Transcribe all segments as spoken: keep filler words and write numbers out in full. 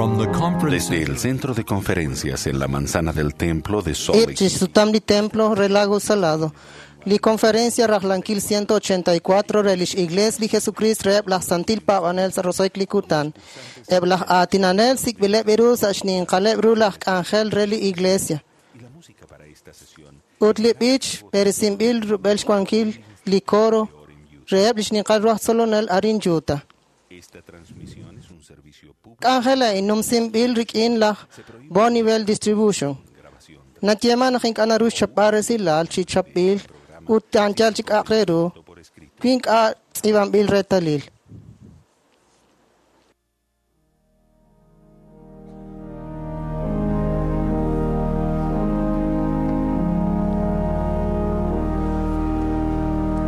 From the conference Desde el centro de conferencias en la manzana del templo de Salt Eb Lake chi sutam li templo re Lago Salado. Li conferencia rajlankil ciento ochenta y cuatro re lix igles li Jesucrist reheb laj santil paab'anel sa' roso'ik li kutan. Eb laj aatinanel sik'b'ileb' ru sa' xninqaleb' ru laj k'anjel re li iglesia. Ut li b'ich b'eresinb'il rub'el xwankil li coro reheb' li xninqal ru aj tzolonel arin Utah. Esta transmisión es un servicio público. K'anjel a'in numsinb'il rik'in laj Bonneville Distribution. Natyeman naq ink'a' naru xchapb'al resilal chi chapb'il ut anchal chi k'a'aq re ru wi ink'a' tz'iib'anb'il reetalil.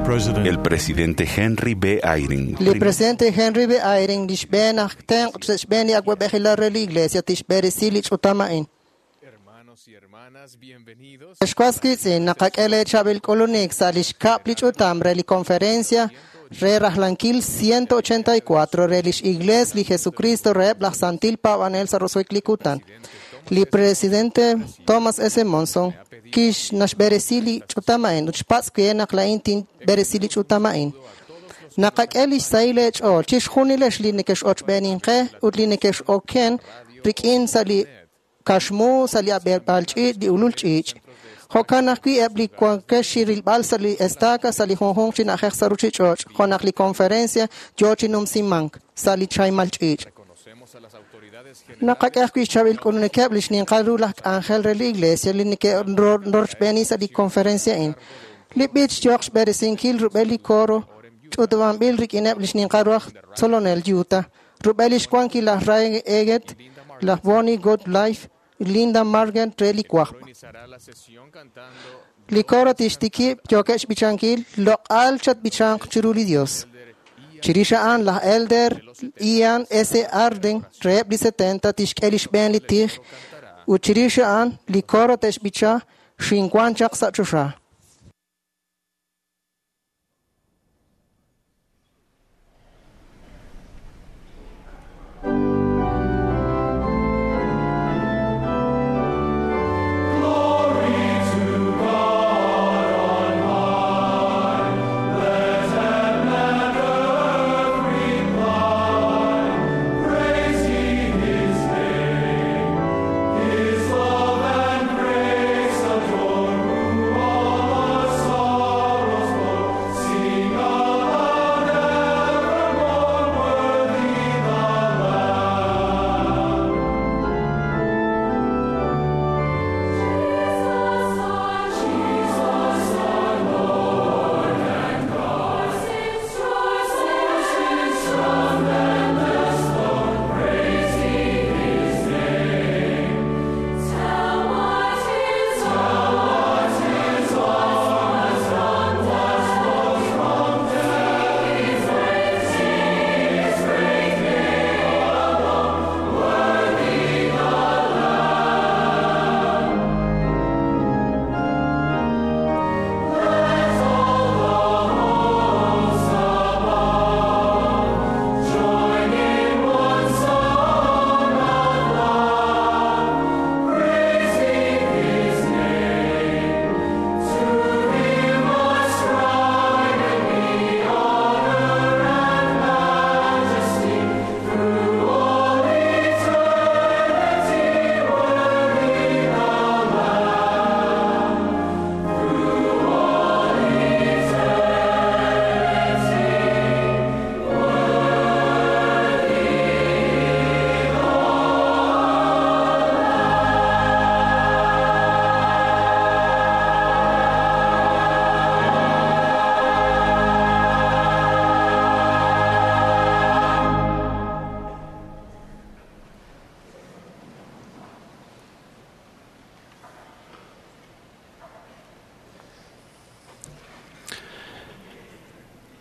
President El presidente Henry B. Eyring. Li presidente Henry B. Eyring li xb'een aj tenq' sa' xb'een li awab'ejilal re li iglesia tixb'eresi li ch'utam a'in. Hermanos y hermanas, bienvenidos. Ex was wiitz'in naqak'e leechab'il k'ulunik sa' li xkab' li ch'utam re li conferencia re rajlankil ciento ochenta y cuatro re lix igles li Jesucristo reheb' laj santil paab'anel sa' roso'ik li kutan. Li presidente Thomas S. Monson kix naxb'eresi li ch'utam a'in ut xpatz' wi naq la'in tinb'eresi li ch'utam a'in. Naqak'e lix sahil leech'ool chixjunilex li nekex'ochb'eeninqe ut li nekex'oken rik'in sa' li kaxmu sa' li ab'eeb'al ch'iich' li ulul ch'iich'. Jo'kan ajwi' eb' li wankex xirilb'al sa' li estaca sa' li junjunq chi na'ajej sa' ruchich'och' jo' naq li conferencia yoo chi numsimank sa' li chaymal ch'iich'. Reconocemos a las autoridades Naqak'e ajwi' xchab'il k'ulunikeb' li xninqal ru laj k'anjel re li iglesia li neke'rochb'eeni sa' li conferencia a'in. Li b'ich yooq xb'eresinkil rub'el li coro ch'utub'anb'il rik'ineb' li xninqal ru aj tzolonel Utah, rub'el li xwankil laj Ray Eggett, laj Bonnie Goodlife, Linda Margan re li wajb'. iniciará la sesión cantando Li coro tixtikib' yookeb' xb'ichankil loq'al chatb'ichanq chiru li Dios. Chirix a'an laj Elder Ian S. Arden reheb' li setenta tixk'e li xb'een li tij ut chirix a'an li coro te'xb'icha xinwan chaq sa' choxa. His love and grace adore, who all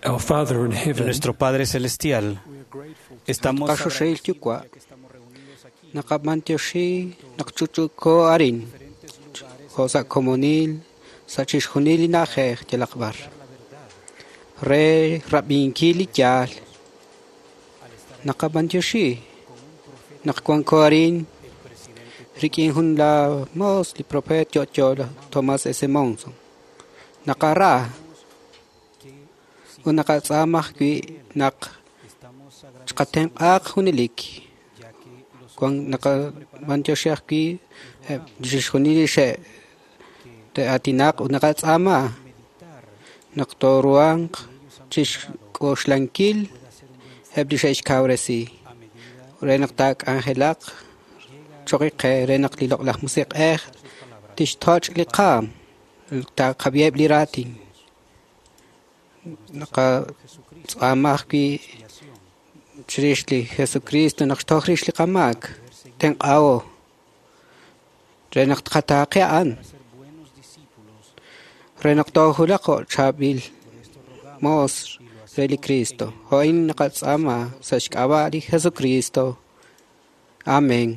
Our Father in heaven, Nuestro Padre Celestial, estamos Qaxoxel yukwa naqab'antioxi naqchuchuko arin jo' sa' komonil sa' chixjunil li na'ajej yalaq b'ar re rab'inkil li yaal naqab'antioxi Naq wanko arin rik'in jun laa moos li profeet yo'yo laj Thomas S. Monson. Naqara ut naqatz'aama ajwi' naq xqatenq'aaq junelik. Wan naqab'antioxi ajwi' chixjunil li xe' te'aatinaq ut naqatz'aama naq tooruhanq chixk'oxlankil eb' li xe'xkawresi re naq taak'anjelaq choq' qe re naq li loq'laj musiq'ej tixtoch' li qaam taqab'iheb' li raatin. Naqatz'aama ajwi' chirix li Jesucristo naq xtoj rix li qamaak tenq'aho re naq tqataaqe a'an re naq toojulaq jo' chaab'il moos re li Cristo. Jo'in naqatz'aama sa' xk'ab'a' li Jesucristo. Amén.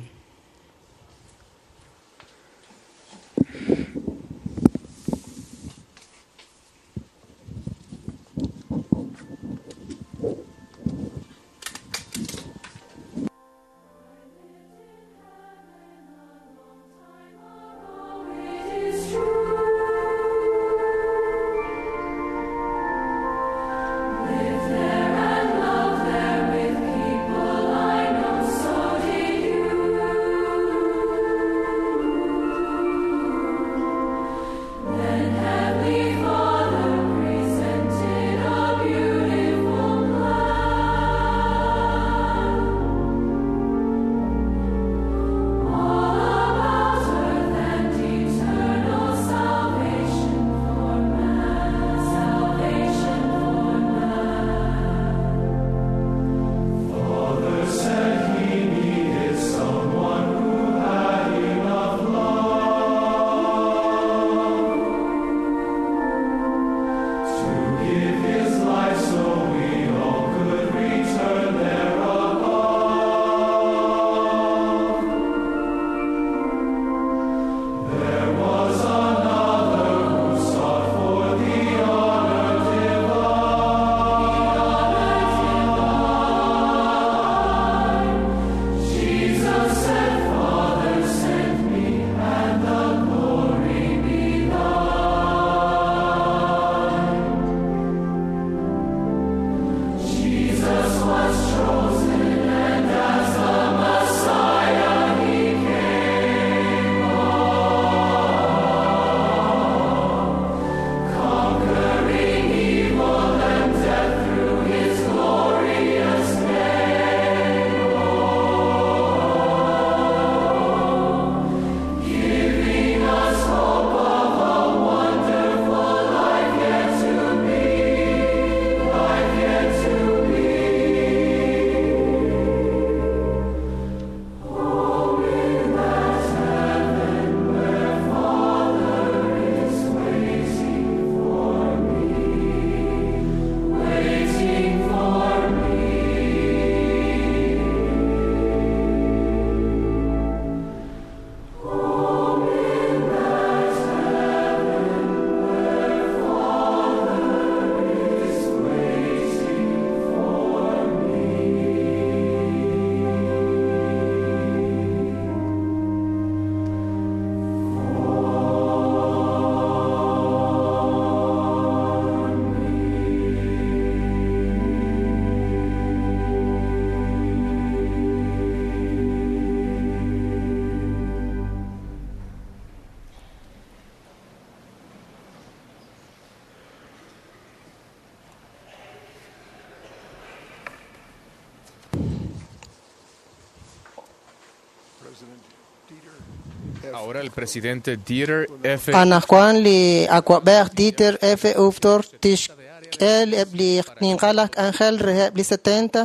Ahora el presidente Dieter F. Anajwan li awab'ej Dieter F. Uchtdorf tixk'e eb' li ninqal aj k'anjel reheb' li setenta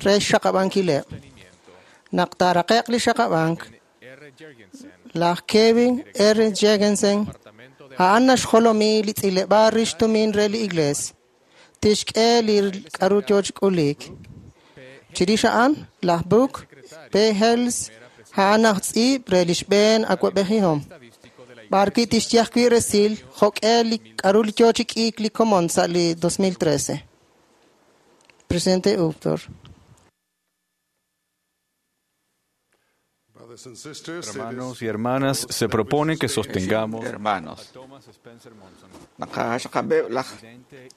re xxaqab'ankileb'. Naq taaraqe'q li xaqab'ank, laj Kevin R. Jorgensen a'an naxjolomi li tz'ileb'aal rix tumin re li Iglees. Tixk'e li k'a'ru yoo chi k'uliik. Chirix a'an, laj Brooke P. Hales a'an aj tz'iib' re li xb'een awab'ejihom. B'arwi' tixye ajwi' resil jo'k'e li k'a'ru li yoo chi k'iik li komon sa' li dos mil trece. Presidente Uchtdorf. Hermanos y hermanas, se propone que sostengamos hermanos. Naqaxaqab'eb' laj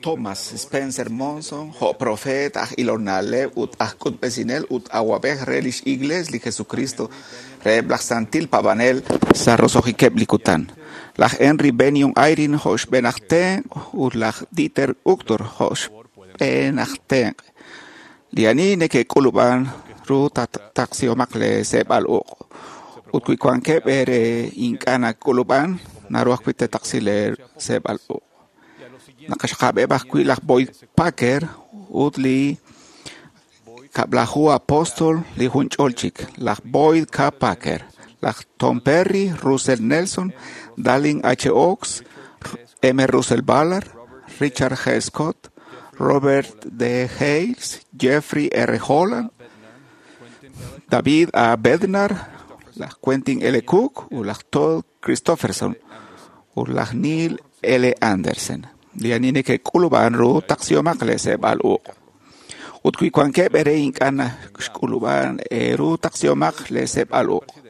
Thomas Spencer Monson, jo' profeet aj ilonaleb' ut aj k'utb'esinel ut awab'ej re lix Iglees li Jesucristo reheb' laj Santil Paab'anel sa' roso'jikeb' li kutan. Laj Henry Benion Eyring jo' xb'een aj tenq' ut laj Dieter Uchtdorf jo' xb'een aj tenq'. Li ani neke'k'ulub'an ru taqsihomaq lee seeb'al uq'. Ut wi wankeb' eere ink'a' nak'ulub'an, naru ajwi' te'taqsi lee seeb'al uq'. Naqaxaqab'eb' ajwi' laj Boyd Packer ut li kab'laju apóstol li junch'ol chik, laj Boyd K. Packer, laj Tom Perry, Russell Nelson, Dallin H. Oaks, M. Russell Ballard, Richard G. Scott, Robert D. Hales, Jeffrey R. Holland, David A. Bednar, laj Quentin L. Cook ut laj Todd Christofferson ut laj Neil L. Andersen. Li ani neke'k'ulub'an ru taqsihomaq lee seeb'al uq'. Ut wi wankeb' eere ink'a' xk'ulub'an eeru taqsihomaq lee seeb'al uq'.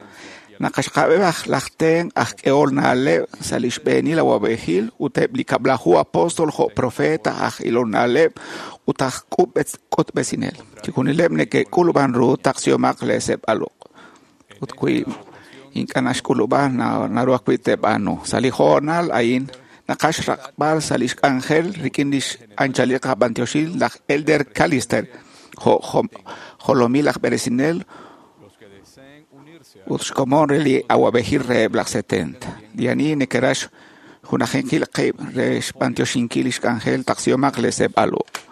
Naqaxaqab'eb' aj laj tenq' aj k'ehol na'leb' sa' li xb'eenil awab'ejil ut eb' li kab'laju apóstol jo' profeta aj ilol na'leb' ut aj k'utb'esinel. Chixjunileb' neke'k'ulub'an ru taqsihomaq lee seeb'al uq'. Ut wi ink'a' naxk'ulub'an naru ajwi' te'b'aanu. Sa' li hoonal a'in naqax raqb'al sa' lix k'anjel rik'in lix anchalil qab'antioxil laj Elder Callister jo' jolomil aj b'eresinel ut xkomon re li awab'ejil reheb' laj setenta. Li ani neke'rax junajinkil qib' re xb'antioxinkil lix k'anjel taqsihomaq lee seeb'al uq'.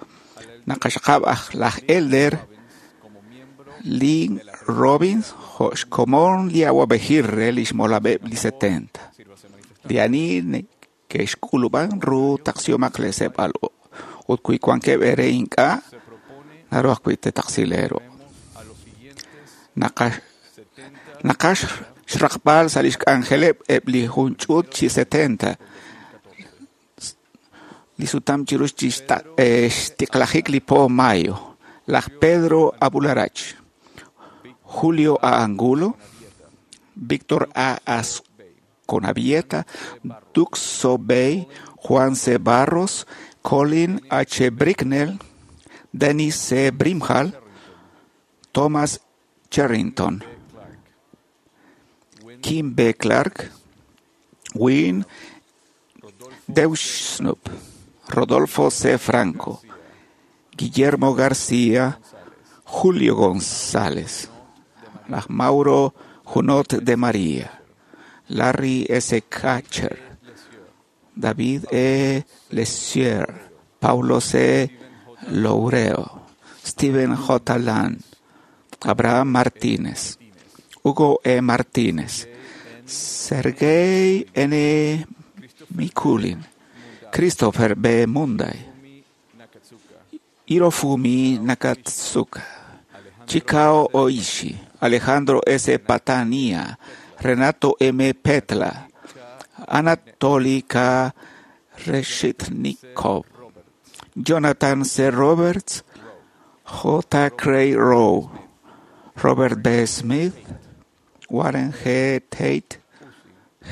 Naqaxaqab' aj laj Elder Lynn Robbins jo' xkomon li awab'ejil re lix molab'eb' li setenta. Li ani neke'xk'ulub'an ru taqsihomaq lee seeb'al uq'. Ut wi wankeb' eere ink'a', naru ajwi' te'taqsi lee ruq'. Naqax Naqax xraqb'al sa' lix k'anjeleb' eb' li jun ch'uut chi setenta li sutam chiru xtiqlajik li po mayo. Laj Pedro Abularach, Julio A. Angulo, Víctor A. Asconavieta, Duxo Bey, Juan C. Barros, Colin H. Bricknell, Dennis C. Brimhall, Thomas Cherrington, Kim B. Clark, Wynne Deuschnup, Rodolfo C. Franco, Guillermo García, Julio González, Mauro Junot de María, Larry S. Catcher, David E. Lesieur, Paulo C. Loureo, Steven J. Land, Abraham Martínez, Hugo E. Martínez, Sergei N. Mikulin, Christopher B. Munday, Hirofumi Nakatsuka, Chikao Oishi, Alejandro S. Patania, Renato M. Petla, Anatoly K. Reshetnikov, Jonathan C. Roberts, J. Cray Rowe, Robert B. Smith, Warren G. Tate,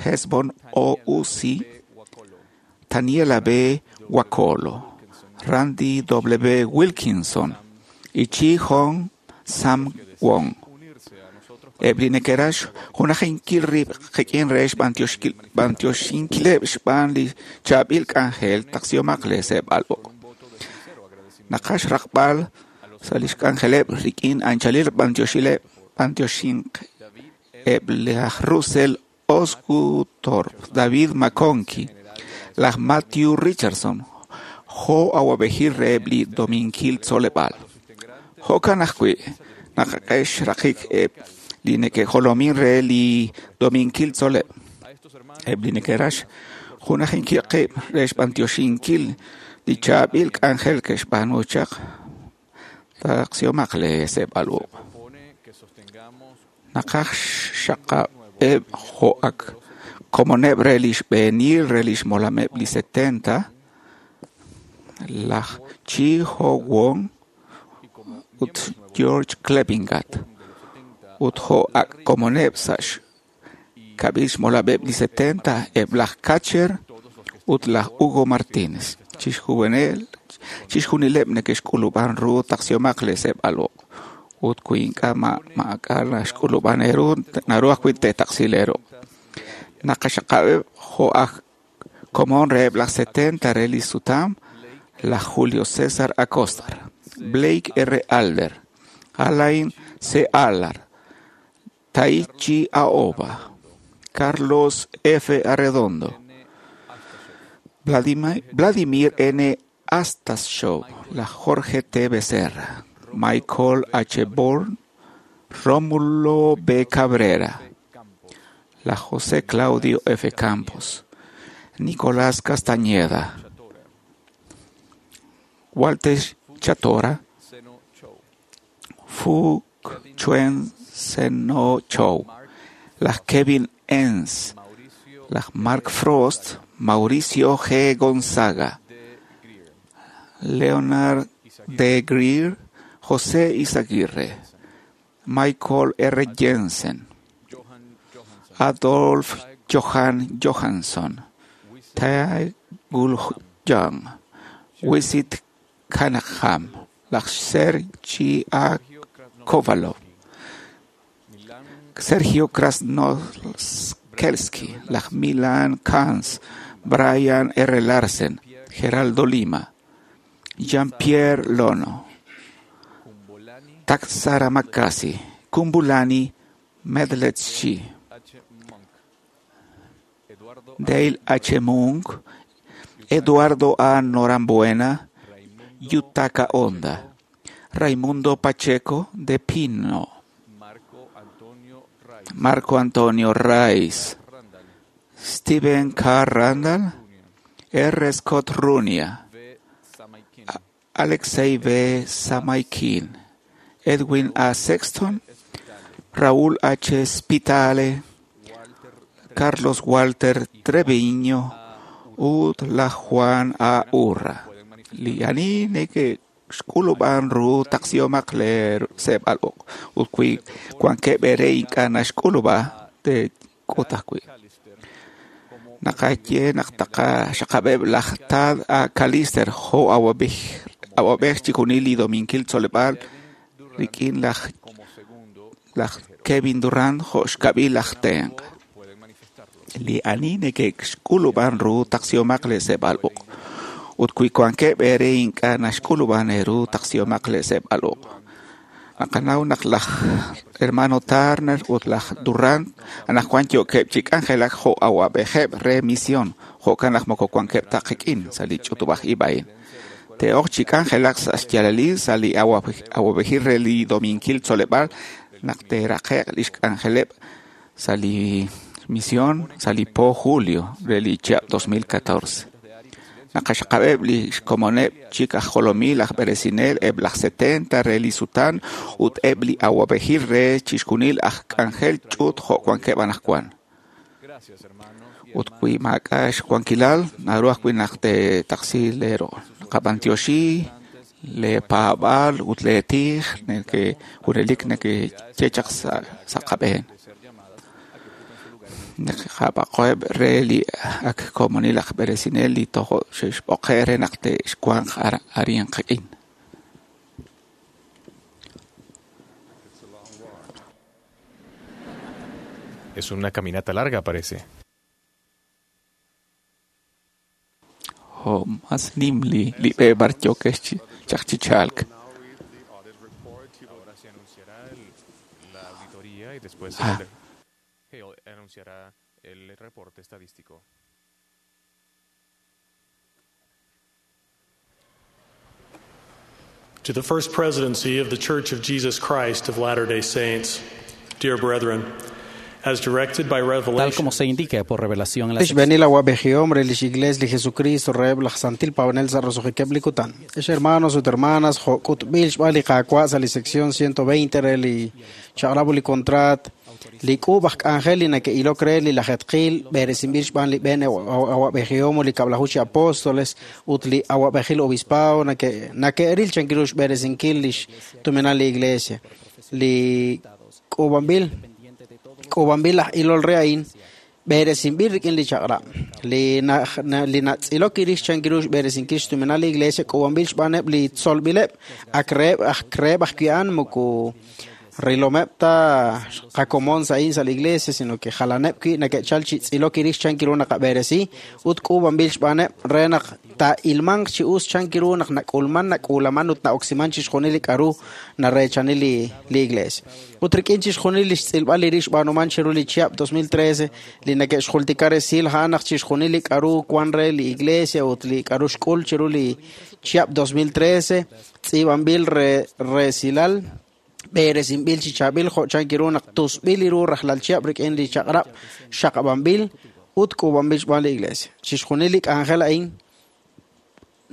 Hesbon O. Uzi, Taniela B. Wakolo, Randy W. Wilkinson y Chi Hong Sam Wong. Eb' li neke'rax junajinkil rib' qik'in re xb'antioxinkileb' xb'aan li chaab'il k'anjel taqsihomaq lee seeb'al uq'. Naqax raqb'al sa' lix k'anjeleb' rik'in anchalil b'antioxileb' b'antioxinq eb' laj Russell Osguthorpe, David McConkie, laj Matthew Richardson, jo' awab'ejil reheb' li dominkil tzoleb'aal. Jo'kan ajwi' naqak'e xraqik eb' li neke'jolomin re li dominkil tzoleb'. Eb' li neke'rax junajinkil qib' re xb'antioxinkil li chaab'il k'anjel ke'xb'aanu chaq taqsihomaq lee seeb'al uq'. Naqaj xaqab'eb' jo' ak komoneb' re li xb'eenil re lix molameb' li setenta, laj Chi Ho Won ut George Klebingat Ut jo' ak' komoneb' sa' xkab'il xmolab'eb' li setenta, eb' laj Catcher ut laj Hugo Martínez. Chixjunileb' neke'xk'ulub'an ru taqsihomaq leeseb'al uq'. Ut wi ink'a' maak'a' naxk'ulub'an eeru, naru ajwi' teetaqsi leeruq'. Naqaxaqab'eb' jo' aj komon reheb' laj setenta re li sutam, laj Julio César Acosta, Blake R. Alder, Alain C. Allard, Taichi Aoba, Carlos F. Arredondo, Vladimir N. Astashov, laj Jorge T. Becerra, Michael H. Bourne, Rómulo B. Cabrera, la José Claudio F. Campos, Nicolás Castañeda, Walter Chatora, Fu Chuen Seno Chow, las Kevin Enns, las Mark Frost, Mauricio G. Gonzaga, Leonard D. Greer, José Izaguirre, Michael R. Jensen, Adolf Johan Johansson, Tae Gul Young, Wisit Kanaham, laj Sergi A. Kovalov, Sergio Krasnoskelski, laj Milan Kans, Brian R. Larsen, Geraldo Lima, Jean-Pierre Lono, Taksara Makasi, Kumbulani Medletchi, Dale H. Munk, Eduardo A. Norambuena, Yutaka Honda, Raimundo Pacheco de Pino, Marco Antonio Rice, Steven K. Randall, R. Scott Runia, Alexei V. Samaikin, Edwin A. Sexton, Raúl H. Spitale, Carlos Walter Treviño, ut la Juan A. Urra. Li ani neke'xk'ulub'an ru taqsihomaq leeseb'al uq' ut wi wankeb' eere ink'a' naxk'ulub'a teek'ut ajwi'. Naqaye naq taqaxaqab'eb' laj Tad A. Callister jo' awab'ej chixjunil li Dominkil Tzoleb'aal rik'in laj laj Kevin Durant jo' xkab'il laj tenq'. Li ani neke'xk'ulub'an ru taqsihomaq leeseb'al uq'. Ut wi wankeb' eere ink'a' naxk'ulub'an eeru taqsihomaq leeseb'al uq'. Naqanaw naq laj hermano Turner ut laj Durant anaqwan yookeb' chi k'anjelak jo' awab'ejeb' re misión, jo'kan naq moko wankeb' ta qik'in sa' li ch'utub'aj ib' a'in. Te'ok chi k'anjelak sa' xyaalalil sa' li awab'ejil re li Dominkil Tzoleb'aal naq te'raqe'q li xk'anjeleb' sa' li misión sa' li po julio re li chihab' dos mil catorce. Naqaxaqab'eb' li xkomoneb' chik aj jolomil aj b'eresinel eb' laj setenta re li sutan ut eb' li awab'ejil re chixjunil aj k'anjel ch'uut jo' wankeb' anaqwan. Ut wi maak'a' xwankilal, naru ajwi' naq teetaqsi leeru'. Naqab'antioxi leepaab'aal ut leetij neke junelik neke'ye chaq sa' qab'een. Naqab'aqo'eb' re li ak komonil aj b'eresinel li tojo' xe'xb'oqe' re naq te'xwanq arin qik'in. Es una caminata larga, parece. Jo' mas nim li li b'e b'ar yookex chaq chi chalk. Ahora se anunciará la auditoría y después Ah. el Hale anunciará el reporte estadístico. To the First Presidency of the Church of Jesus Christ of Latter-day Saints, dear brethren, as directed by Tal revelation, como se indica por revelación en la Lix benil awab'ejihom re lix iglees li Jesucristo reheb' laj santil paab'anel sa' roso'jikeb' li kutan. Ex hermanos ut hermanas, jo' k'utb'il xb'aan li Qaawa' sa' li sección ciento veinte re li chaq'rab' ut li contrat, li k'uub' aj k'anjel li neke'ilok re li lajetqil b'eresinb'il xb'aan li b'een awab'ejihom ut li kab'laju chi apóstoles ut li awab'ejil obispado nake' nake'ril chankiru xb'eresinkil lix tuminal li iglesia. Li K'uub'anb'il k'uub'anb'il laj ilol re a'in b'eresinb'il rik'in li chaq'rab' li li natz'ilok rix chan ru xb'eresinkil xtuminal li iglesia k'uub'anb'il xb'aaneb' li tzolb'ileb' ak reheb' ak reheb' ajwi' a'an moko rilomeb' ta qakomon sa' a'in sa' li iglesia sino que jalaneb' wi' nake'chal chi tz'ilok rix chan ru naqab'eresi ut k'uub'anb'il xb'aaneb' re naq taa'ilmanq chi us chan ru naq nak'ulman nak'uulaman ut na'oksiman chixjunil li k'a'ru nareechani li li iglesia. Ut rik'in chixjunil li xtz'ilb'al li rix xb'aanuman chiru li chihab' dos mil trece li nake'xjultika resil a'an naq chixjunil li k'a'ru wan re li iglesia ut li k'a'ru xk'ul chiru li chihab' dos mil trece tz'iib'anb'il re resilal b'eresinb'il chi chaab'il jo' chan ru naq tusb'il li ru rajlal chihab' rik'in li chaq'rab' xaqab'anb'il ut k'uub'anb'il xb'aan li iglesia. Chixjunil li k'anjel a'in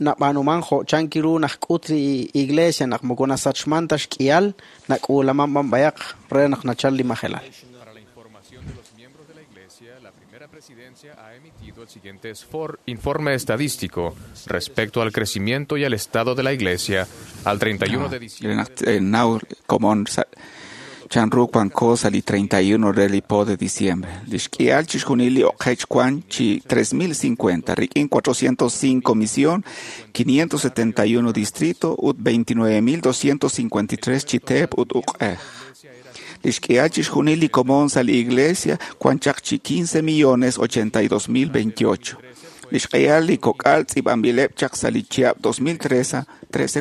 nab'aanuman jo' chan ru naq k'ut li iglesia naq moko nasachman ta xk'ihal nak'uulaman b'an b'ayaq re naq nachal li majelal. Para la información de los miembros de la Iglesia, la primera presidencia ha emitido el siguiente informe estadístico respecto al crecimiento y al estado de la Iglesia al treinta y uno de diciembre. Chanru wanko sa li treinta y uno re li po de diciembre. Li xk'ihal chixjunil li oqech wan chi tres mil cincuenta, rik'in cuatrocientos cinco misión, quinientos setenta y uno distrito ut veintinueve mil doscientos cincuenta y tres chi teep ut uq'ej. Li xk'ihal chixjunil li komon sa li iglesia wan chaq chi quince millones ochenta y dos mil veintiocho. Li xk'ihal li kok'al tz'iib'anb'ileb' chaq sa li chihab' dos mil trece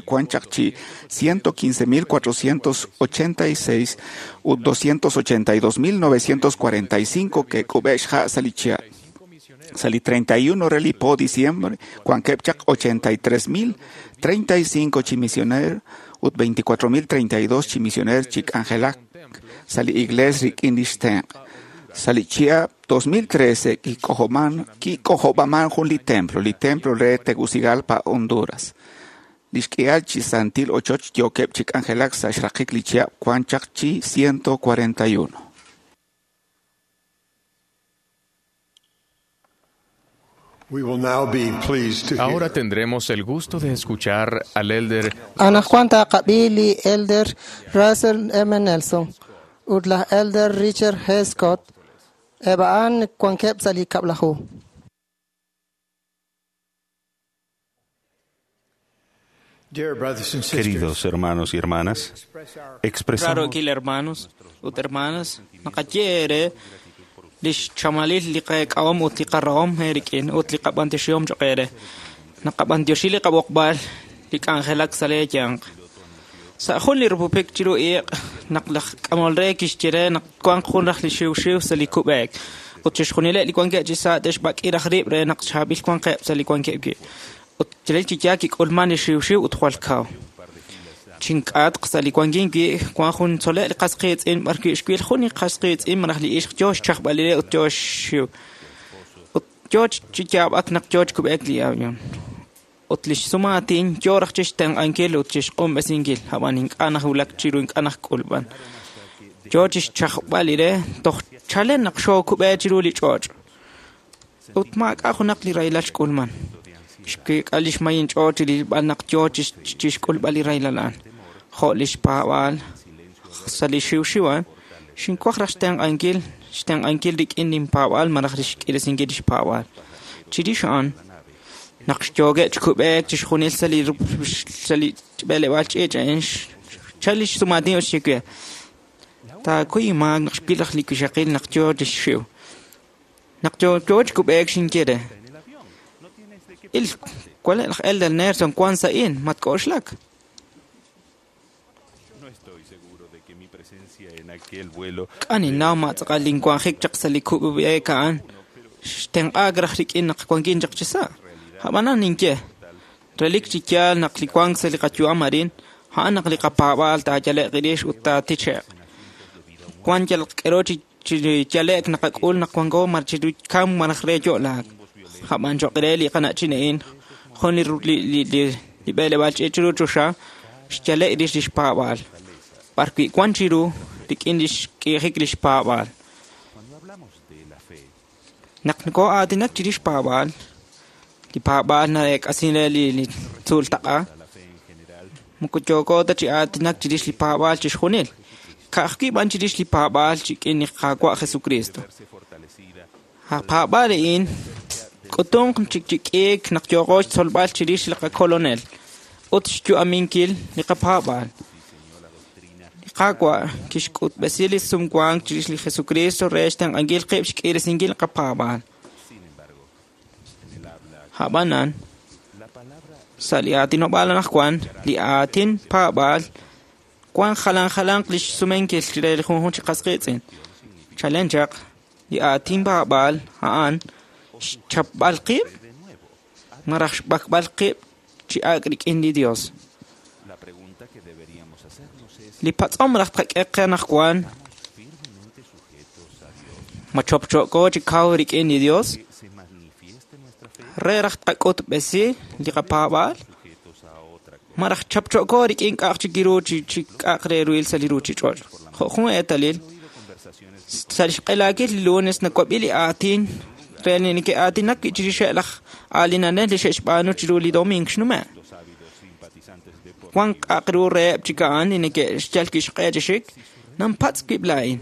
wan chaq chi ciento quince mil cuatrocientos ochenta y seis ut doscientos ochenta y dos mil novecientos cuarenta y cinco que k'ub'e xja' sa li chihab'. Sa li treinta y uno re li po diciembre wankeb' chaq ochenta y tres mil treinta y cinco chi misioner ut veinticuatro mil treinta y dos chi misioner chi k'anjelak sa li iglesia rik'in li xtenq'. Sa li chihab' dos mil trece kik'ojoman kik'ojob'aman jun li templo, li templo re Tegucigalpa, Honduras. Li xk'ihal chi santil ochoch yookeb' chi k'anjelak sa' xraqik li chihab' wan chaq chi ciento cuarenta y uno. We will now be pleased to Ahora hear tendremos el gusto de escuchar al elder Anaqwan taqab'i li Elder Russell M. Nelson ut laj Elder Richard G. Scott eb' a'an wankeb' sa' li kab'laju. Dear brothers and sisters, Queridos hermanos y hermanas, expresamos Raro hermanos ut hermanas naqaye eere li xchamalil li qak'ahom ut li qarahom eerik'in ut li qab'antioxihom cho'q eere. Naqab'antioxi li qab'oqb'al li k'anjelak sa' leeyanq. Sa' jun li rupupik chiru iq' naq laj k'amol re kixye re naq wanq jun raj li xiwxiw sa' li kub'eek ut chixjunileb' li wankeb' chi sa' te'xb'ak'i raj rib' re naq chaab'il wanqeb' sa' li wankeb' wi'. Ut chalel chi yaal kik'ulman li xiwxiw ut jwal kaw. Chink'atq sa' li wankin wi' wan jun tzole' li qas qiitz'in b'ar wi' xwil jun li qas qiitz'in malaj li ixq yoo xchajb'al li re ut yoo xxiw. Ut yoo chi yaab'ak naq yoo chkub'eek li avión. Ut li xsumaatin yoo raj chixtenq'ankil ut chixq'unb'esinkil, ab'an ink'a' najwulak chiru ink'a' najk'ulb'an. Yoo chixchajb'al li re toj chalen naq xookub'e chiru li ch'och'. Ut maak'a' junaq li rahilal xk'ulman. Xkik'a li xmayin ch'och' chirilb'al naq yoo chixk'ulb'al li rahilal a'an. Jo' li xpaab'aal sa' li xiwxiw a'an, xinwaj raj xtenq'ankil xtenq'ankil rik'in linpaab'aal malaj li xk'iresinkil li xpaab'aal. Chirix a'an, naq xyookeb' chikub'eek chixjunil sa' li sa' li b'eleb'aal ch'iich' a'in, xchal li xsumaatin ut xye we, taakuy inmaak naq xwil raj li wixaqil naq yoo chixxiw. Naq yoo chikub'eek xinye re, il wale' laj Elder Nelson wan sa' a'in, matk'oxlak. No estoy seguro de que mi presencia en aquel vuelo K'an innaw matz'aqal linwanjik chaq sa' li kub'eek a'an xtenq'aak raj rik'in naq wankin chaq chi sa'. Ab'anan ninye, relik chi yaal naq li wank sa' li qayu'am arin, a'an naq li qapaab'aal taayale'q rix ut taatiche'q. Wan yal k'ero chi chi yale'k naqak'ul naq wanko mar chiru kam malaj re yo'laak. Ab'an cho'q re li qana'chin a'in, jun li li li li b'eleb'aal ch'iich' chiru choxa xyale' rix li xpaab'aal. B'ar wi' wan chiru rik'in li xk'iijik li xpaab'aal. Naq nokoo'aatinak chirix paab'aal, li paab'aal nareek'asin re li li tzuul taq'a, moko yooko ta chi aatinak chirix li paab'aal chixjunil. Ka'ajwi' b'an chirix li paab'aal rik'in li Qaawa' Jesucristo. A paab'aal a'in k'utunq chik chi k'iik naq yooqo xtzolb'al chirix li qakolonel ut xyu'aminkil li qapaab'aal. Li Qaawa' kixk'utb'esi li sumwank chirix li Jesucristo re xtenq'ankil qib' xk'iiresinkil li qapaab'aal. Ab'anan, sa' li aatinob'aal anaqwan, li aatin paab'aal wan jalan jalanq li xsumenkil re li junjunq chi qas qiitz'in. Chalen chaq, li aatin paab'aal a'an xchapb'al qib' malaj xb'akb'al qib' chi ak' rik'in li Dios. Li patz'om raj tqak'e qe anaqwan, ma chopcho'ko chi kaw rik'in li Dios? Re raj tqak'utb'esi li qapaab'aal? Malaj chapcho'ko rik'in k'a'aq chik ru chi chi k'a'aq re ruhil sa' li ruuchich'och'. Jo' jun eetalil, sa' li xq'elaakil li lunes nawab'i li aatin re li neke'aatinak wi' chirixeb' laj aalinanel li xe'xb'aanu chiru li domingo xnume'. Wan k'a'aq ru reheb' chik a'an li neke'xyal wi' xq'e chi xik, nampatz' wib' laa'in.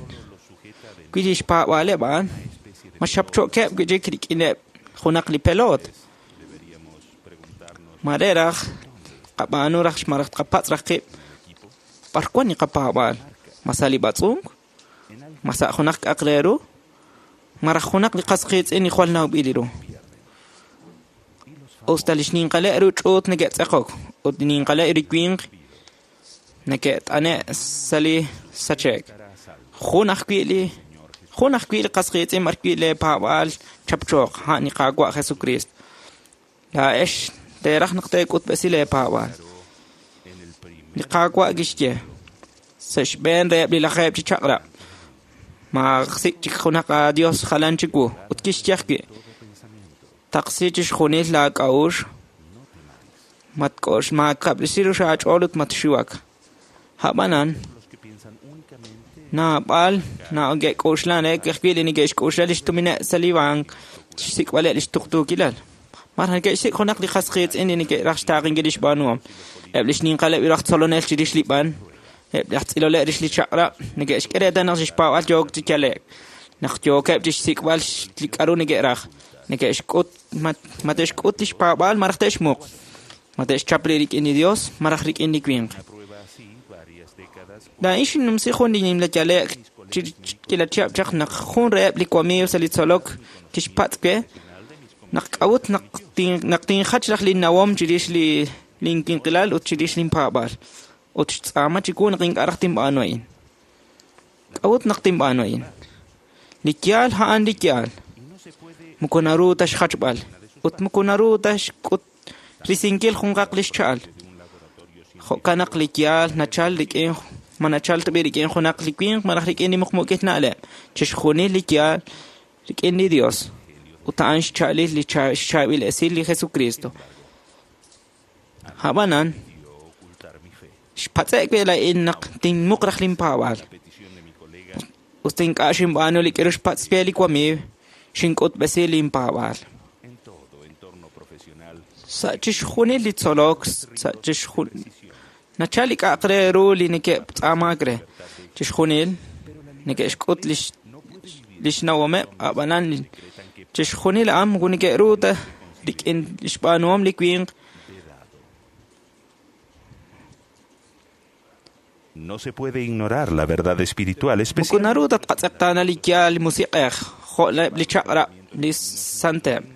Wi li xpaab'aaleb' a'an, ma xapcho'keb' wi' chik rik'ineb' junaq li pelot. Ma re raj qab'aanu raj malaj tqapatz' raj qib' b'ar wan li qapaab'aal? Ma sa' li b'atz'unk? Ma sa' junaq k'a'aq re ru? Malaj junaq li qas qiitz'in li jwal nawb'il ru. Usta li xninqaleb' ru ch'uut neke'tz'eqok ut li ninqaleb' ru winq neke't'ane' sa' li sache'k. Jun ajwi' li jun ajwi' li qas qiitz'in b'ar wi' lee paab'aal chapchooq a'an li Qaawa' Jesucristo. Laa'ex teeraj naq teek'utb'esi lee paab'aal. Li Qaawa' kixye sa' xb'een reheb' li lajeeb' chi chaq'rab', maasik' chik junaq aadios jalan chiwu. Ut kixye ajwi', taqsi chixjunil laak'a'uxl, matk'ox maakab'risi ru aach'ool ut matxiwak. Ab'anan, naab'al neke'k'oxlan re ajwi' li neke'xk'oxla li xtumineb' sa' li bank xsik'b'aleb' li xtuqtuukilal. Malaj neke'xsik' junaq li qas qiitz'in li neke'raj xtaaqenkil li xb'aanuhom. Eb' li xninqaleb' raj tzolonel chirix li b'an, eb' laj tz'iloleb' rix li chaq'rab' neke'xk'e reetal naq xpaab'aal yook chi yale'k. Naq yookeb' chi xsik'b'al li k'aru neke'raj, neke'xk'ut ma te'xk'ut li xpaab'aal malaj te'xmuq, ma te'xchap rib' rik'in li Dios malaj rik'in li winq. Laa'in xinnumsi jun li nimla yale'k chi k'iila chihab' chaq naq jun reheb' li wamiiw sa' li tzolok kixpatz' we naq k'a'ut naq tin naq tinjach raj linnawom chirix li linwinqilal ut chirix linpaab'aal. Ut xtz'aama chiwu naq ink'a' raj tinb'aanu a'in. K'a'ut naq tinb'aanu a'in? Li yaal a'an li yaal. Moko naru ta xjachb'al ut moko naru ta xk'ut risinkil junqaq li xcha'al. Jo'kan naq li yaal nachal rik'in ma nachal tab'i rik'in junaq li winq malaj rik'in li muqmuqil na'leb'. Chixjunil li yaal rik'in li Dios. Ut a'an xcha'alil li xchaab'il esil li Jesucristo. Ab'anan, xpatz'ek wi' laa'in naq tinmuq raj linpaab'aal. Ut ink'a' xinb'aanu li k'aru xpatz' we li wamiiw, xink'utb'esi linpaab'aal. Sa' chixjunil li tzolok, sa' chixjunil nachal li k'a'aq re ru li neke'tz'aamaak re. Chixjunil neke'xk'ut li li xnawomeb', ab'anan chixjunil a'an moko neke'ru ta rik'in li xb'aanuhom li winq. No se puede ignorar la verdad espiritual Moko especial. naru ta tqatz'eqtaana li yaal li musiq'ej, jo'leb' li chaq'rab' li santeb'.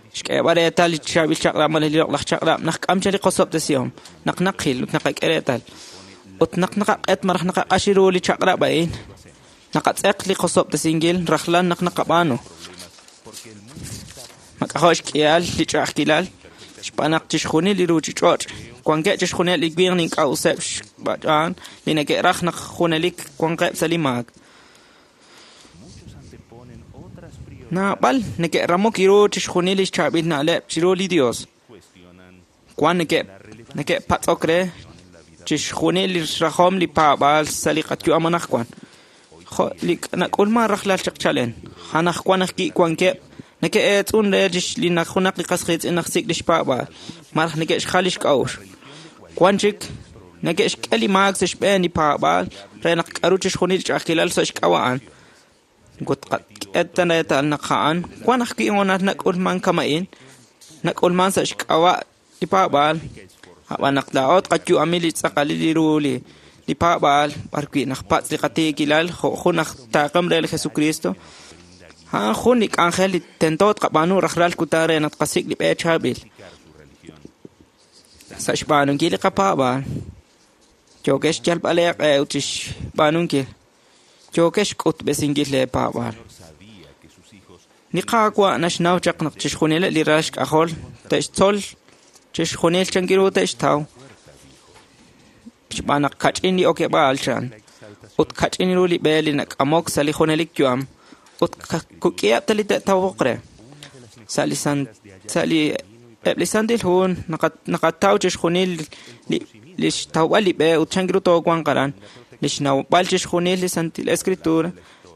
Xk'eeb'al reetal li chaab'il chaq'rab' malaj li loq'laj chaq'rab' naq k'am chal li qosob'tesihom, naq naqil ut naqak'e reetal. Ut naq naqaq'et malaj naqaq'axi ru li chaq'rab' a'in, naqatz'eq li qosob'tesinkil rajlal naq naqab'aanu. Mak'ajo' xk'ihal li ch'a'ajkilal, xb'aan naq chixjunil li ruuchich'och' wankeb' chixjunil li winq ink'a'useb' xb'aan li neke'raj naq junelik wanqeb' sa' li maak. Naab'al neke'ramok ru chixjunil li xchaab'il na'leb' chiru li Dios. Wan neke' neke'patz'ok re chixjunil li xrajom li paab'aal sa' li qayu'am anaqwan. Jo' li nak'ulman rajlal chaq chalen. Anaqwan ajwi' wankeb' neke'eetz'un re li naq junaq li qas qiitz'in naq sik' li xpaab'aal malaj neke'xjal li xk'a'uxl. Wan chik Neke'xk'e li maak sa' xb'een li paab'aal re naq k'aru chixjunil ch'a'ajkilal sa' xk'ab'a' a'an. Ut qak'e ta reetal naq a'an wan ajwi' hoonal nak'ulman kama'in, nak'ulman sa' xk'ab'a' li paab'aal. Ab'an naq laa'o tqayu'ami li tz'aqalil li ru li li paab'aal b'arwi' naqpatz' li qatiikilal jo' jun aj taaqem re li Jesucristo, a'an jun li k'anjel li tento tqab'aanu rajlal kutan re naq tqasik' li b'e chaab'il. Sa' xb'aanunkil li qapaab'aal, yookex xyalb'al eeq'e ut xb'aanunkil, yookex xk'utb'esinkil leepaab'aal. Li Qaawa' naxnaw chaq naq chixjunileb' li ral xk'ajol te'xtzol chixjunil chankiru te'xtaw xb'aan naq kach'in li okeb'aal chan ut kach'in ru li b'e li nak'amok sa' li junelik yu'am ut kuk'iheb' ta li te'tawoq re. Sa' li san sa' li eb' li Santil Hu naqataw chixjunil li li xtawb'al li b'e ut chankiru toowanq aran. Li xnawb'al chixjunil li Santil Escritura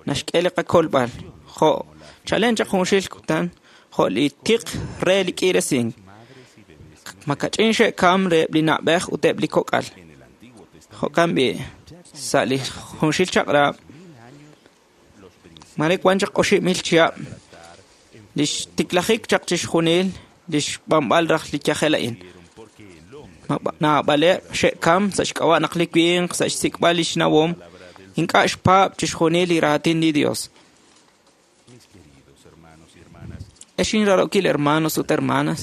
naxk'e li qakolb'al jo' chalen chaq junxil kutan jo' li tiq re li k'iiresink. Makach'in xe'kam reheb' li na'b'ej ut eb' li kok'al. Jo'kan b'i' sa' li junxil chaq'rab' mare wan chaq oxib' mil chihab' li xtiklajik chaq chixjunil li xb'anb'al raj li yajel a'in. Naab'aleb' xe'kam sa' xk'ab'a' naq li winq sa' xsik'b'al li xnawom ink'a' xpaab' chixjunil li raatin li Dios. Ex inrarokil hermanos ut hermanas,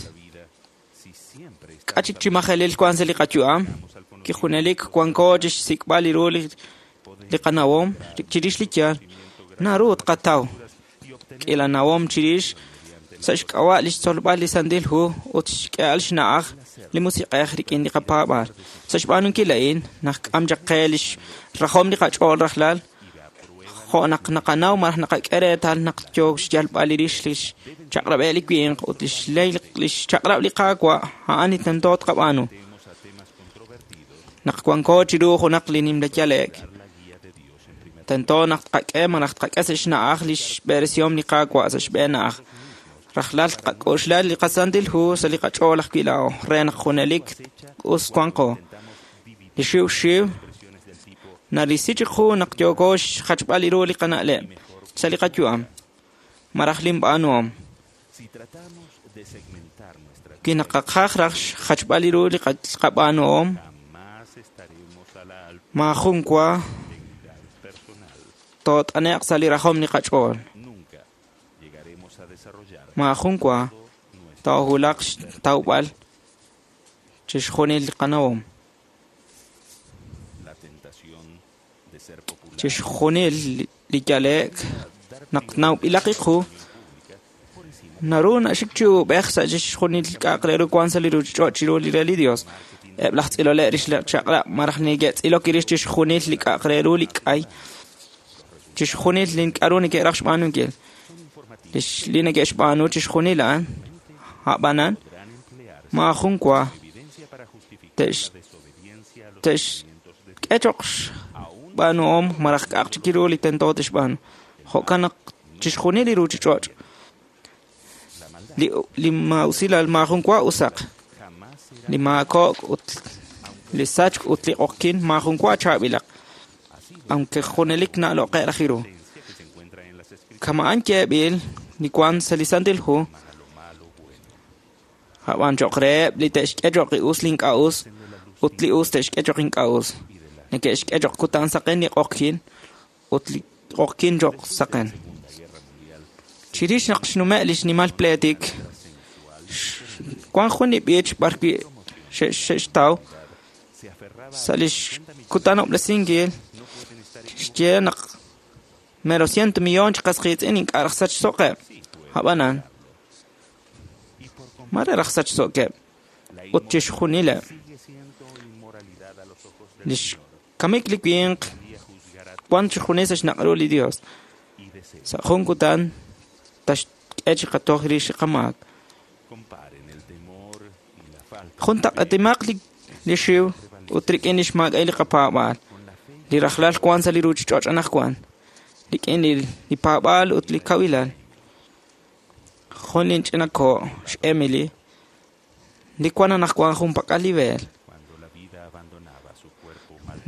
k'a chik chi majelil wan sa' li qayu'am, kijunelik wanko chixsik'b'al li ru li li qanawom chirix li yaal, naru tqataw k'iila nawom chirix sa' xk'ab'a' li xtzolb'al li Santil Hu ut xk'e'al xna'aj li musiq'ej rik'in li qapaab'aal. Sa' xb'aanunkil a'in, naqk'am chaq qe li xrajom li qach'ool rajlal, jo' naq naqanaw malaj naqak'e reetal naq yook xyalb'al li rix li xchaq'rab'eb' li winq ut li xley li xchaq'rab' li Qaawa' a'an li tento tqab'aanu. Naq wanko chiru junaq li nimla yale'k, tento naq tqak'e malaj tqak'e sa' xna'aj li xb'eresihom li Qaawa' sa' xb'een na'aj. Rajlal tqak'oxla li qaSantil Hu sa' li qach'ool ajwi' laa'o re naq junelik us wanqo. Li xiw xiw narisi chiqu naq yooko xjachb'al li ru li qana'leb' sa' li qayu'am malaj linb'aanuhom. Wi naqaqaj raj xjachb'al li ru li qab'aanuhom, maajun wa toot'ane'q sa' li rajom li qach'ool. Maajun wa toohulaq xtawb'al chixjunil li qanawom. Chixjunil li yale'k naq nawb'ilaq iqu naru naxik chi ub'ej sa' chixjunil k'a'aq re ru wan sa' li ruuchich'och' chiru li re li Dios. Eb' laj tz'iloleb' rix li chaq'rab' malaj neke'tz'ilok rix chixjunil li k'a'aq re ru li k'ay, chixjunil li k'aru neke'raj xb'aanunkil. Li neke'xb'aanu chixjunil a'an, a'b'anan maajun wa te'x te'xk'e choq xb'aanuhom malaj k'a'aq chik ru li tento te'xb'aanu. Jo'kan naq chixjunil li ruuchich'och' li li maa'usilal maajun wa usaq, li maako'k ut li sachk ut li q'oqkin maajun wa chaab'ilaq, aunque junelik na'loq'e' raj ru. Kama'an yeeb'il li wan sa' li Santil Hu, ab'an choq reheb' li te'xk'e choq li us li ink'a' us ut li us te'xk'e choq ink'a' us. Neke'xk'e choq kutan saqen li q'oqkin ut li q'oqkin choq saqen. Chirix naq xnume' li xnimal pleetik, wan jun li b'ich b'arwi' xe'xtaw sa' li xkutanob'resinkil xye naq mero ciento millón chi qas qiitz'in ink'a' raj sachso'qeb'. Ab'anan mare raj sachso'keb' ut chixjunileb'. Li xkamik li winq wan chixjunil sa' xnaq' ru li Dios. Sa' jun kutan taxk'e chi qatoj rix li qamaak. Juntaq'etimaq li li xiw ut rik'in li xmaak'a'il li qapaab'aal. Li rajlal wan sa' li ruuchich'och' anaqwan rik'in li li paab'aal ut li kawilal. Jun linch'ina ko' xEmily li wan anaqwan junpak'al li beel.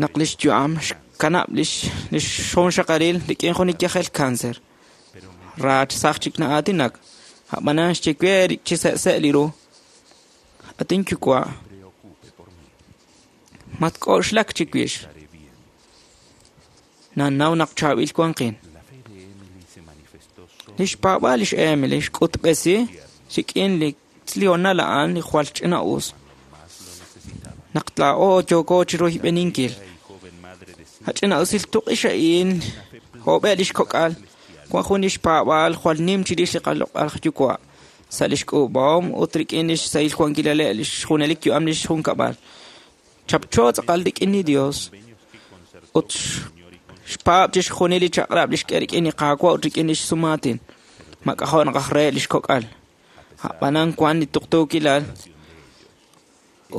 Naq lix yu'am xkanab' lix lix xonxaqalil rik'in jun li yajel cáncer. Raach saj chik na'aatinak. A'b'anan xye we chi se'se' li ru. Atin yuwa'. Matk'oxlak chiwix. Nanaw naq chaab'il wanqin. Lix paab'aal lix Emily xk'utb'esi rik'in li tlional a'an li jwal ch'ina'us. Naq tlaa'o yooko chiroyb'eninkil. Ach'ina'usil tuq'ix a'in jo'b'e lix kok'al wan jun lix paab'aal jwal nim chirix li qaloq'al yuwa' sa' lix k'uub'ahom ut rik'in lix sahil wankilale' lix junelik yu'am lix junkab'al. Chapcho tz'aqal rik'in li Dios ut xpaab' chixjunil li chaq'rab' lix k'e rik'in li Qaawa' ut rik'in lix sumaatin. Mak'ajo' naq aj re lix kok'al. A'b'anan wan li tuqtuukilal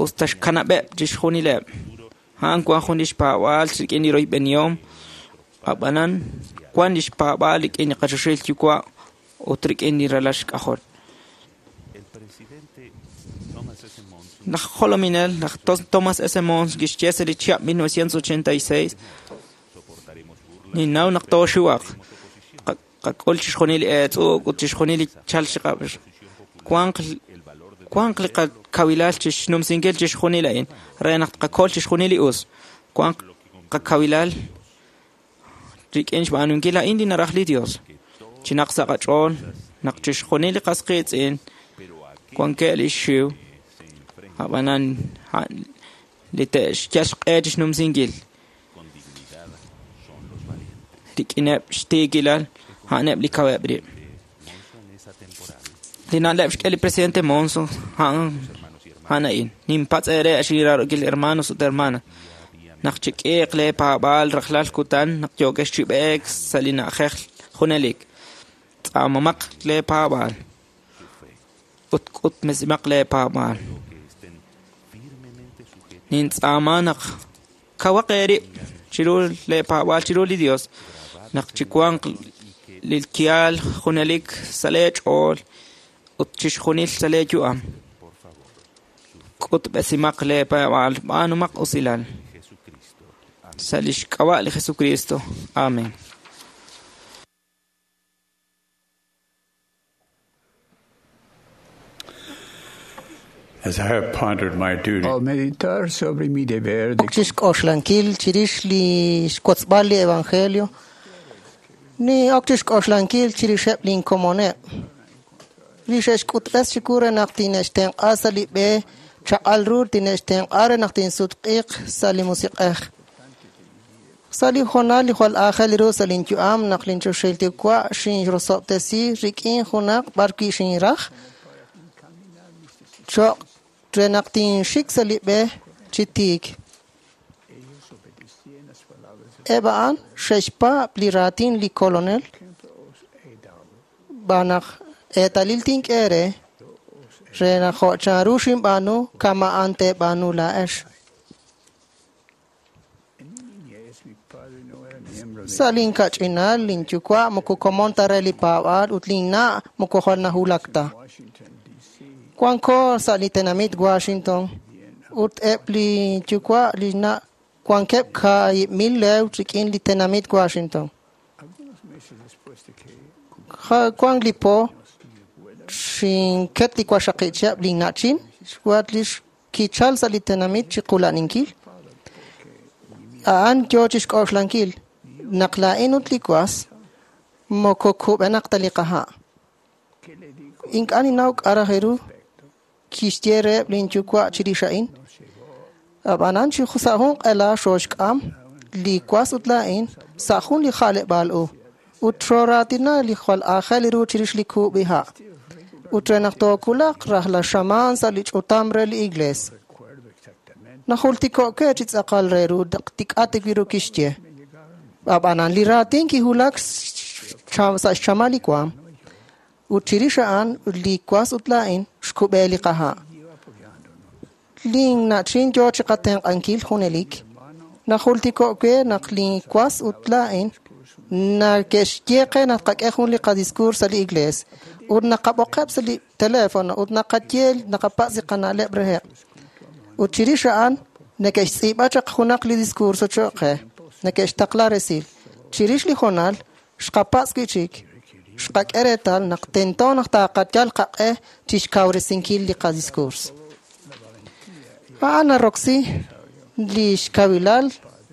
usta xkanab'eb' chixjunileb'. A'an wan jun lix paab'aal rik'in li royb'enihom. A'b'anan wan lix paab'aal rik'in li qachoxahil yuwa' ut rik'in li ralal xk'ajol. Laj jolominel, laj Thomas S. Monson kixye sa' li chihab' mil novecientos ochenta y seis ninnaw naq tooxiwaq. Qak'ul chixjunil li eetz'uuk ut chixjunil li chal chiqab'. Wanq wanq li qakawilal chixnumsinkil chixjunil a'in re naq tqakol chixjunil li us. Wanq qakawilal rik'in xb'aanunkil a'in li naraj li Dios. Chinaq sa' qach'ool naq chixjunil li qas qiitz'in wankeb' li xiw a'b'anan li te'xyal xq'e chixnumsinkil. Rik'ineb' xtiikilal a'aneb' li kaweb' rib'. Li na'leb' xk'e li presidente Monson a'an a'an a'in. Ninpatz' eere xiraarokil hermanos ut hermanas. Naq chik'iiq lee paab'aal rajlal kutan naq yookex chi b'eek sa' li na'ajej junelik. Tz'aamamaq lee paab'aal ut k'utmesimaq lee paab'aal. Nintz'aama naq kawaq eerib' chiru lee paab'aal chiru li Dios. Naq chiwanq li kial junelik sa' lee ch'ool ut chixjunil sa' lee yu'am. K'utb'esimaq lee paab'aal b'aanumaq usilal. Sa' lix k'ab'a' li Jesucristo. Amén. As I have pondered my duty, Al meditar sobre mi deber de Okchixk'oxlankil chirix li xwotzb'al li evangelio, ni okchixk'oxlankil chirixeb' linkomoneb'. Li xe'xk'utb'es chiwu re naq tine'xtenq'a sa' li b'e chaq'al ru tine'xtenq'a re naq tinsutq'iiq sa' li musiq'ej. Sa' li hoonal li jwal aajel ru sa' linyu'am naq linchoxahil yuwa' xinrosob'tesi rik'in junaq b'arwi' xinraj cho'q re naq tinxik sa' li b'e chi tiik. Eb' a'an xe'xpaab' li raatin li kolonel b'anaq eetalil tink'e re re naq jo' chanru xinb'aanu kama'an teeb'aanu laa'ex. Sa' linkach'inal linyuwa' moko komon ta re li paab'aal ut linna' moko jwal nahulak ta. Wanko sa' li tenamit Washington ut eb' li yuwa' li na' wankeb' kaahib' mil leew rik'in li tenamit Washington. Wank li po xinket li waxaqi' linna'chin xwat li kichal sa' li tenamit chiqula'ninkil. A'an yo chixk'oxlankil naq laa'in ut li was moko kub'enaq ta li qaha'. Ink'a' ninnaw k'a' raj ru kixye reheb' linyuwa' chirix a'in. Ab'anan chi sa' jun q'ela xooxk'am li was ut laa'in sa' jun li ja'leb'aal u ut xooraatina li jwal aajel ru chirix li kub'iha'. Ut re naq tookulaq rajlal xamaan sa' li ch'utam re li iglees. Najultiko'ke chi tz'aqal re ru tik'ati wi ru kixye. Ab'anan li raatin kihulak sa' xchamal li waam. Ut chirix a'an li was ut laa'in xkub'e li qaha'. Linna'chin yo chiqatenq'ankil junelik. Najultiko'ke naq li was ut laa'in nake'xye qe naq qak'e jun li qadiscurs sa' li iglees. Ut naqab'oqeb' sa' li teléfono ut naqaye naqapatz' li qana'leb' reheb'. Ut chirix a'an Neke'xtz'iib'a chaq junaq li discurso cho'q qe. Neke'xtaqla resil. Chirix li hoonal, xqapatz' wi'chik. Xqak'e reetal naq tento naq taqayal qaq'e chixkawresinkil li qadiscurs. A'an naroksi li xkawilal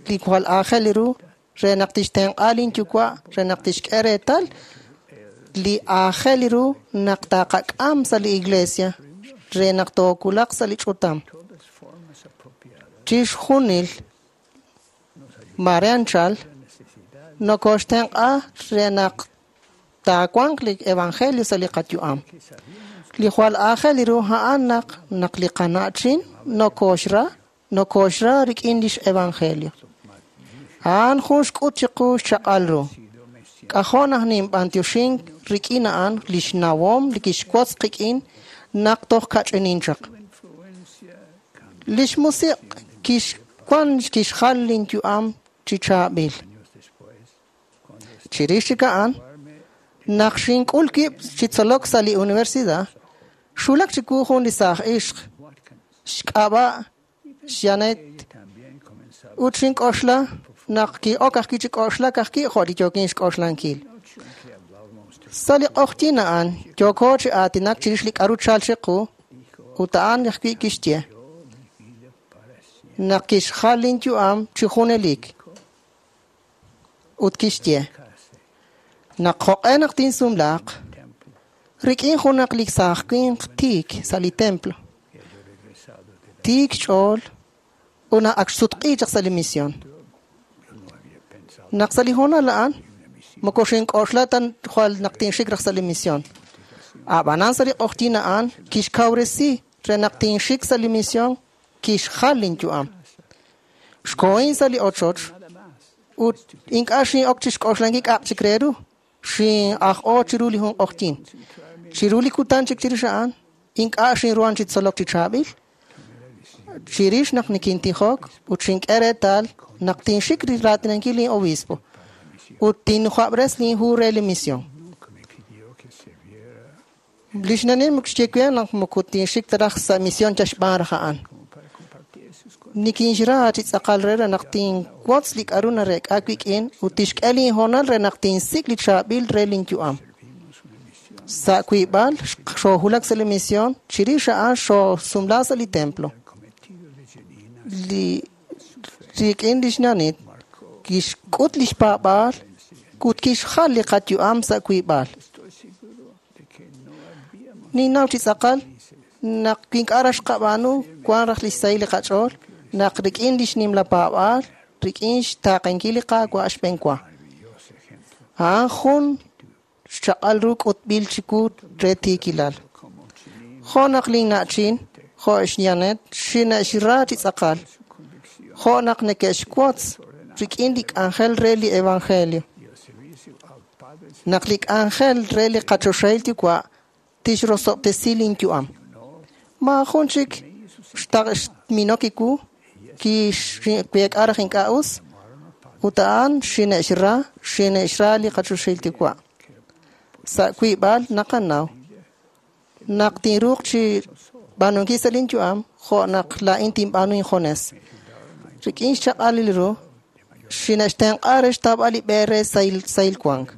li jwal aajel ru re naq tixtenq'a linyuwa' re naq tixk'e reetal li aajel ru naq taqak'am sa' li iglesia re naq tookulaq sa' li ch'utam. Chixjunil mare anchal nokoxtenq'a re naq taawanq li evangelio sa' li qayu'am. Li jwal aajel ru a'an naq naq li qana'chin nokoxra nokoxra rik'in lix evangelio. A'an jun xk'ut chiqu xchaq'al ru. K'ajo' naq ninb'antioxink rik'in a'an lix nawom li kixwotz qik'in naq toj kach'inin chaq. Lix musiq' kixwan kixjal linyu'am chi chaab'il. Chirix chik a'an, naq xink'ul wib' chi tzolok sa' li universidad, xwulak chiwu jun li saaj ixq, xk'ab'a' Xyanet, ut xink'oxla naq ki'ok ajwi' chi k'oxlak ajwi' jo' li yookin xk'oxlankil. Sa' li q'oqyin a'an yooko chi aatinak chirix li k'aru chal chiqu, ut a'an ajwi' kixye naq kixjal linyu'am chi junelik. Ut kixye naq jo'q'e naq tinsumlaaq rik'in junaq li saaj winq tiik sa' li templo. Tiik xch'ool ut naq ak xsutq'i chaq sa' li misión. Naq sa' li hoonal a'an moko xink'oxla ta jwal naq tinxik raj sa' li misión. Ab'anan sa' li q'oqyin a'an kixkawresi re naq tinxik sa' li misión kixjal linyu'am. Xkohin sa' li ochoch ut ink'a' xin'ok chi xk'oxlankil k'a'aq chik re ru. Xin'aj'o chiru li jun q'oqyin. Chiru li kutan chik chirix a'an ink'a' xinruhan chi tzolok chi chaab'il. Chirix naq nikintijok ut xink'e reetal naq tinxik raatinankil lin obispo ut tinjwab'res linhu re li misión. Lix nanin xye we naq moko tinxik ta raj sa' misión chaxb'aan raj a'an. Nikinxra chi tz'aqal re re naq tinwotz li k'aru nareek'a wik'in ut tixk'e linhoonal re naq tinsik' li chaab'il re linyu'am. Sa' wiib'al xoohulak sa' li misión, chirix a'an xoosumla sa' li templo. Li rik'in lix nanit kixk'ut lix paab'aal ut kixjal li qayu'am sa' wiib'al. Ninnaw chi tz'aqal naq ink'a' raj xqab'aanu wan raj lix sahil li qach'ool naq rik'in lix nimla paab'aal rik'in xtaaqenkil li Qaawa' xb'enwa. A'an jun xchaq'al ru k'utb'il chiwu re tiikilal. Jo' naq linna'chin, jo' xyanet, xine'xra chi tz'aqal. Jo' naq neke'xwotz rik'in li k'anjel re li evangelio. Naq li k'anjel re li qachoxahil yuwa' tixrosob'tesi linyu'am. Maajun chik xminok iwu kixweek'a raj ink'a' us ut a'an xine'xra xine'xra li qachoxahil yuwa'. Sa' wiib'al naqanaw naq tinruuq chi b'aanunkil sa' linyu'am jo' naq laa'in tinb'aanu injones. Rik'in xchaq'al li ru xine'xtenq'a re xtawb'al li b'e re sahil wank.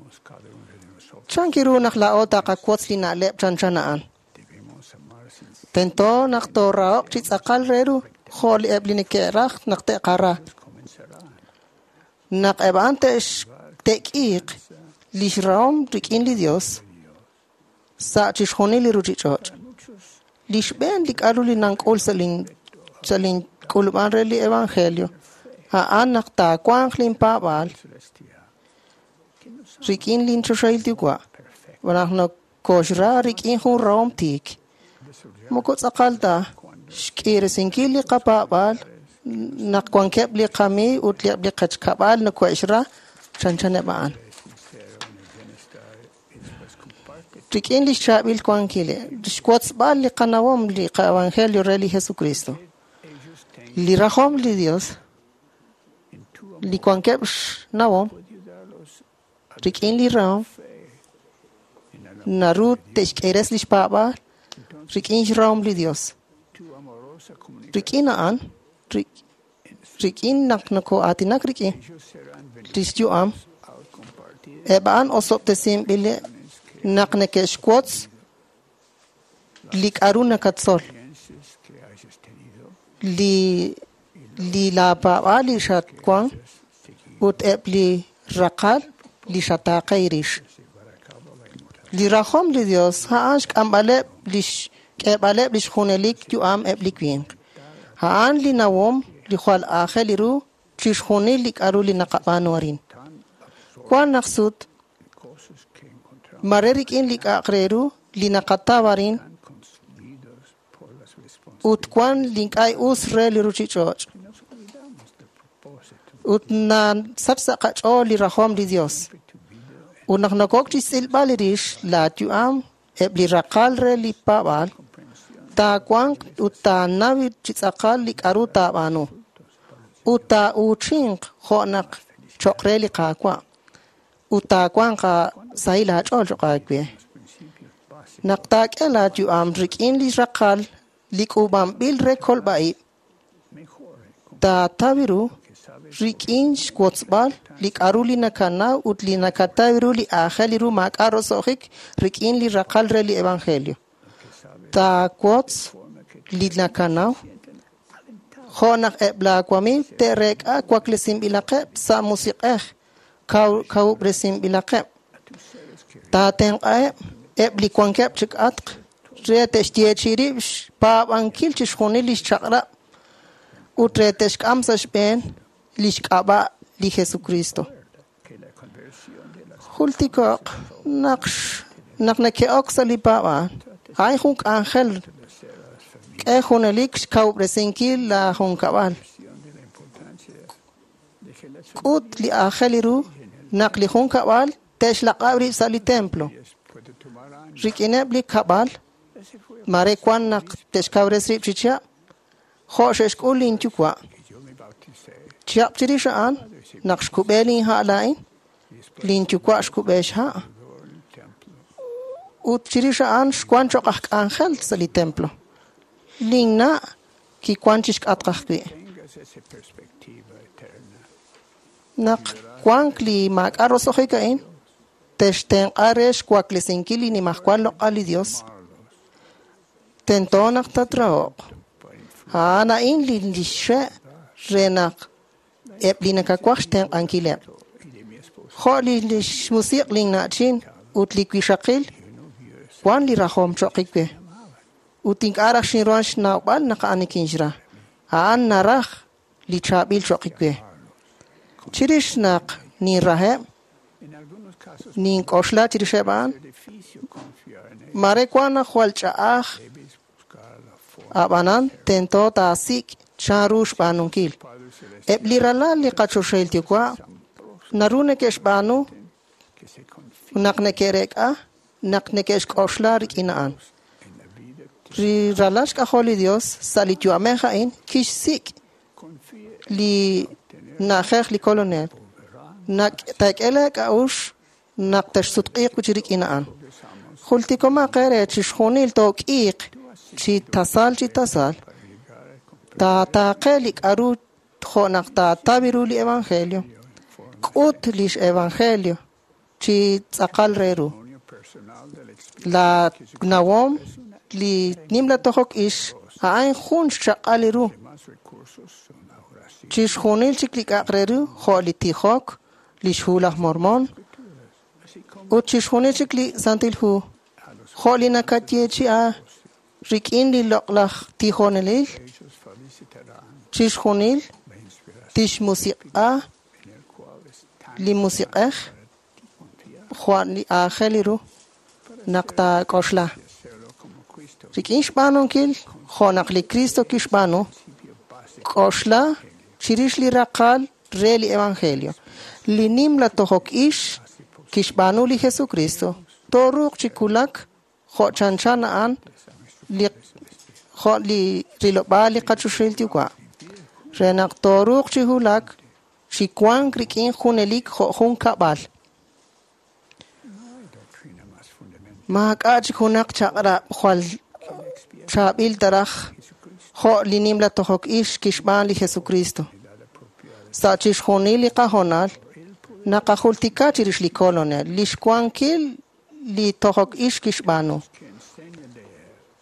Chanki ru naq laa'o taqawotz li na'leb' chanchan a'an. Tento naq toorahoq chi tz'aqal re ru jo' li eb' li neke'raj naq te'qara. Naq eb' a'an te'k'iiq lix rahom rik'in li Dios sa' chixjunil li ruchich'och'. Li xb'een li k'aru li nank'ul sa' lin sa' link'ulub'an re li evangelio a'an naq taawanq linpaab'aal rik'in linchoxahil yuwa' naq nokoxra rik'in jun rahom tiik. Moko tz'aqal ta xk'iresinkil li qapaab'aal naq wankeb' li qamiiw ut eb' li qachkab'al nokohe'xra chanchaneb' a'an. Rik'in lix chaab'il wankil, xwotzb'al li qanawom li qa-evangelio re li Jesucristo. Li rajom li Dios, li wankeb' xnawom rik'in li rahom, naru te'xk'eres lix paab'aal rik'in xrahom li Dios. Rik'in a'an, Rik'in naq nokoo'aatinak rik'in lix yu'am, eb' a'an osob'tesinb'ileb' naq neke'xwotz li k'a'ru nakatzol, li li laapaab'aal li xatwan ut eb' li raqal li xataaqe rix. Li rajom li Dios a'an xk'amb'aleb' lix k'eeb'aleb' lix junelik yu'am eb' li winq. A'an li nawom li jwal aajel ru chixjunil li k'a'ru li naqab'aanu arin. Wan naq sut mare rik'in li k'a'aq re ru li naqataw arin ut wan li ink'a' us re li ruchich'och'. Ut nasach sa' qach'ool li rajom li Dios. Ut naq nokok chi xtz'ilb'al rix la yu'am eb' li raqal re li paab'aal, taawanq ut taanaw chi tz'aqal li k'a'ru taab'aanu. Ut taa'uuchinq jo' naq cho'q re li Qaawa'. Ut taawanq sahil aach'ool cho'q aawe. Naq taak'e laayu'am rik'in li raqal li k'uub'anb'il re kolb'a'ib', taataw ru rik'in xwotzb'al li k'a'ru li nakanaw ut li nakataw ru li aajel ru maak'a' roso'jik rik'in li raqal re li evangelio. Taawotz li nakanaw jo' naq eb' laawamiiw te'reek'a waklesinb'ilaqeb' sa' musiq'ej kawub'resinb'ilaqeb'. Taatenq'aheb' eb' li wankeb' chik'atq re te'xyeechi rib' xpaab'ankil chixjunil lix chaq'rab' ut re te'xk'am sa' xb'een lix k'ab'a' li Jesucristo. Jultiko'q naq naq neke'ok sa' li paab'aal, a'in jun k'anjel k'e junelik xkawub'resinkil la junkab'al. K'ut li aajel ru naq li junkab'al te'xlaq'ab' rib' sa' li templo. Rik'ineb' li kab'al, mare wan naq te'xkawres rib' chi chihab', jo' xe'xk'ul linyuwa'. Chihab' chirix a'an, naq xkub'e linha' laa'in, linyuwa' xkub'e xha'. Ut chirix a'an xwan cho'q aj k'anjel sa' li templo. Linna' kiwan chixk'atq ajwi'. Naq wank li maak'a' roso'jik a'in, textenq'a re xwaklesinkil li nimajwal loq'al li Dios. Tento naq tatraho'q. A'an a'in li xe' re naq eb' li nakawaj xtenq'ankileb'. Jo' li xmusiq' linna'chin ut li wixaqil wan li rajom cho'q we. Ut ink'a' raj xinruhan xnawb'al naq a'an nikinxra. A'an naraj li chaab'il cho'q we. Chirix naq ninraheb', nink'oxla chirixeb' a'an, mare wan naq jwal ch'a'aj, ab'anan tento taasik' chanru xb'aanunkil. Eb' li ralal li qachoxahil yuwa' naru neke'xb'aanu naq neke'reek'a naq neke'xk'oxla rik'in a'an. Li ralal xk'ajol li Dios sa' li yu'amej a'in kixsik' li na'ajej li kolonel. Naq taak'e laak'a'uxl naq texsutq'iiq wi' chi rik'in a'an. Jultikomaq eere chixjunil took'iiq chi tasal chi tasal. Taataaqe li k'a'ru jo' naq taataw ru li evangelio. K'ut lix evangelio chi tz'aqal re ru. La nawom li nimla tojok ix a'an jun xchaq'al ru. Chixjunil chik li k'a'aq re ru jo' li tijok, lix hu laj Mormon, ut chixjunil chik li Santil Hu jo' li nakayeechi'a rik'in li loq'laj tijonelil, chixjunil tixmusiq'a li musiq'ej jwal li aajel ru naq taak'oxla. Rik'in xb'aanunkil jo' naq li Cristo kixb'aanu, k'oxla chirix li raqal re li evangelio. Li nimla tojok ix kixb'aanu li Jesucristo, tooruuq chi kulak jo' chanchan a'an li jo' li rilob'aal li qachoxahil yuwa'. Re naq tooruuq chi hulak chi wank rik'in junelik jo' jun kab'al. Maak'a' chik junaq chaq'rab' jwal chaab'il taraj jo' li nimla tojok ix kixb'aan li Jesucristo. Sa' chixjunil li qahoonal naqajultika chirix li Kolonel, lix wankil li tojok ix kixb'aanu.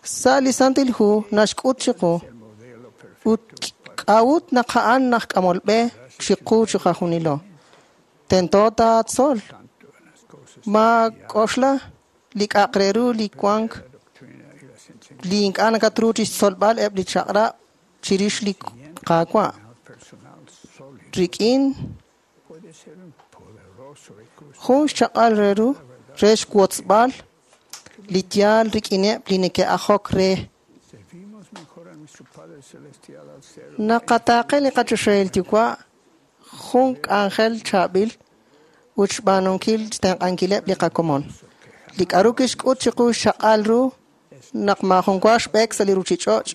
Sa' li Santil Hu naxk'ut chiqu ut k'a'ut naq a'an naj k'amol b'e chiqu chiqajunilo. Tento taatzol ma k'oxla li k'a'aq re ru li wank li ink'a' nakatru chixtzolb'al eb' li chaq'rab' chirix li Qaawa'. Rik'in jun xchaq'al re ru re xwotzb'al li yaal rik'ineb' li neke'ajok re. Naqataaqe li qachoxahil yuwa' jun k'anjel chaab'il ut xb'aanunkil xtenq'ankileb' li qakomon. Li k'a'ru kixk'ut chiqu xchaq'al ru naq maajun wa xb'eek sa' li ruchich'och'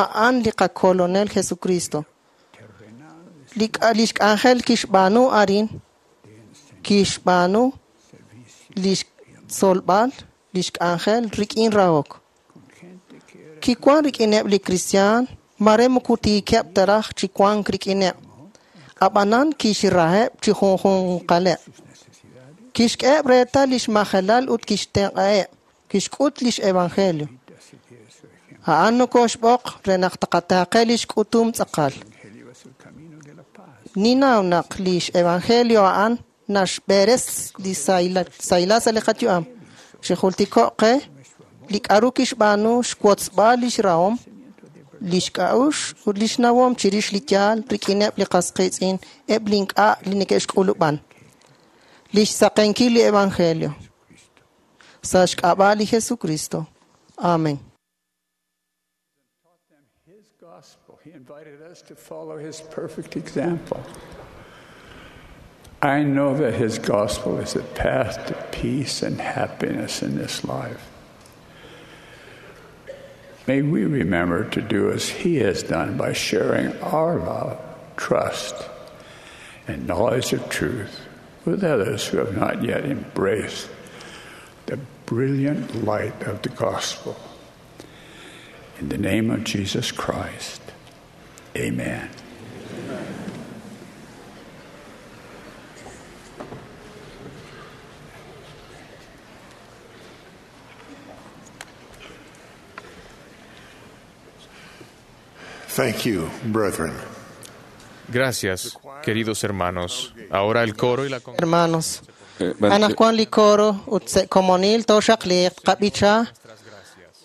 a'an li qakolonel Jesucristo. Li lix k'anjel kixb'aanu arin kixb'aanu lix tzolb'al lix k'anjel rik'in rahok. Kiwan rik'ineb' li kristiaan mare moko tiikeb' ta raj chi wank rik'ineb'. Ab'anan kixraheb' chi junjunqaleb'. Kixk'eheb' reetal lix majelal ut kixtenq'aheb'. Kixk'ut lix evangelio. A'an nokoxb'oq re naq taqataaqe lix k'utum tz'aqal. Ninaw naq lix evangelio a'an naxb'eres li sahilal sa' li qayu'am. Xijultiko' qe li k'a'ru kixb'aanu xwotzb'al lix rahom, lix k'a'uxl ut lix nawom chirix li yaal rik'ineb' li qas qiitz'in eb' li ink'a' li neke'xk'ulub'an. Lix saqenkil li evangelio. Sa' xk'ab'a' li Jesucristo. Amen. He invited us to follow his perfect example. I know that his gospel is the path to peace and happiness in this life. May we remember to do as he has done by sharing our love, trust, and knowledge of truth with others who have not yet embraced the brilliant light of the gospel. In the name of Jesus Christ, amen. Thank you, brethren. Gracias, queridos hermanos. Ahora el coro y la Hermanos, anaqwan li coro ut se komonil toxaq li qab'icha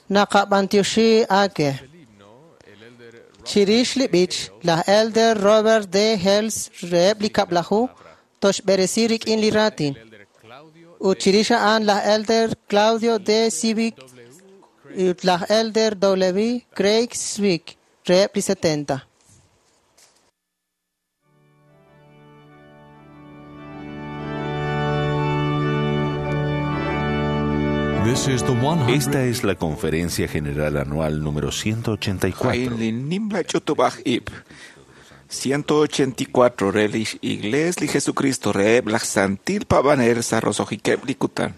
naqab'antioxi ake. Chirix li b'ich, laj Elder Robert D. Hales reheb' li kab'laju toxb'eresi rik'in li raatin. Ut chirix a'an laj Elder Claudio D. Civic ut laj Elder W. Craig Swick reheb' li setenta. Esta es la Conferencia General Anual número ciento ochenta y cuatro. ciento ochenta y cuatro re lix Iglesia li Jesucristo reheb' laj Santil Pabanel sa' rosohikeb' li kutan.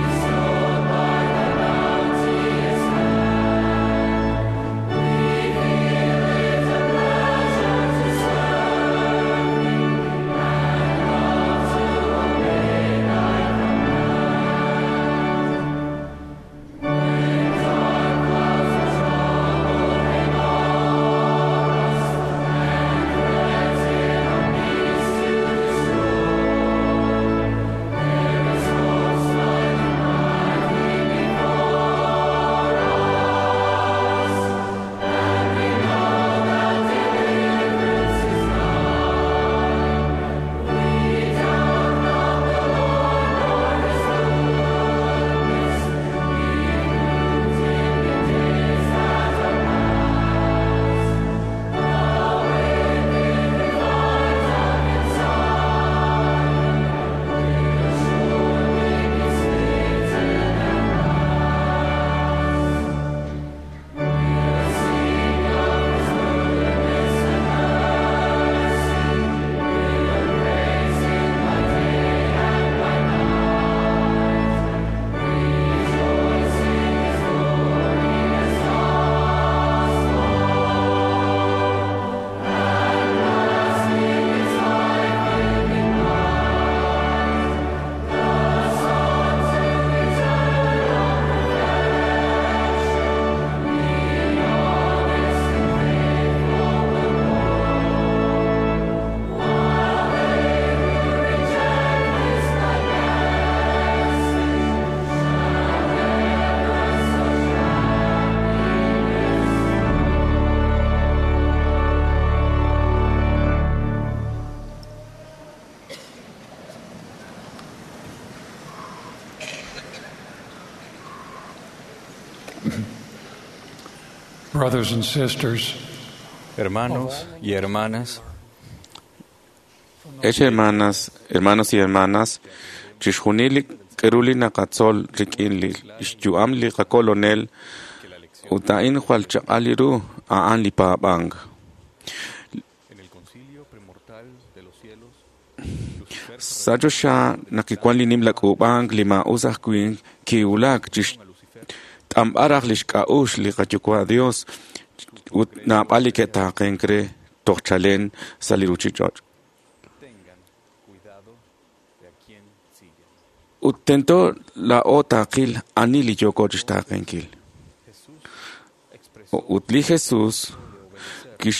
We Brothers and sisters, Hermanos y hermanas, Ex hermanas, hermanos y hermanas, chixjunil li k'aru li naqatzol rik'in li xyu'am li qakolonel ut a'in jwal chaq'al li ru a'an li paab'ank. Sa' choxa naq kiwan li nimla k'uub'ank li maa'us ajwi' kiwulak chixt'anb'al raj lix k'a'uxl li qaYuwa' Dios ut naab'al li ke'taaqenk re toj chalen sa' li ruchich'och'. Ut tento laa'o taaqil ani li yooko chixtaaqenkil. Ut li Jesús kix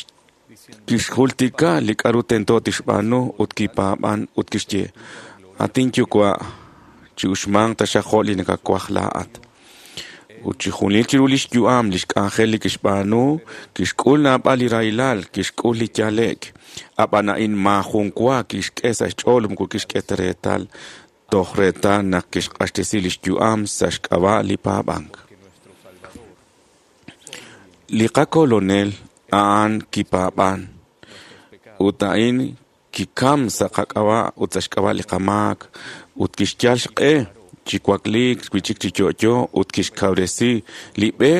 kixjultika li k'aru tento tixb'aanu ut kipaab'an ut kixye, Atin Yuwa', chi'uxmanq taxaq jo' li nakawaj laa'at. Ut chixjunil chiru lix yu'am lix k'anjel li kixb'aanu, kixk'ul naab'al li rahilal, kixk'ul li yale'k. Ab'an a'in maajun wa kixk'e sa' xch'ool moko kixk'e ta reetal, toj reetal naq kixq'axtesi lix yu'am sa' xk'ab'a' li paab'ank. Li qakolonel a'an kipaab'an, ut a'in kikam sa' qak'ab'a' ut sa' xk'ab'a' li qamaak, ut kixyal xq'e chi wakliik wi'chik chi yo'yo ut kixkawresi li b'e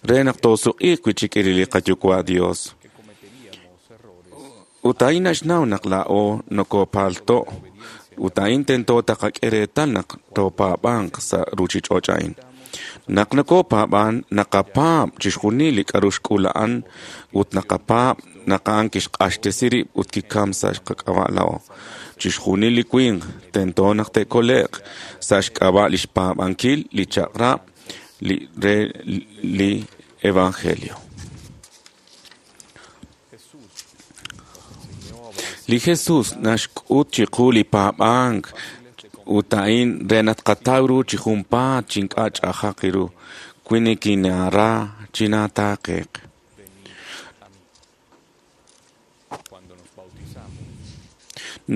re naq toosuq'iiq wi'chik li qaYuwa' Dios. Ut a'in naxnaw naq laa'o nokopaalto', ut a'in tento taqak'e reetal naq toopaab'anq sa' ruchich'och' a'in. Naq nokopaab'an, naqapaab' chixjunil li k'aru xk'ul a'an ut naqapaab' naq a'an kixq'axtesi rib' ut kikam sa' qak'ab'a' laa'o. Chixjunil li winq tento naq te'kole'q sa' xk'ab'a' lix paab'ankil li chaq'rab' li re li Evangelio. Li Jesús naxk'ut chiqu li paab'ank ut a'in re naq tqataw ru chi junpaat chi ink'a' ch'ajaq ru, wi nikinara chinaataaqeq.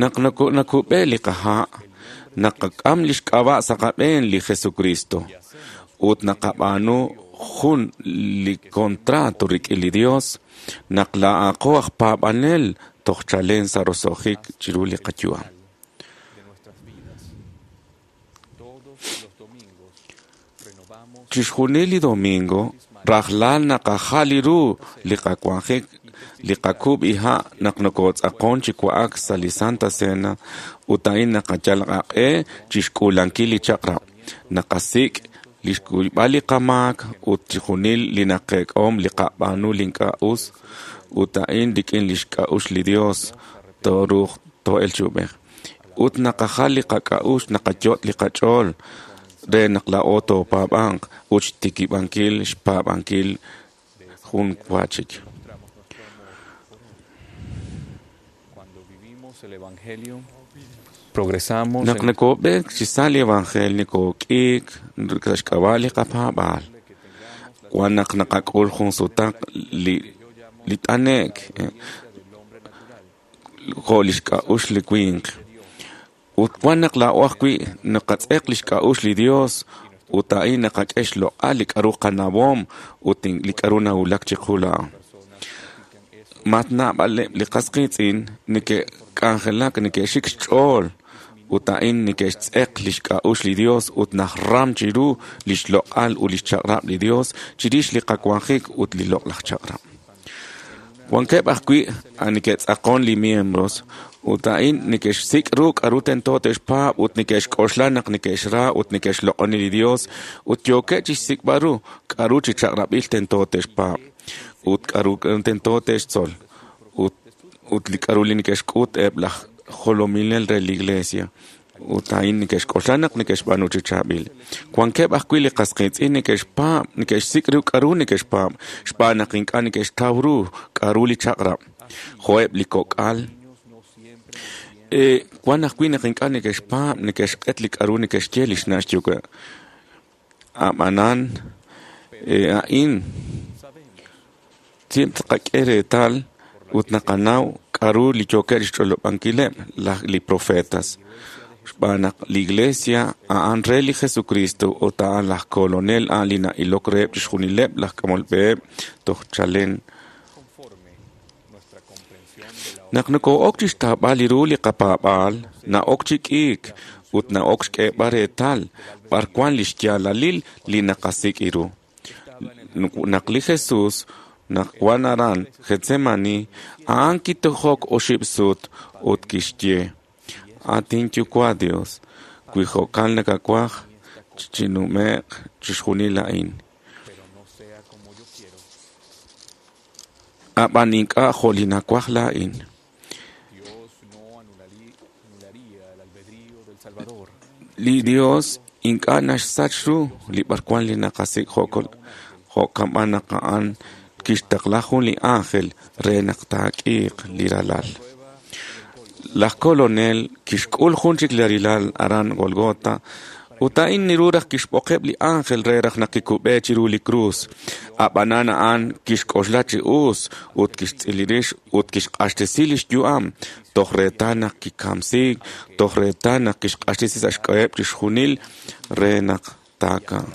Naq nakub'e li qaha', naqak'am lix k'ab'a' sa' qab'een li Jesucristo ut naqab'aanu jun li contrato rik'in li Dios naq laa'aqo aj paab'anel toj chalen sa' roso'jik chiru li qayu'am. Chixjunil li domingo rajlal naqajal li ru li qawanjik li qakub' iha' naq nokotz'aqon chi wa'ak sa' li Santa Cena ut a'in naqayal qaq'e chixk'uulankil li chaq'rab'. Naqasik' li xkuyb'al li qamaak ut chixjunil li naqek'om li qab'aanu li ink'a' us ut a'in rik'in lix k'a'uxl li Dios tooruuq too'el chi ub'ej. Ut naqajal li qak'a'uxl naqayot' li qach'ool re naq laa'o toopaab'anq ut xtikib'ankil xpaab'ankil jun wa chik. Naq nokob'eek chi sa' li Evangelio nokok'iik sa' xk'ab'a' li qapaab'aal. Wan naq naqak'ul jun sutaq li li t'ane'k jo' lix k'a'uxl li winq. Ut wan naq laa'o ajwi' naqatz'eq lix k'a'uxl li Dios ut a'in naqak'e xloq'al li k'aru qanawom ut li k'aru nawulak chiqu laa'o. Mat naab'aleb' li qas qiitz'in neke'k'anjelak neke'xik xch'ool ut a'in neke'xtz'eq lix k'a'uxl li Dios ut najram chiru lix loq'al ut lix chaq'rab' li Dios chirix li qawanjik ut li loq'laj chaq'rab'. Wankeb' ajwi' neke'tz'aqon li miembros ut a'in neke'xsik' ru k'aru tento te'xpaab' ut neke'xk'oxla naq neke'xra ut neke'xloq'oni li Dios ut yookeb' chixsik'b'al ru k'aru chi chaq'rab'il tento te'xpaab' ut k'aru tento te'xtzol ut ut li k'aru li neke'xk'ut eb' laj jolominel re li Iglesia ut a'in neke'xk'oxla naq neke'xb'aanu chi chaab'il. Wankeb' ajwi' li qas qiitz'in neke'xpaab' neke'xsik' ru k'aru neke'xpaab' xb'aan naq ink'a' neke'xtaw ru k'aru li chaq'rab'. Jo'eb' li kok'al wan ajwi' naq ink'a' neke'xpaab' neke'xq'et li k'aru neke'xye li xna' xyuwa'. Ab'anan a'in tqak'e reetal ut naqanaw k'aru li yookeb' xch'olob'ankileb' laj li profetas. Xb'aan naq li Iglesia a'an re li Jesucristo ut a'an laj kolonel a'an li na'ilok reheb' chixjunileb' laj k'amol b'eheb' toj chalen. Naq noko'ok chixtaab'al li ru li qapaab'aal, na'ok chi k'iik ut na'ok xk'eeb'al reetal b'ar wan li xyaalalil li naqasik' ru. Naq li Jesús naq wan aran Getsemani, a'an kitojok oxib' sut ut kixye: At inyuwa' Dios, wi jo'kan nakawaj, chinume'q chixjunil a'in. Ab'an ink'a' jo' li nawaj laa'in. Li Dios ink'a' naxsach ru li b'arwan li naqasik' jo'kan b'an naq a'an kixtaqla jun li ángel re naq taak'iiq li ralal. Laj kolonel kixk'ul jun chik li rilal aran Golgota ut a'in niru raj kixb'oqeb' li ángel re raj naq kikub'e chiru li krus. Ab'anan a'an kixk'oxla chi us ut kixtz'ili rix ut kixq'axtesi lix yu'am toj reetal naq kikamsiik, toj reetal naq kixq'axtesi sa' xk'aheb' chixjunil re naq taakamq.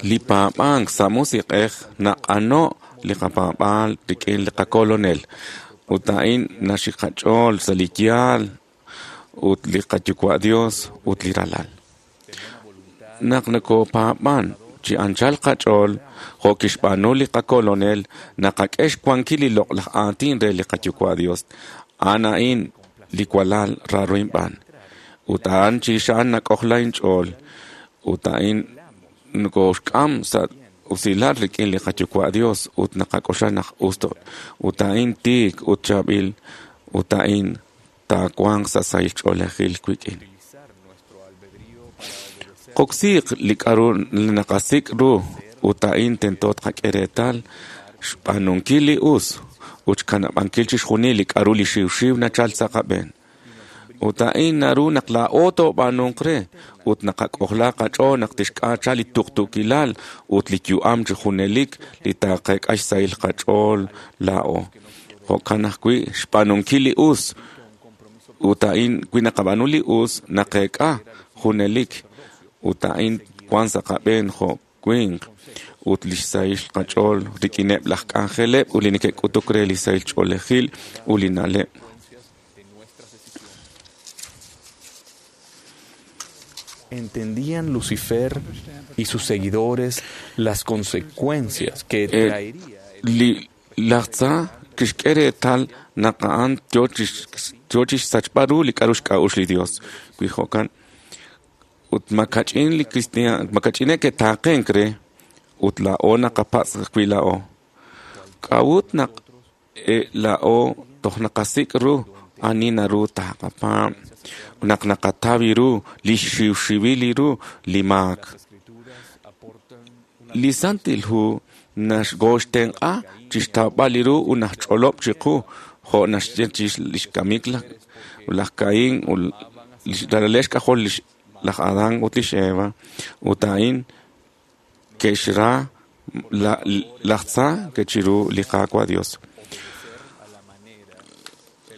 Li paab'ank sa' musiq'ej naq'ano' li qapaab'aal rik'in li qakolonel ut a'in naxik qach'ool sa' li yaal ut li qayuwa' Dios ut li ralal. Naq nokopaab'an chi anchal qach'ool jo' kixb'aanu li qakolonel, naqak'e xwankil li loq'laj aatin re li qayuwa' Dios. A'an a'in li walal raaro inb'aan. Ut a'an chirix a'an nak'ojla inch'ool. Ut a'in nokoxk'am sa' usilal rik'in li qayuwa' Dios ut naqak'oxla naq us ut a'in tiik ut chaab'il ut a'in taawanq sa' sahil ch'oolejil wik'in. Qoksiiq li k'a'ru li naqasik' ru ut a'in tento tqak'e reetal xb'aanunkil li us ut xkanab'ankil chixjunil li k'a'ru li xiwxiw nachal sa' qab'een. Ut a'in naru naq laa'o toob'aanunq re ut naqak'ojla qach'ool naq tixk'aacha li tuqtuukilal ut li yu'am chi junelik li taaqeek'a xsahil qach'ool laa'o. Jo'kan ajwi' xb'aanunkil li us ut a'in wi naqab'aanu li us naqeek'a junelik ut a'in wan sa' qab'een jo' winq ut li xsahil qach'ool rik'ineb' laj k'anjeleb' ut li neke'k'utuk re li sahil ch'oolejil ut li na'leb'. Entendían Lucifer y sus seguidores las consecuencias que traería li laj tza kixk'e reetal naq a'an yo chixsachb'al ru li k'a'ru xk'a'uxl li Dios. Wi jo'kan ut makach'in li cristian makach'ine' ke'taaqenk re ut laa'o naqapatz' ajwi' laa'o. K'a'ut naq laa'o toj naqasik' ru ani naru taqapaab' naq naqataw ru li xiwxiwil ru li maak. Li Santil Hu naxgoxtenq'a chixtawb'al li ru ut naxch'olob' chiqu jo' naxye lix kamik laj Caín ut li xk'ajol laj Adán ut lix Eva ut a'in ke'xra laj tza ke'chiru li Qaawa' Dios.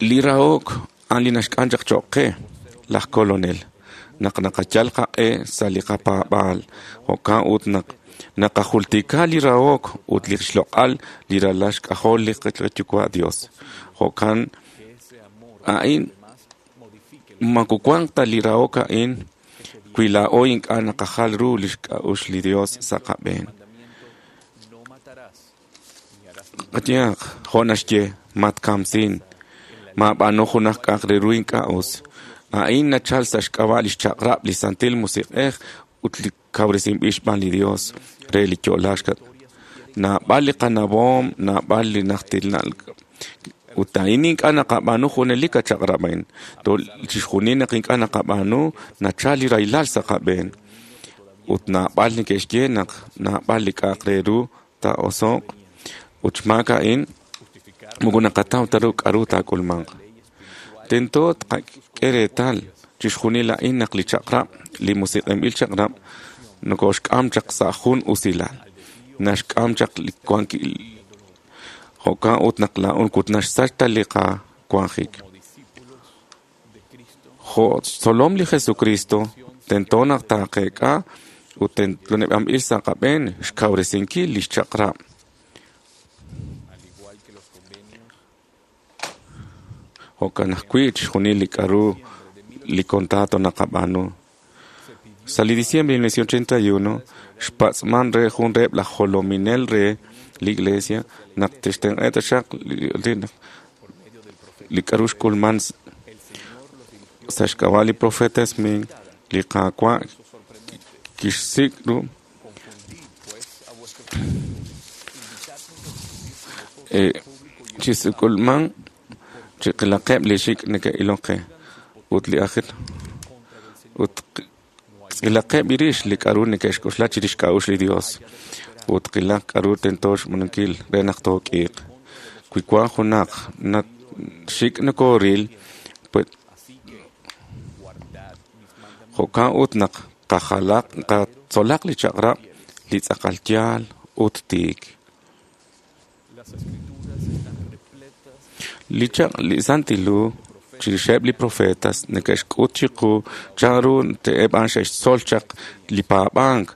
Li rahok a'an li naxk'am chaq choq' qe laj kolonel naq naqayal qaq'e sa' li qapaab'aal jo'kan ut naq naqajultika li rahok ut li xloq'al li ralal xk'ajol li qayuwa' Dios. Jo'kan a'in makuwanq ta li rahok a'in wi laa'o ink'a' naqajal ru li xk'a'uxl li Dios sa' qab'een. Qayehaq jo' naxye matkamsin maab'aanu junaq k'a'aq re ru ink'a' us. A'in nachal sa' xk'ab'a' li xchaq'rab' li Santil Musiq'ej ut li kawresinb'il xb'aan li Dios re li yo'laak. Naab'al li qanawoom, naab'al li najtil ut a'in ink'a' naqab'aanu junelik achaq'rab' a'in. Chixjunil naq ink'a' naqab'aanu nachal li rahilal sa' qab'een. Ut naab'al neke'xye naq naab'al li k'a'aq re ru taa'oso'q ut xmaak a'in moko naqataw ta ru k'a'ru taak'ulmanq. Tento tqak'e reetal chixjunil a'in naq li chaq'rab', li musiq'enb'il chaq'rab' nokoxk'am chaq sa' jun usilal. Naxk'am chaq li wankil jo'kan ut naq laa'un ut naxsach ta li qawanjik. Jo' xtzolom li Jesucristo, tento naq taaqeek'a ut teneb'anb'il sa' qab'een xkawresinkil lix chaq'rab'. Jo'kan ajwi' chixjunil li k'a'ru li contrato naqab'aanu. Sa' li diciembre de mil novecientos ochenta y uno, xpatz'man re jun reheb' laj jolominel re li iglesia naq tixtenq'e taxaq li k'a'ru xk'ulman sa' xk'ab'a' li profeta Smith, li Qaawa' kixsik' ru chisuk'ulman chiqilaqeb' li xik' neke'ilok qe ut li ajil ut qilaqeb' rix li k'a'ru neke'xk'oxla chirix xk'a'uxl li Dios ut qilaq k'a'ru tento xb'aanunkil re naq took'iiq. Wi wan junaq xik' nokooril, jo'kan ut naq qajalaq qatzolaq li chaq'rab' li tz'aqal yaal ut tiik. Li chaq li Santil Hu chirixeb' li profetas neke'xk'ut chiqu chanru te'eb' a'an xe'xtzol chaq li paab'ank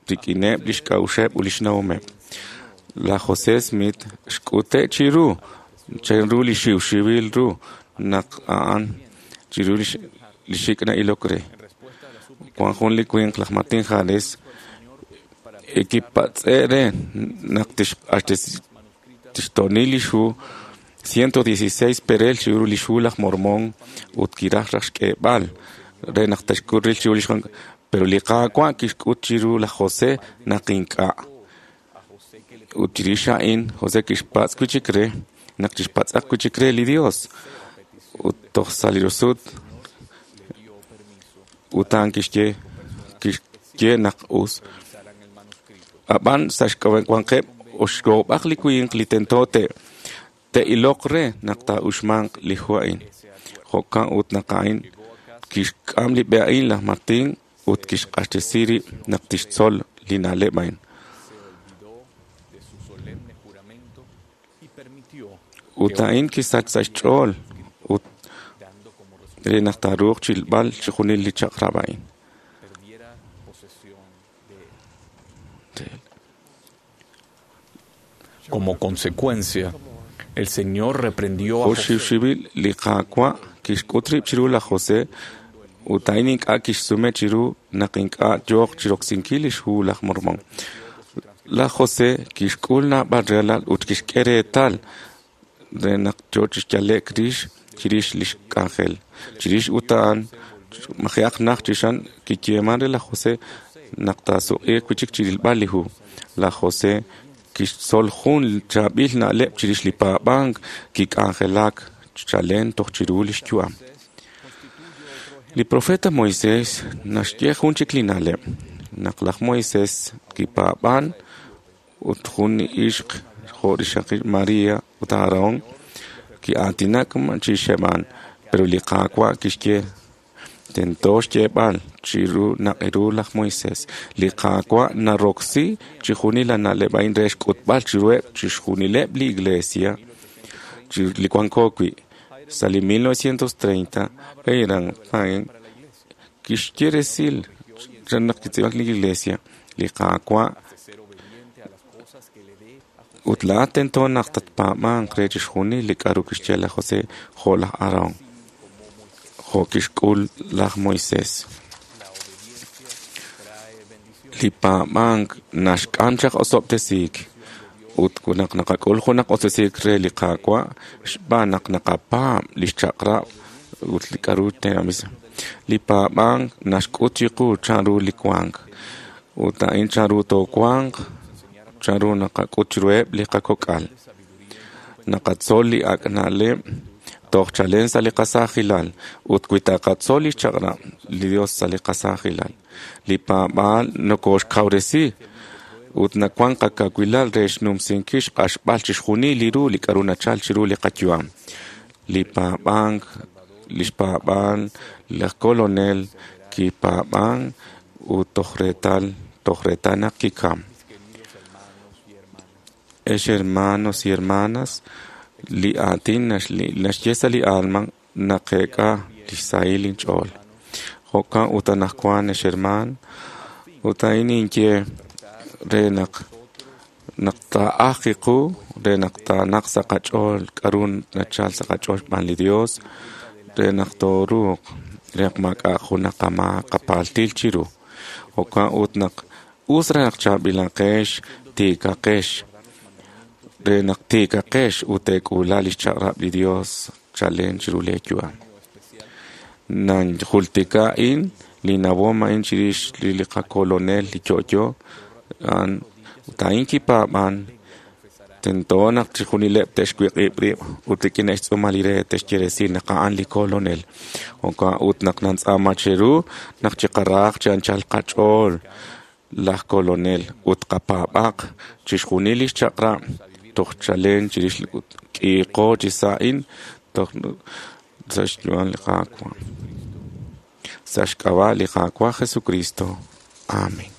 rik'ineb' lix k'a'uxeb' ut lix nawomeb'. Laj José Smith xk'ute' chiru chanru li xiwxiwil ru naq a'an chiru li xik' na'ilok re. Wan jun li winq laj Martin Harris kipatz'e' re naq tixto'ni lix hu ciento dieciséis perel chiru lix hu laj Mormón ut kiraj raj xk'eeb'al re naq tixk'ut ril chiru lix pero li Qaawa' kixk'ut chiru laj José naq ink'a'. Ut chirix a'in José kixpatz' wi' chik re naq chixpatz'aq wi' chik re li Dios ut toj sa' li rusut ut a'an kixye kixye naq us. Ab'an sa' xwanqeb' oxkoob'aq li winq li tento te te'iloq re naq taa'uxmanq li hu a'in. Jo'kan ut naq a'in kixk'am li b'e a'in laj Martin ut kixq'axtesi rib' naq tixtzol li na'leb' a'in. Ut a'in kisach sa' xch'ool ut re naq taaruuq chilb'al chixjunil li chaq'rab' a'in. Como consecuencia, el Señor reprendió a José. Oxxiwxiwil li Qaawa' kixk'ut rib' chiru laj José ut a'in ink'a' kixsume chiru naq ink'a' yooq chiroksinkil lix hu laj Mormón. Laj José kixk'ul naab'al ralal ut kixk'e reetal re naq yoo chixyale'k rix chirix lix k'anjel. Chirix ut a'an maji'aq naj chixan kiyeeman re laj José naq taasuq'iiq wi' chik chirilb'al li hu. Laj José kixtzol jun chaab'il na'leb' chirix li paab'ank kik'anjelak chalen toj chiru lix yu'am. Li profeta Moisés naxye jun chik li na'leb' naq laj Moisés kipaab'an ut jun ixq jo' rixaqil María ut Aarón ki'aatinak chixeb'an, pero li Qaawa' kixye tento xyeeb'al chiru naq iru laj Moisés. Li Qaawa' naroksi chixjunil la na'leb' a'in re xk'utb'al chiruheb' chixjunileb' li iglesia li wanko wi'. Sa' li mil novecientos treinta, Hiram Payne kixye resil naq kitz'iib'ak li iglesia. Li Qaawa' ut laa'at tento naq tatpaab'anq re chixjunil li k'a'ru kixye laj José jo' laj Aarón, jo' kixk'ul laj Moisés. Li paab'ank naxk'am chaq osob'tesiik ut naq naqak'ul junaq osob'tesiik re li Qaawa' xb'aan naq naqapaab' lix chaq'rab' ut li k'a'ru tenamit. Li paab'ank naxk'ut chiqu chanru li wank ut a'in chanru toowanq, chanru naqak'ut chiruheb' li qakok'al. Naqatzol li ak' na'leb' toj chalen sa' li qasaajilal ut wi taqatzol lix chaq'rab' li Dios sa' li qasaajilal. Li paab'aal nokoxkawresi ut nawan qakawilal re xnumsinkil xq'axb'al chixjunil li ru li k'a'ru nachal chiru li qayu'am. Li paab'ank, lix paab'aal laj Kolonel kipaab'an ut toj reetal toj reetal naq kikam. Ex hermanos y hermanas, Li aatin naxye sa' li alma naqeek'a lix sahil inch'ool. Jo'kan ut anaqwan ex hermaan, ut a'in ninye re naq naq taa'aj qiqu re naq taanaq sa' qach'ool k'a'ru nachal sa' qach'ool xb'aan li Dios re naq tooruuq re naq maak'a' junaq qamaak qapaltil chiru. Jo'kan ut naq us re naq chaab'ilaqex tiikaqex re naq tiikaqex ut teek'uula lix chaq'rab' li Dios chalen chiru lee yu'am. Nanjultika a'in li nawom a'in chirix li qakolonel li yo'yo a'an ut a'in kipaab'an tento naq chixjunileb' te'xwiq'ib' rib' ut rik'in xtz'uumal li re te'xye resil naq a'an li kolonel. Jo'kan ut naq nantz'aama cheru naq chiqaraaq chi anchal qach'ool laj kolonel ut qapaab'aq chixjunil lix chaq'rab' toj chalen chirix k'iiqo chi sa' a'in toj sa' xyu'am li Qaawa'. Sa' xk'ab'a' li Qaawa' Jesucristo. Amén.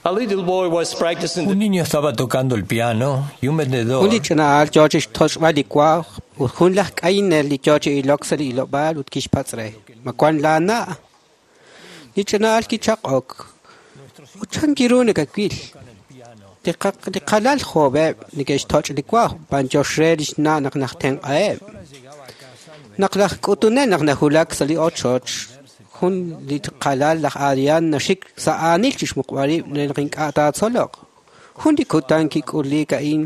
A little boy was practicing. Un niño estaba tocando el piano y un vendedor. Jun li ch'ina'al yoo chi xtoch'b'al li waj ut jun laj k'ayinel li yoo chi ilok sa' li ilob'aal ut kixpatz' re ma wan laana'. Li ch'ina'al kichaq'ok ut chan kiru nakawil. Li qalal joob'eb' neke'xtoch' li waj b'anyox re lix na' naq najtenq'aheb'. Naq laj k'utunel naq najulak sa' li ochoch jun li qalal laj Adrián naxik sa' aanil chi xmuqb'al rib' re naq ink'a' taatzoloq. Jun li kutan kik'ulik a'in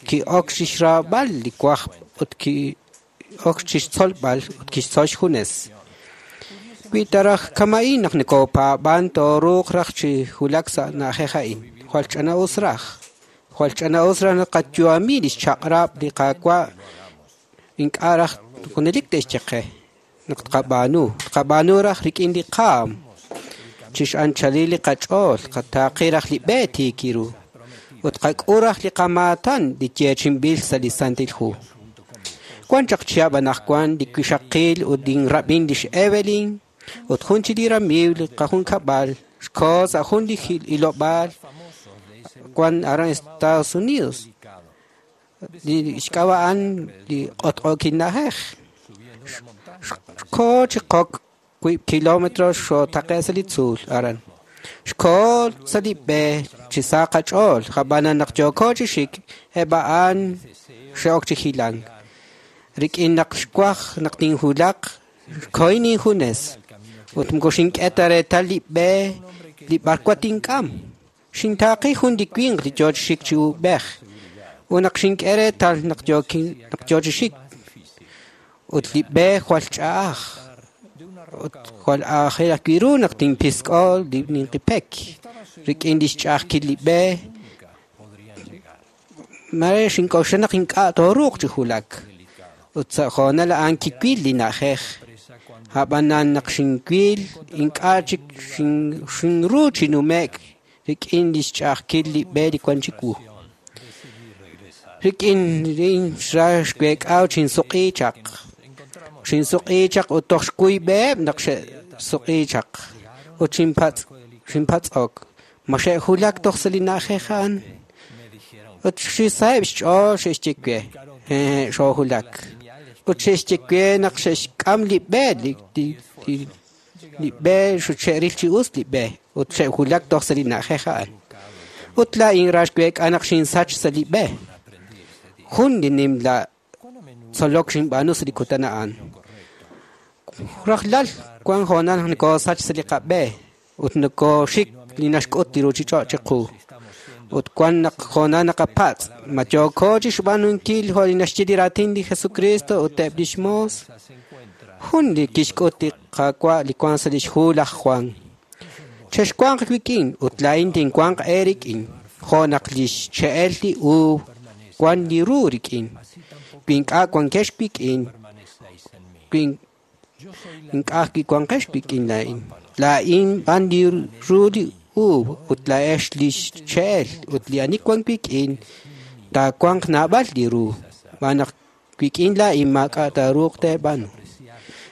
ki'ok chixraab'al li waj ut ki'ok chixtzolb'al ut kixtzol xjunes. Wi ta raj kama'in naq nikopaab'an tooruuq raj chi wulak sa' na'ajej a'in. Jwal ch'ana'us raj. Jwal ch'ana'us raj naq qayu'ami lix chaq'rab' li Qaawa' ink'a' raj junelik te'xye qe. Naq tqab'aanu, tqab'aanu raj rik'in li qaam, chix'anchalil li qach'ool, qataaqi raj li b'e tiikiru, ut qak'u raj li qamaatan li yeechinb'il sa' li Santil Hu. Wan chaq chihab' anaqwan li wixaqil ut linrab'in lix Evelyn, ut jun chi li ramiiw li qajunkab'al, xkoo sa' jun li ilob'aal wan aran Estados Unidos. Li xk'ab'a a'an li q'otq'ookil na'ajej. Xkoo chi qok wiib' kilómetro xootaqe' sa' li tzuul aran. Xkoo sa' li b'e chi sa qach'ool, jab'anan naq yooko chi xik, eb' a'an xe'ok chi hilank. Rik'in naq xwaj naq tinjulaq, xkohin injunes. Ut moko xink'e ta reetal li b'e li b'arwa tink'am. Xintaaqi jun li winq li yoo chi xik chi ub'ej. Ut naq xink'e reetal naq yoo chi xik, ut li b'e jwal ch'a'aj ut jwal aajel ajwi' ru naq tinpisk'o li ninqipek rik'in lix ch'a'ajkil li b'e mare xink'oxla naq ink'a' tooruuq chi wulak. Ut sa' hoonal a'an kiwil li na'ajej ab'anan naq xinwil ink'a' chik xinru chi nume'k rik'in lix ch'a'ajkil li b'e li wan chiwu. Rik'in rin xra xweek'aw chinsuq'i chaq. Xinsuq'i chaq ut toj xkuy b'eheb' naq xe'suq'i chaq. Ut xinpatz' xinpatz'ok ma xe'julak toj sa' li na'ajej a'an. Ut xisaheb' xch'ool xe'xye we xoojulak. Ut xe'xye we naq xe'xk'am li b'e li li b'e xe'ril chi us li b'e ut xe'julak toj sa' li na'ajej a'an. Ut laa'in ra xweek'a naq xinsach sa' li b'e. Jun li nimla tzolok xinb'aanu sa' li kutan a'an. Rajlal wan hoonal naq nikoosach sa' li qab'e ut nokooxik li naxk'ut li ruuchich'och' chiqu. Ut wan naq hoonal naqapatz' ma yooko chi xb'aanunkil jo' li naxye li raatin li Jesucristo ut eb' lix moos. Jun li kixk'ut li Qaawa' li wan sa' lix hu laj Juan. Chexwanq wik'in ut laa'in tinwanq eerik'in jo' naq lix che'el li uub' wan li ru rik'in. Wi ink'a' wankex wik'in, wi ink'a' wanqex wik'in laa'in. Laa'in b'an li ru li uub' ut laa'ex li xche'el ut li ani wan wik'in taawanq naab'al li ru xb'aan naq wik'in laa'in maak'a' taaruuq teeb'aanu.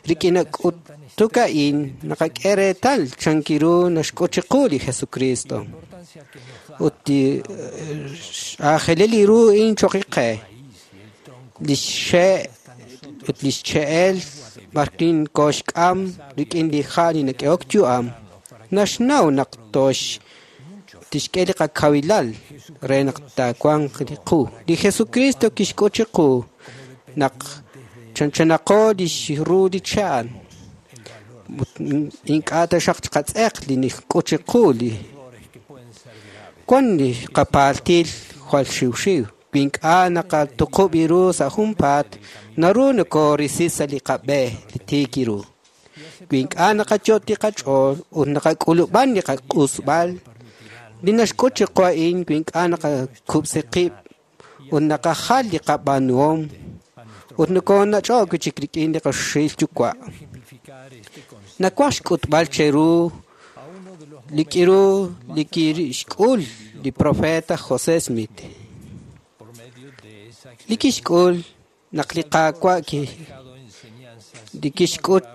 Rik'in k'utuk a'in naqak'e reetal chankiru naxk'ut chiqu li Jesucristo ut li aajelil li ru in choq' qe li xxe' ut li xche'el b'arkin kooxk'am rik'in li ha' li nak'ehok yu'am naxnaw naq tox tixk'e li qakawilal re naq taawanq li qu. Li Jesucristo kixk'ut chiqu naq chanchanaqo li xru li cha'an ink'a' taxaq chiqatz'eq li nixk'ut chiqu li wan li qapaltil jwal xiwxiw wi ink'a' naqatuqub' iru sa' junpaat naru nokoorisi sa' li qab'e li tiik iru wi ink'a' naqayot' li qach'ool ut naqak'ulub'an li qaq'usb'al li naxk'ut chiqu a'in wi ink'a' naqakub'si qib' ut naqajal li qab'aanuhom ut nokoonach'o'k wi' chik rik'in li qaxil yuwa'. Nawaj xk'utb'al cheru li k'iru li kixk'ul li profeta José Smith. Li kixk'ul naq li Qaawa' li kixk'ut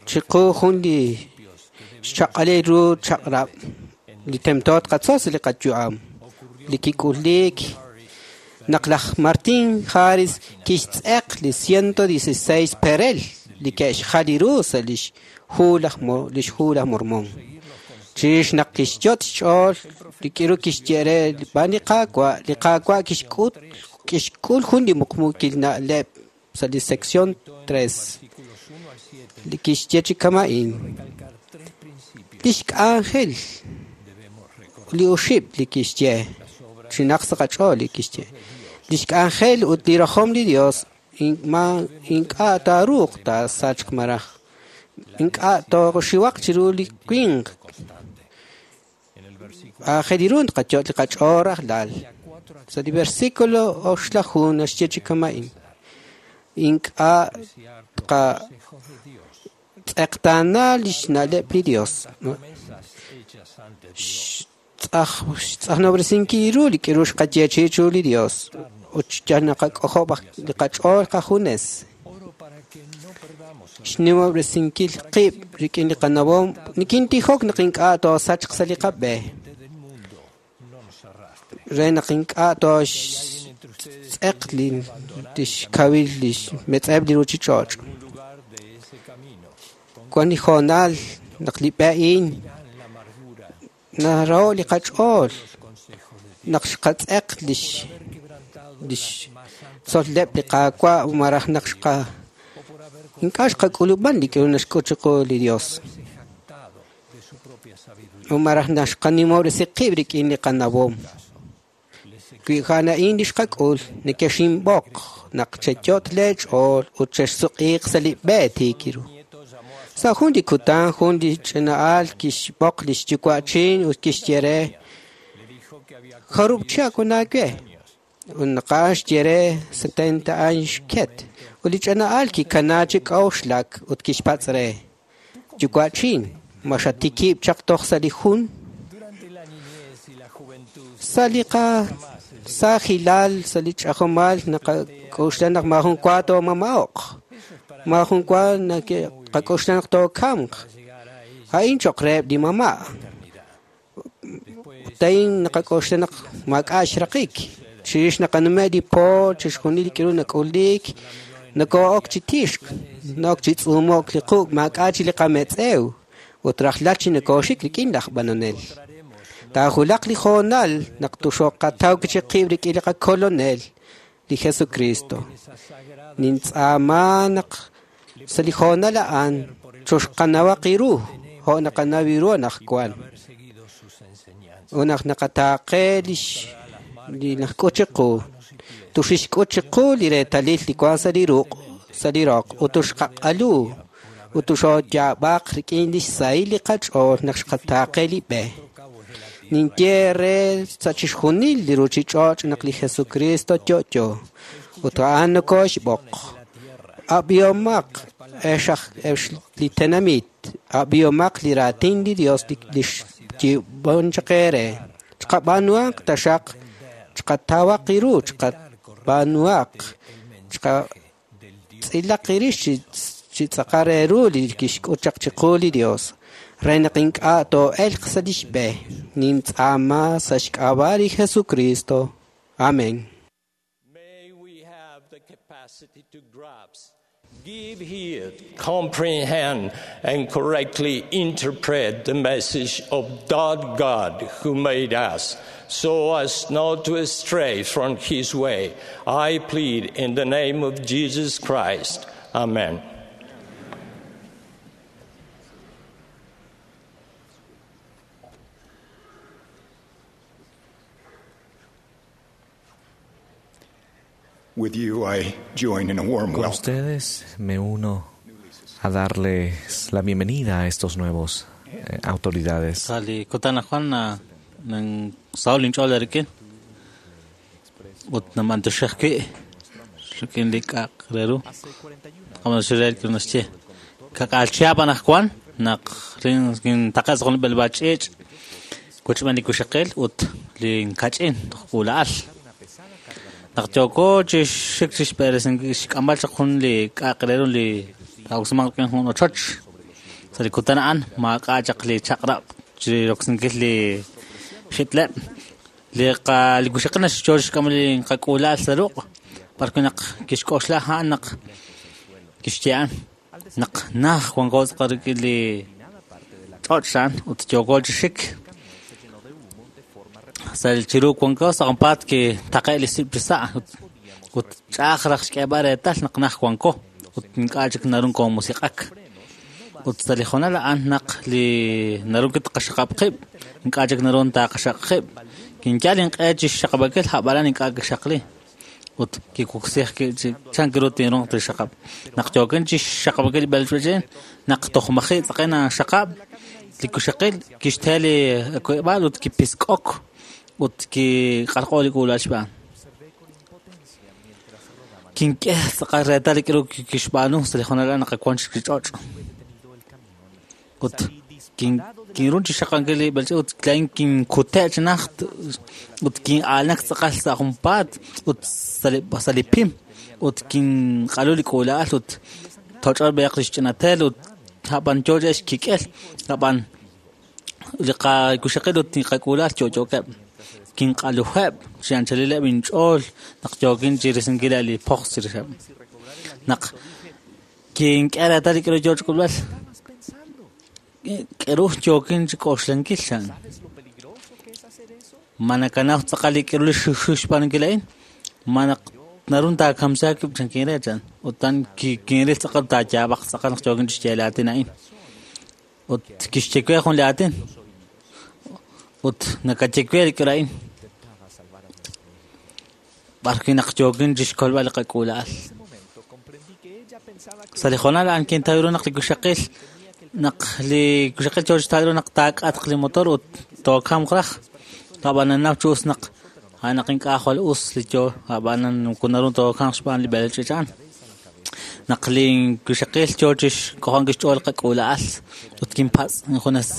chiqu jun li xchaq'alil ru chaq'rab' li tento tqatzol sa' li qayu'am li kik'ulik naq laj Martin Harris kixtz'eq li ciento dieciséis perel li ke'xjal ru sa' lix hu laj lix hu laj Mormón. Chirix naq kixyot' xch'ool li k'iru kixye re b'aan li Qaawa' li Qaawa' kixk'ut kixk'ul jun li muqmuukil na'leb' sa' li sección tres li kixye chi kama'in lix k'anjel li oxib' li kixye chinaq sa' qach'ool li kixye lix k'anjel ut li rajom li Dios ink'a' taaruuq taasachq maraj ink'a' tooxiwaq chiru li winq aajel ru naqayot' li qach'ool rajlal. Sa' li versículo oxlaju naxye chi kama'in ink'a' tqatz'eqtaana lix na'leb' li Dios xtz'ajnob'resinkil ru li k'iru xqayeechi'i chiru li Dios ut yal naqak'ojob' li qach'ool qajunes xnimob'resinkil qib' rik'in li qanawom nikintijok naq ink'a' toosachq sa' li qab'e re naq ink'a' tooxtz'eq li tixkawil li xmetz'eb' li ruchich'och'. Wan li hoonal naq li b'e a'in naraho' li qach'ool naq xqatz'eq lix lix tzol'leb' li Qaawa' maraj naq xqa ink'a' xqak'ulub'an li k'iru naxk'ut chiqu li Dios maraj naq xqanimob'resi qib' rik'in li qanawom. Wi a'an a'in li xqak'ul nekexinb'oq naq cheyot' leech'ool ut chexsuq'iiq sa' li b'e tiik ru. Sa' jun li kutan jun li ch'ina'al kixb'oq li xyuwa'chin ut kixye re jarub' chihab' wan aawe ut naq a'an xye re setenta años xket ut li ch'ina'al kikana chi k'a'uxlak ut kixpatz' re yuwa'chin ma xatikib' chaq toj sa' li jun sa' li qasaajilal sa' li ch'ajomal naqak'oxla naq maajun wa toomama'oq maajun wa naqak'oxla naq tookamq a'in cho'q reheb' li mama' ut a'in naqak'oxla naq maak'a' xraqik chirix naqanume' li po chixjunil li k'iru nak'ulik nokoo'ok chi tixk na'ok chi tz'uumo'k li qu' maak'a' chi li qametz'ew ut rajlal chi nokooxik rik'in laj b'anonel. Taajulaq li hoonal naq tuxoqataw chi qib' rik'in li qakolonel li Jesucristo. Nintz'aama naq sa' li hoonal a'an choxqanawaq iru jo' naqanaw iru anaqwan. Ut naq naqataaqe lix li naxk'ut chiqu tuxixk'ut chiqu li reetalil li wan sa' li ruq' sa' li roq ut tuxqaq'alu ut tuxooyaab'aq rik'in lix sahil li qach'ool naq xqataaqe li b'e. Ninye re sa' chixjunil li ruchich'och' naq li Jesucristo yo'yo ut a'an nokooxb'oq. Ab'ihomaq ex li tenamit, ab'ihomaq li raatin li Dios li Xyib'on chaq eere. Chqab'aanuhaq taxaq, chqatawaq iru, chqab'aanuhaq, chqatz'ilaq irix chi tz'aqal re ru li kixk'ut chaq chiqu li Dios. Re naq ink'a' too'elq sa' lix b'e. Nintz'aama sa' xk'ab'a' li Jesucristo. Amén. May we have the capacity to grasp, give heed, comprehend, and correctly interpret the message of that God who made us, so as not to stray from his way. I plead in the name of Jesus Christ. Amen. With you, I join in a warm Con welcome. ustedes me uno a darles la bienvenida a estos nuevos eh, autoridades. Sa' li kutan ajwan na- nan saw linch'ool rik'in ut namantioxej wi' rik'in li k'a'aq re ru qamantioxej re rik'in naxye kak'aalchihab' anajwan naq rin kintaqe' sa' jun li b'eleb'aal ch'iich' kuchb'en li kuxaqil ut li nkach'in toj k'uula'al naq yooko chi xik chi xb'eresinkil xk'amb'al chaq jun li k'a'aq re ru li taa'oksimanq rik'in jun ochoch sa' li kutan a'an maak'a' chaq li chaq'rab' chi roksinkil li xitleb' li qa li kuxaqil naxcho xk'am li qak'uula'al sa' ruq' b'arwi' naq kixk'oxla a'an naq kixye a'an naq naj wanko tz'aqal rik'in li ch'och' a'an ut yooko chi xik sa' chiru wanko sa' junpaat kitaqe' li sib' chi sa' ut ut ch'a'aj raj xk'eeb'al reetal naq naj wanko ut ink'a' chik naru koomusiq'ak ut sa' li hoonal a'an naq li naru kitqaxaqab' qib' ink'a' chik naru taaqaxaq qib' kinyal inq'e chi xxaqab'ankil a'b'anan ink'a' kixaqli ut kikuksij ki chi chan kiru tinruuq tixaqab' naq yookin chi xxaqab'ankil li b'eleb'aal naq toj maji' tz'aqen xaqab' li kuxaqil kixte li kuyb'al ut kipisk'ok ut kiq'alq'o li k'uula'al xb'aan kink'e tz'aqal reetal li k'iru kixb'aanu sa' li hoonal a'an naq wan chik li ch'och' ut kin kinrun chi xaqankil li b'eleb'aal ut laa'in kinkute' chi najt ut kin'aalnak tz'aqal sa' junpaat ut sa' li sa' li pim ut kinq'alu li k'uula'al ut toch'ol b'ayaq li xch'inatel ut a'b'an yoo chi xkik'el a'b'an li qakuxaqil ut li qak'uula'al yo'yookeb' kinq'aluheb' chi anchalileb' inch'ool naq yookin chi risinkil li poqs chirixeb' naq kink'e reetal li k'iru yoo chi k'ulb'al k'iru yookin chi k'oxlankil chan ma nakanaw tz'aqal li k'iru li xiwxiw xb'aanunkil a'in ma naq naru taakamsiha kib' chan kinre chan ut tan kinril tz'aqal taayaab'aq tz'aqal naq yookin chi xye li aatin a'in ut kixye we jun li aatin ut nakaye we li k'iru a'in b'arwi' naq yookin chi xkolb'al li qak'uula'al sa' li hoonal a'an kintaw ru naq li kuxaqil naq li kuxaqil yoo chi taw ru naq taak'atq li motor ut tookamq raj a'b'an nanaw chi us naq a'an naq ink'a' jwal us li yoo a'b'an naru tookamq xb'aan li b'eleb'aal ch'iich' a'an naq li kuxaqil yoo chi xk'ojonkil xch'ool qak'uula'al ut kinpatz' injunes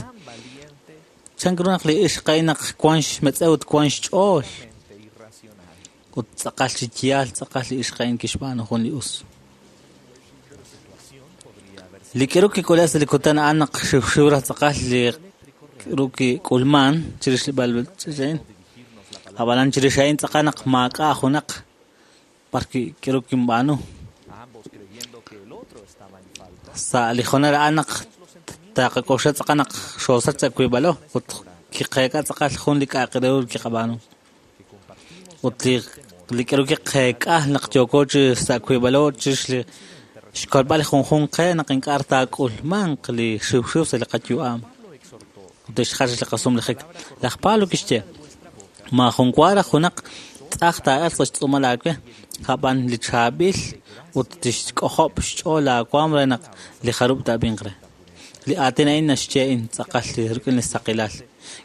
chan ru naq li ixq a'in naq wan xmetz'ew ut wan xch'ool ut tz'aqal chi yaal tz'aqal li ixq a'in kixb'aanu jun li us li k'iru kik'ule' sa' li kutan a'an naq xiwxiw raj tz'aqal li k'iru kik'ulman chirix li b'eleb'aal ch'iich' a'in a'b'anan chirix a'in tz'aqal naq maak'a' junaq b'arwi' k'iru kinb'aanu sa' li hoonal a'an naq taqak'oxla tz'aqal naq xoosach sa' wiib'alo ut kiqeek'a tz'aqal jun li k'a'aq re ru kiqab'aanu ut li li k'iru kiqeek'a naq yooko chi sa' wiib'alo chirix li xkolb'al li junjunq qe naq ink'a' taak'ulmanq li xiwxiw sa' li qayu'am ut tixjach li qasumlajik laj Pablo kixye maajun wa raj junaq tz'aj taa'elq sa' xtz'uumal aawe a'b'an li chaab'il ut tixk'ojob' xch'ool aawaam re naq li jarub' taab'inq re li aatin a'in naxye in tz'aqal li rik'in li saqilal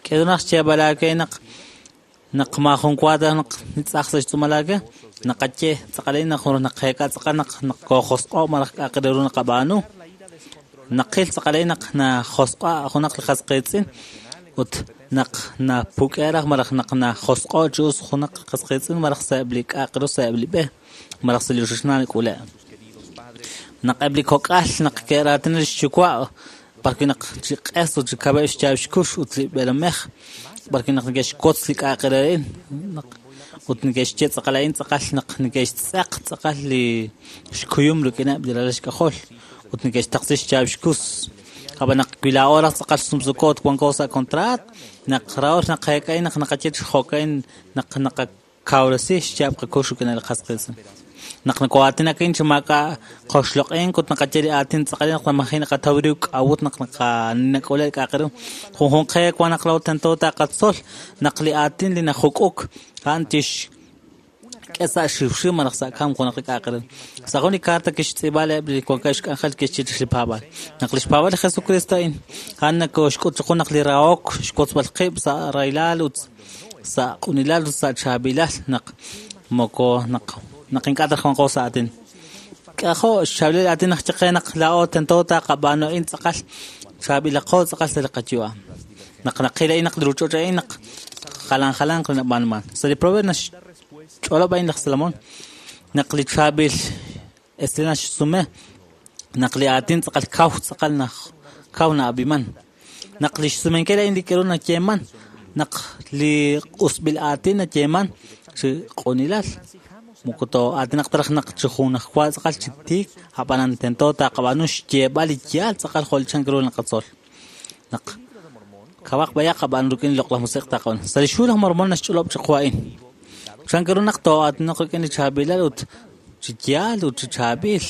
k'eru naq xyeeb'al aawe naq naq maajun wa ta naq tz'aj sa' xtz'uumal aawe naqaye tz'aqal a'in naq naqeek'a tz'aqal naq naq koojosq'o' malaj k'a'aq re ru naqab'aanu naqil tz'aqal a'in naq najosq'a' junaq li qas qiitz'in Ut naq napuk'e raj malaj naq najosq'o chi us junaq qas qiitz'in malaj sa'eb' li k'a'aq ru sa'eb' li b'e malaj sa' li ochochnaal nak'ule'. Naq eb' li kok'al naq ke'raatina lix yuwa' b'arwi' naq chi q'es ut chi kab'eb' xyaab' xkux ut li b'eelomej b'arwi' naq neke'xwotz li k'a'aq re a'in naq ut neke'xye tz'aqal a'in tz'aqal naq neke'xtz'eq tz'aqal li xkuyum rik'ineb' li ralal xk'ajol ut neke'xtaqsi xyaab' xkus. Ab'an naq wi laa'o raj tz'aqal sumsuko ut wanko sa' contrat naq raor naq qeek'a'in naq naqaye chi jo'ka'in naq naqakawresi xyaab' qakux rik'in li qas qiitz'in. Naq nako'aatinak a'in chi maak'a' qoxloq'ink ut naqaye li aatin tz'aqal naq maji naqataw ru k'a'ut naq naqanak'ule li k'a'aq ru. Junjunq qe wan naq laa'o tento taqatzol naq li aatin li najuk'uk a'an tixk'e sa' xiwxiw malaj sa' kamk junaq li k'a'aq ru. Sa' jun li carta kixtz'iib'a eb' li wankeb' xk'anjel kixye chirix li paab'aal. Naq li xpaab'aal li Jesucristo a'in a'an nakoxk'ut chiqu naq li rahok xwotzb'al qib' sa' rahilal ut sa' q'unilal ut sa' chaab'ilal naq moko naq naq ink'a' taraj wanqo sa' aatin. K'ajo' xchaab'ilal aatin naq chiqe naq laa'o tento taqab'aanu a'in tz'aqal chaab'ilaqo tz'aqal sa' li qayu'am. Naq naqil a'in naq li ruuch'och' a'in naq jalan jalanq li nab'aanuman. Sa' li proverbio naxch'olob' a'in laj Salomón naq li chaab'il esil naxsume naq li aatin tz'aqal kaw tz'aqal naj kaw na'ab'iman. Naq li xsumenkil a'in li k'aru nayeeman naq li q'usb'il aatin nayeeman chi q'unilal. Moko too'aatinaq taraj naq chi junajwa tz'aqal chi tiik ab'anan tento taqab'aanu xyeeb'al li yaal tz'aqal jo' li chank ru naqatzol. Naq kawaq b'ayaq ab'an rik'in li loq'laj musiq taqab'aanu. Sa' li xhu laj Mormón naxch'olob' chiqu a'in. Chank ru naq too'aatinaq rik'in li chaab'ilal ut chi yaal ut chi chaab'il.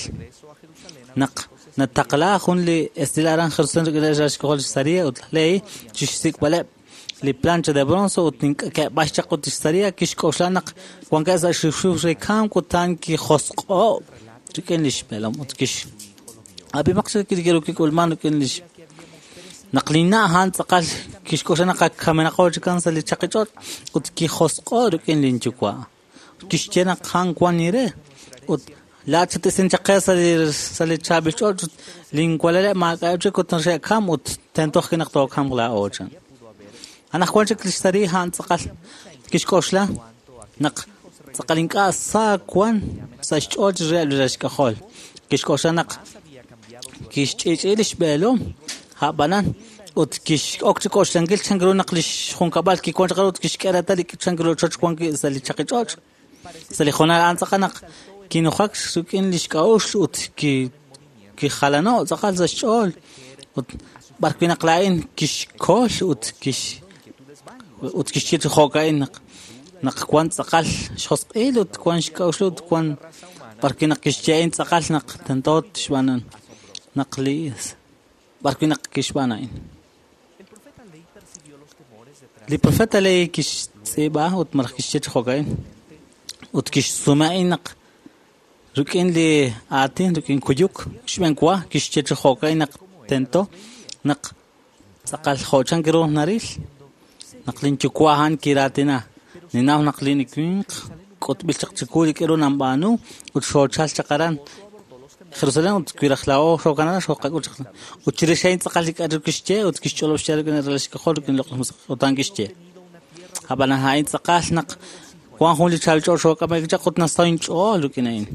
Naq nataqla jun li esil aran Jerusalén rik'in li xk'ajol Saria ut laj Lehi chi xsik'b'aleb' li plancha de bronce ut ke'b'ax chaq ut Saria kixk'oxla naq wankeb' sa' xiwxiw re kamk ut a'an kijosq'o' rik'in li xb'eelom ut kix ab'imaq chik li kik'ulman rik'in lix naq li na' a'an tz'aqal kixk'oxla naq ak kamenaqo chikan sa' li chaqich'och' ut kijosq'o' rik'in linyuwa'. Kixye naq a'an wan ire ut laa'at xatisin chaq qe sa' li sa' li chaab'il ch'och' ut linwalaleb' maak'a'eb' chik ut xe'kam ut tento ajwi' naq tookamq laa'o chan. Anaqwan chik li xSari a'an tz'aqal kixk'oxla naq tz'aqal ink'a' sa wan sa' xch'ool chi reheb' li xk'ajol. Kixk'oxla naq kixch'i'ch'i li xb'eelom a'b'anan ut kix'ok chi k'oxlankil chank ru naq li xjunkab'al kiwan chaq ut kixk'e reetal li chank ru choch wan wi' sa' li chaqich'och'. Sa' li jonal a'an tz'aqal naq kinujak rik'in li xk'a'uxl ut ki kijalano' tz'aqal sa' xch'ool ut b'arwi' naq laa'in kixkol ut kix ut kixye chi jo'ka'in naq naq wan tz'aqal xjosq'il ut wan xk'a'uxl ut wan b'arwi' naq kixye a'in tz'aqal naq tento tixb'aanan naq li b'arwi' naq kixb'aan a'in. Li profeta Lehi kixtz'iib'a ut malaj kixye chi jo'ka'in ut kixsume a'in naq rik'in li aatin rik'in kuyuk xb'enwa kixye chi jo'ka'in naq tento naq tz'aqal jo' chank ru naril naq linyuwa' a'an kiraatina. Ninaw naq li winq k'utb'il chaq chiwu li k'aru nanb'aanu ut xoochal chaq aran Jerusalén ut wi raj laa'o xookanala xooqak'ul chaq. Ut chirix a'in tz'aqal li k'aru kixye ut kixch'olob' xyaal rik'in li ralal xk'ajol rik'in li loq'laj musiq ut a'an kixye. Ab'an a'in tz'aqal naq wan jun li chaab'il ch'ool xook'amej chaq ut nasaw inch'ool rik'in a'in.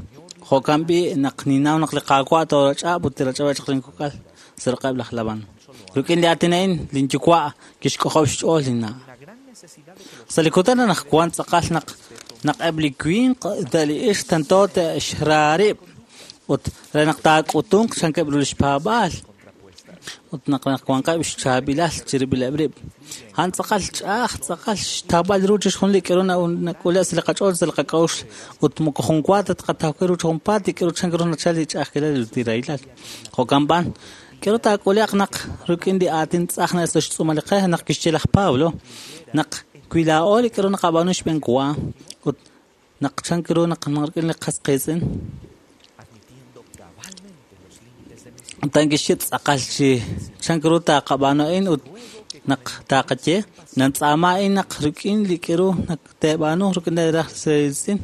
Jo'kan b'i' naq ninaw naq li Qaawa' toorach'ab' ut tirach'ab'eb' chaq linkok'al sa' roqeb' laj Labán. Rik'in li aatin a'in linyuwa' kixk'ojob' xch'ool linna'. Sa' li kutan anaqwan tz'aqal naq naq eb' li winq ut li ixq tento te'xraarib' ut re naq taak'utunq chankeb' ru li xpaab'aal ut naq naq wanqeb' xchaab'ilal chirib'ileb' rib'. A'an tz'aqal ch'a'aj tz'aqal xtawb'al ru chixjunil li k'aru nak'ule' sa' li qach'ool sa' li qak'a'uxl ut moko junwa ta tqataw ru chi junpaat li k'aru chank ru nachal li ch'a'ajkilal ut li rahilal. Jo'kan b'an k'aru taak'ule'q naq rik'in li aatin tz'aj sa' xtz'uumal li qe naq kixye laj Pablo naq wi laa'o li k'aru naqab'aanu xb'enwa ut naq chank ru naq rik'in li qas qiitz'in ut a'an kixye tz'aqal chi chank ru taqab'aanu a'in ut naq taqaye nantz'aama a'in naq rik'in li k'aru naq teeb'aanu rik'in li raj qiitz'in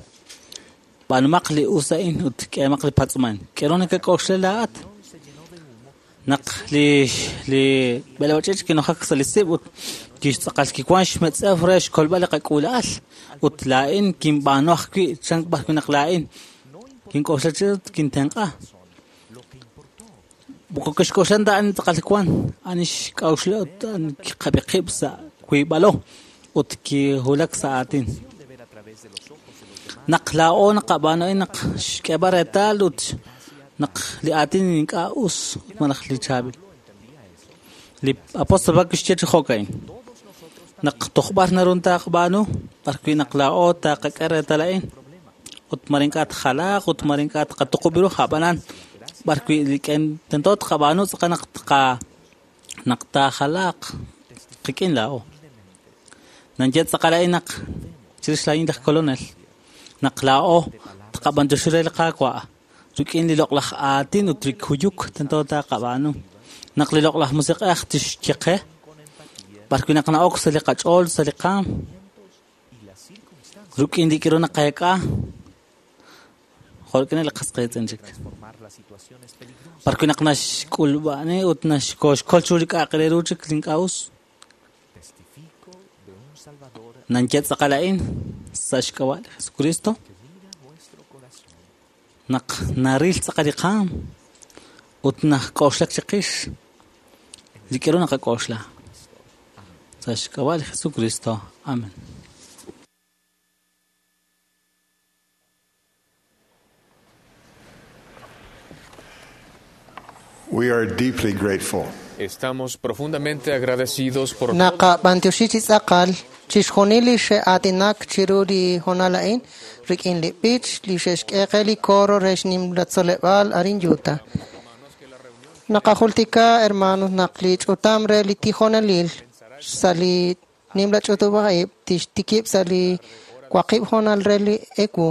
b'aanumaq li us a'in ut k'eemaq li patz'uman. K'aru nakak'oxla laa'at naq li li b'eleb'ach'ich kinojak sa' li sib' ut Kixtz'aqal kiwan xmetz'ew re xkolb'al li qak'uula'al ut laa'in kinb'aanu ajwi' chan b'arwi' naq laa'in kink'oxla chi kintenq'a. Moko kixk'oxlan ta ani tz'aqal wan ani xk'a'uxla ut ani kiqab'i qib' sa' wiib'alo ut kiwulak sa' aatin. Naq laa'o naqab'aanu a'in naq xk'eeb'al reetal ut naq li aatin ink'a' us malaj li chaab'il. Li apóstol Pablo kixye chi jo'ka'in naq tojb'ar naru taqab'aanu b'arwi' naq laa'o taqak'e reetal a'in ut mar ink'a' tjalaaq ut mar ink'a' tqatuqub' ru ab'anan b'arwi' li tento tqab'aanu tz'aqal naq tqa naq taajalaaq qik'in laa'o. Nanye tz'aqal a'in naq chirix laa'in laj kolonel naq laa'o tqab'anyoxi re li Qaawa' rik'in li loq'laj aatin ut li kuyuk tento taqab'aanu naq li loq'laj musiq'ej tixye qe b'arwi' naq na'ok sa' li qach'ool sa' li qaam rik'in li k'iru naqeek'a jo' rik'in li qas qiitz'in chik b'arwi' naq naxk'ulb'ani ut naxkoxkol chiru li k'a'aq re ru chik li ink'a' us nanye tz'aqal a'in sa' xk'ab'a' li Jesucristo naq naril tz'aqal li qaam ut najk'oxlak chiqix li k'iru naqak'oxla sa' xk'ab'a' li Jesucristo. Amen. We are deeply grateful. Estamos profundamente agradecidos por Naqab'antioxi chi tz'aqal chixjunil li xe'aatinak chiru li hoonal a'in rik'in li b'ich li xe'xk'e qe li coro re xnimla tzoleb'aal arin Utah. Naqajultika, hermanos, naq li ch'utam re li tijonelil sa' li nimla ch'utub'aj tixtikib' sa' li waqib' hoonal re li ewu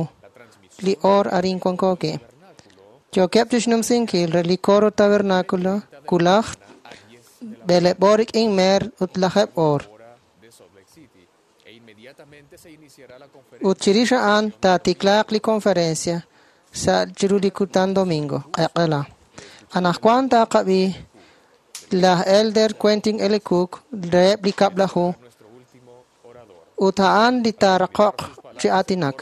li or arin wankoki. Yookeb' chixnumsinkil re li coro tabernáculo kulaj b'eleb' oor rik'in meer ut lajeb' oor. Ut chirix a'an taatiklaaq li conferencia sa' chiru li kutan domingo q'eq'ela. Anaqwan taqab'i laj Elder Quentin L. Cook reheb' li kab'laju ut a'an li taaraqoq chi aatinak.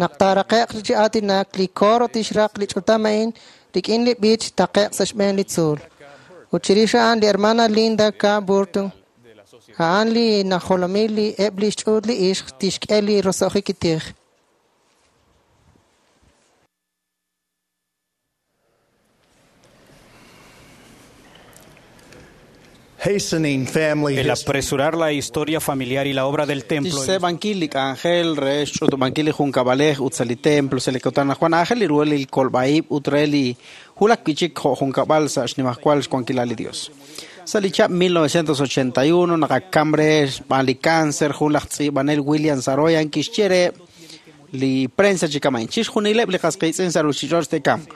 Naq taaraqe'q chi aatinak li coro tixraq li ch'utam a'in rik'in li b'ich taqe'q sa' xb'een li tzuul. Ut chirix a'an li hermana Linda K. Burton a'an li najolomil li eb' li xch'uut li ixq tixk'e li roso'jik tij. Hastening family El apresurar la historia familiar y la obra del templo. Tixseeb'ankil li k'anjel re xch'utub'ankil li junkab'alej ut sa' li templo sa' li kutan anaqwan aajel li ru li kolb'a'ib' ut re li wulak wi' chik jo' junkab'al sa' xnimajwal xwankilal li Dios. Sa' li chab' mil novecientos ochenta y uno naqakam re xb'aan li cáncer jun laj tz'iib'anel William Saroyan kixye re li prensa chi kama'in chixjunileb' li qas qiitz'in sa' ruuchich'och' te'kamq.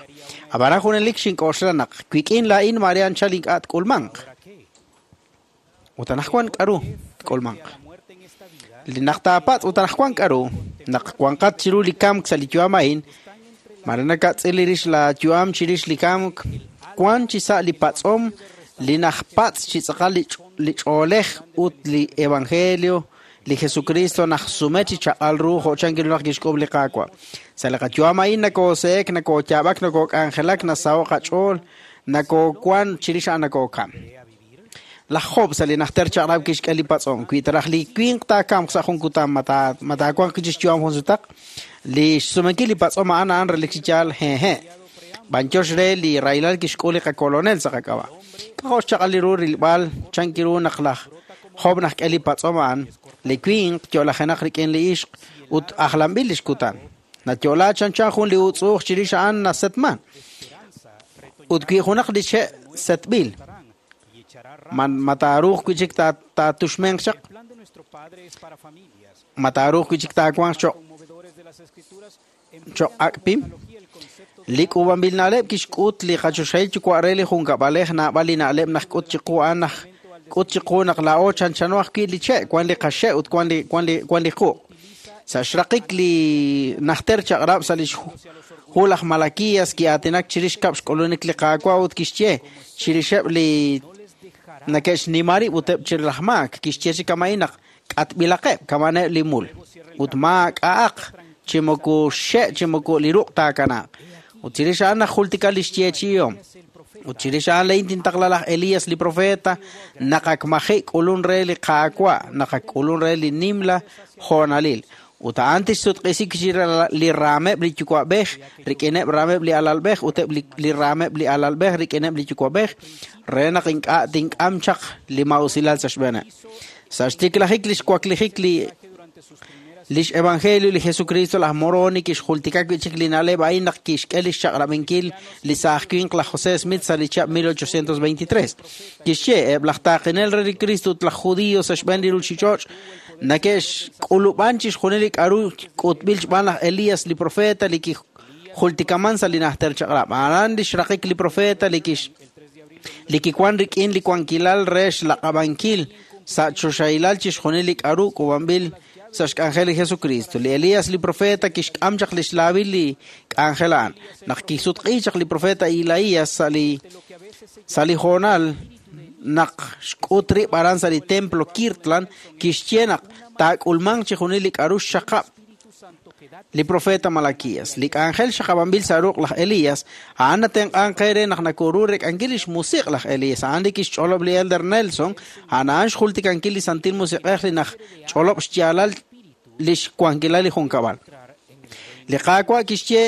Ab'anan junelik xink'oxla naq wik'in laa'in mare anchal ink'a' tk'ulmanq. Ut anaqwan k'aru tk'ulmanq. Li naq taapatz' ut anaqwan k'aru naq wanqat chiru li kamk sa' li yu'am a'in mare nakatz'il rix la yu'am chirix li kamk wan chi sa' li patz'om li najpatz' chi tz'aqal li ch'oolej ut li evangelio li Jesucristo najsume chi chaq'al ru jo' chankiru naq kixk'ub' li Qaawa'. Sa' li qayu'am a'in nakoose'ek nakooyaab'ak nakook'anjelak nasaho' qach'ool nakoowan chirix a'an nakookam. Laj Job sa' li najter chaq'rab' kixk'e li patz'om wi taraj li winq taakamq sa' jun kutan ma taawanq chi xyu'am jun sutaq li xsumenkil li patz'om a'an a'an relik chi yaal hehe'. B'anyox re li rahilal kixk'ul li qakolonel sa' qak'ab'a'. K'ajo' xchaq'al li ru rilb'al chankiru naq laj Job najk'e li patz'om a'an li winq yo'lajenaq rik'in li ixq ut ajlanb'il li xkutan. Nayo'la chanchan jun li utz'uuj chirix a'an nasetman. Ut wi junaq li che' setb'il man mataaruuq wi' chik taatuxmenq chaq mataaruuq wi' chik taawanq choq' choq' ak' pim. Li k'uub'anb'il na'leb' kixk'ut li qachoxahil yuwa' re li junkab'alej naab'al li na'leb' najk'ut chiqu a'an najk'ut chiqu naq laa'o chanchano ajwi' li che' wan li qaxe' ut wan li wan li wan li quq'. Sa' xraqik li najter chaq'rab' sa' li hu laj Malaquías ki'aatinak chirix kab' xk'ulunik li Qaawa' ut kixye chirixeb' li Nake'xnima rib' ut eb' chi laj maak kixye chi kama'in naq k'atb'ilaqeb' kama'aneb' li mul ut maak'a'aq chi moko xe' chi moko li ruq' taakanaaq. Ut chirix a'an najultika li xyeechi'ihom. Ut chirix a'an lain tintaqla laj Elías li profeta naq ak maji' k'ulun re li Qaawa' naq ak k'ulun re li nimla joonalil. Ut a'an tixsutq'isi chi li raameb' li yuwa'b'ej rik'ineb' raameb' li alalb'ej ut eb' li raameb' li alalb'ej rik'ineb' li yuwa'b'ej re naq ink'a' tink'am chaq li ma'usilal sa' xb'eeneb'. Sa' xtiklajik li xwaklijik li lix evangelio li Jesucristo laj Moroni kixjultika wi' chik li na'leb' a'in naq kixk'e li xchaq'rab'inkil li saaj winq laj José Smith sa' li chihab' mil ochocientos veintitrés. Kixye eb' laj taaqinel re li Cristo ut laj judío sa' xb'een li ruuchich'och' nake'xk'ulub'an chixjunil li k'a'ru k'utb'il xb'aan laj Elías li profeta li kijultikaman sa' li najter chaq'rab'. A'an li xraqik li profeta li kix li kiwan rik'in li wankilal re xlaq'ab'ankil sa' choxahilal chixjunil li k'a'ru k'uub'anb'il sa' xk'anjel li Jesucristo. Li Elías li profeta kixk'am chaq li xlaawil li k'anjel a'an. Naq kisutq'i chaq li profeta Isaías sa' li sa' li joonal naq xk'ut rib' aran sa' li templo Kirtland kixye naq taak'ulmanq chixjunil li k'a'ru xxaqab' li profeta Malaquías. Li k'anjel xaqab'anb'il sa' ruq' laj Elías a'an natenq'an qe re naq nakoru rek'ankil li xmusiq' laj Elías. A'an li kixch'olob' li Elder Nelson, a'an a'an xjultikankil li Santil Musiq'ej li naj ch'olob' xyaalal li xwankilal li junkab'al. Li Qaawa' kixye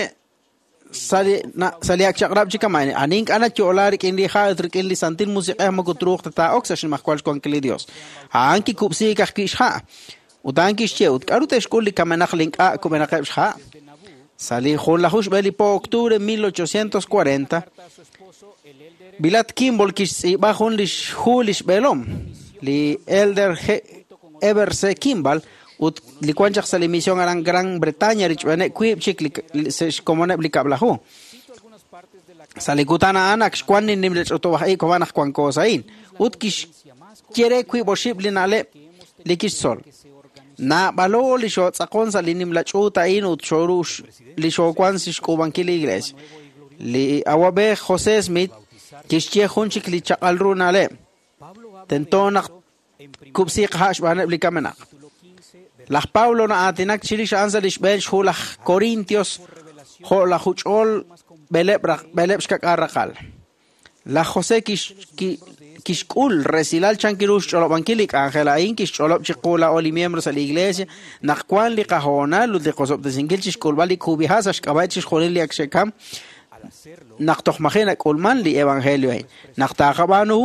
sa' li ak chaq'rab' chi kama'in ani ink'a' nayo'la rik'in li ha' ut rik'in li Santil Musiq'ej moko truuq ta taa'ok sa' xnimajwal xwankil li Dios. A'an kikub'siik ajwi' xha'. Ut a'an kixye ut k'a'ru te'xk'ul li kamenaq li ink'a' kub'enaqeb' xha'. Sa' li junlaju xb'e li po octubre mil ochocientos cuarenta Vilat Kimball kixtz'iib'a jun li xhu li xb'eelom li Elder Heber C. Kimball ut li wan chaq sa' li misión aran Gran Bretaña richb'eeneb' wiib' chik li xkomoneb' li kab'laju. Sa' li kutan a'an ak xwan li nimla ch'utub'aj ib' koman naq wanko sa'in ut kixye re wiib' oxib' li na'leb' li kixtzol. Naab'alo li xootz'aqon sa' li nimla ch'uut a'in ut xoru li xoowan sa' xk'uub'ankil li iglesia. Li awab'ej José Smith kixye jun chik li chaq'al ru na'leb'. Tento naq kub'siiq ha' xb'aaneb' li kamenaq. Laj Pablo na'aatinak chirix a'an sa' li xb'een xhu laj Corintios jo' laj juch'ol b'eleb' b'eleb' xkak'al raqal. Laj José kixk'ul resilal chan kiru xch'olob'ankil li k'anjel a'in kixch'olob' chiqu laa'o li miembro sa' li iglesia naq wan li qahoonal ut li qosob'tesinkil chixk'ulb'al li kub'iha' sa' xk'ab'a' chixjunil li ak xe'kam naq toj maji' nak'ulman li evangelio a'in. Naq taaqab'aanu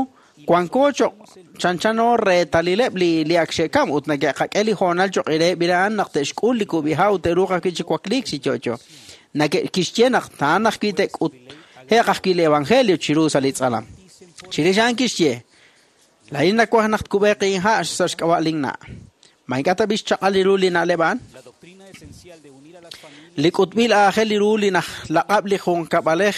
wanko choq' chanchano reetalileb' li li ak xe'kam ut nake'qak'e li hoonal choq' reheb' a'an naq te'xk'ul li kub'iha' ut te'ruuq ajwi' chi wakliik chi yo'yo. Nake'kixye naq ta'an ajwi' te'k'ut heq ajwi' li evangelio chiru sa' li tz'alam. Chirix a'an kixye laa'in nawaj naq tkub'eeq inha' sa' xk'ab'a' linna'. Ma ink'a' ta b'i xchaq'al li ru li na'leb' a'an? Li k'utb'il aajel li ru li najlaq'ab' li junkab'alej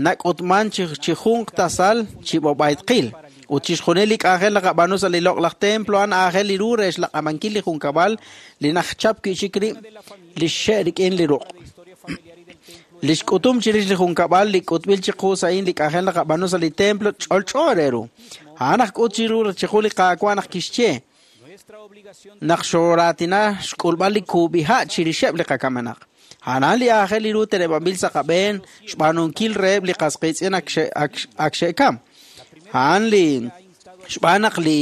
nak'utman chi junq tasal chi b'ob'aytqil. Ut chixjunil li k'anjel naqab'aanu sa' li loq'laj templo a'an aajel li ru re xlaq'amankil li junkab'al li najchap wi' chik rib' li xxe' rik'in li ruq'. Li xk'utum chirix li junkab'al li k'utb'il chiqu sa'in li k'anjel naqab'aanu sa' li templo ch'olch'o re ru. A'an aj k'ut chiru chiqu li Qaawa' naq kixye naq xoraatina xk'ulb'al li kub'iha' chirixeb' li qakamenaq. A'an li aajel li ru teneb'anb'il sa' qab'een xb'aanunkil reheb' li qasqiitz'in ak xe'kam. A'an li xb'aan naq li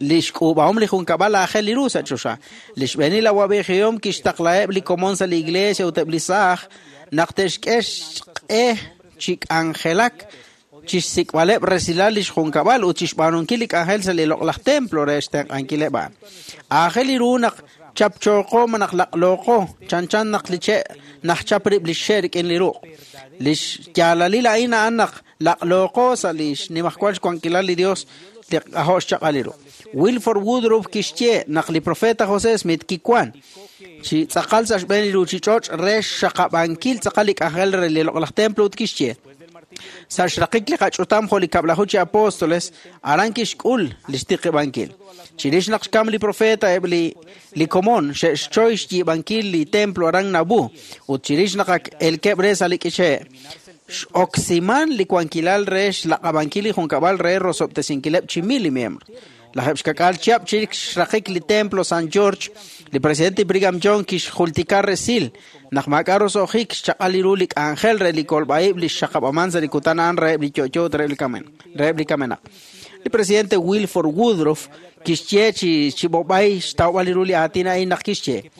li xk'uub'ahom li junkab'al aajel li ru sa' choxa. Li xb'eenil awab'ejihom kixtaqlaheb' li komon sa' li iglesia ut eb' li saaj naq te'xk'e xq'e chi k'anjelak chixsik'b'aleb' resilal li xjunkab'al ut chixb'aanunkil li k'anjel sa' li loq'laj templo re xtenq'ankileb' a'an. Aajel li ru naq chapchooqo ma naq laq'looqo chanchan naq li che' najchap rib' li xxe' rik'in li ruq'. Li xyaalalil a'in a'an naq laq'looqo sa' li xnimajwal xwankilal li Dios li ajo' xchaq'al li ru. Wilford Woodruff kixye naq li profeta José Smith kiwan chi tz'aqal sa' xb'een li ruuchich'och' re xxaqab'ankil tz'aqal li k'anjel re li loq'laj templo ut kixye sa' xraqik li qach'utam jo' li kab'laju chi apóstoles aran kixk'ul li xtiqib'ankil. Chirix naq xkam li profeta eb' li li komon xe'xchoy xyiib'ankil li templo aran Nauvoo ut chirix naq ak elkeb' re sa' li k'iche' X'oksiman li wankilal re xlaq'ab'ankil li junkab'al re rosob'tesinkileb' chi mil li miembro. Lajeb' xkak'al chihab' chik xraqik li templo San George, li presidente Brigham Young kixjultika resil naq maak'a' roso'jik xchaq'al ru li k'anjel re li kolb'a'ib' li xxaqab'aman sa' li kutan a'an reheb' li yo'yo ut reheb' li kamen reheb' li kamenaq. Li presidente Wilford Woodruff kixye chi chi b'ob'ay xtawb'al ru li aatin a'in naq kixye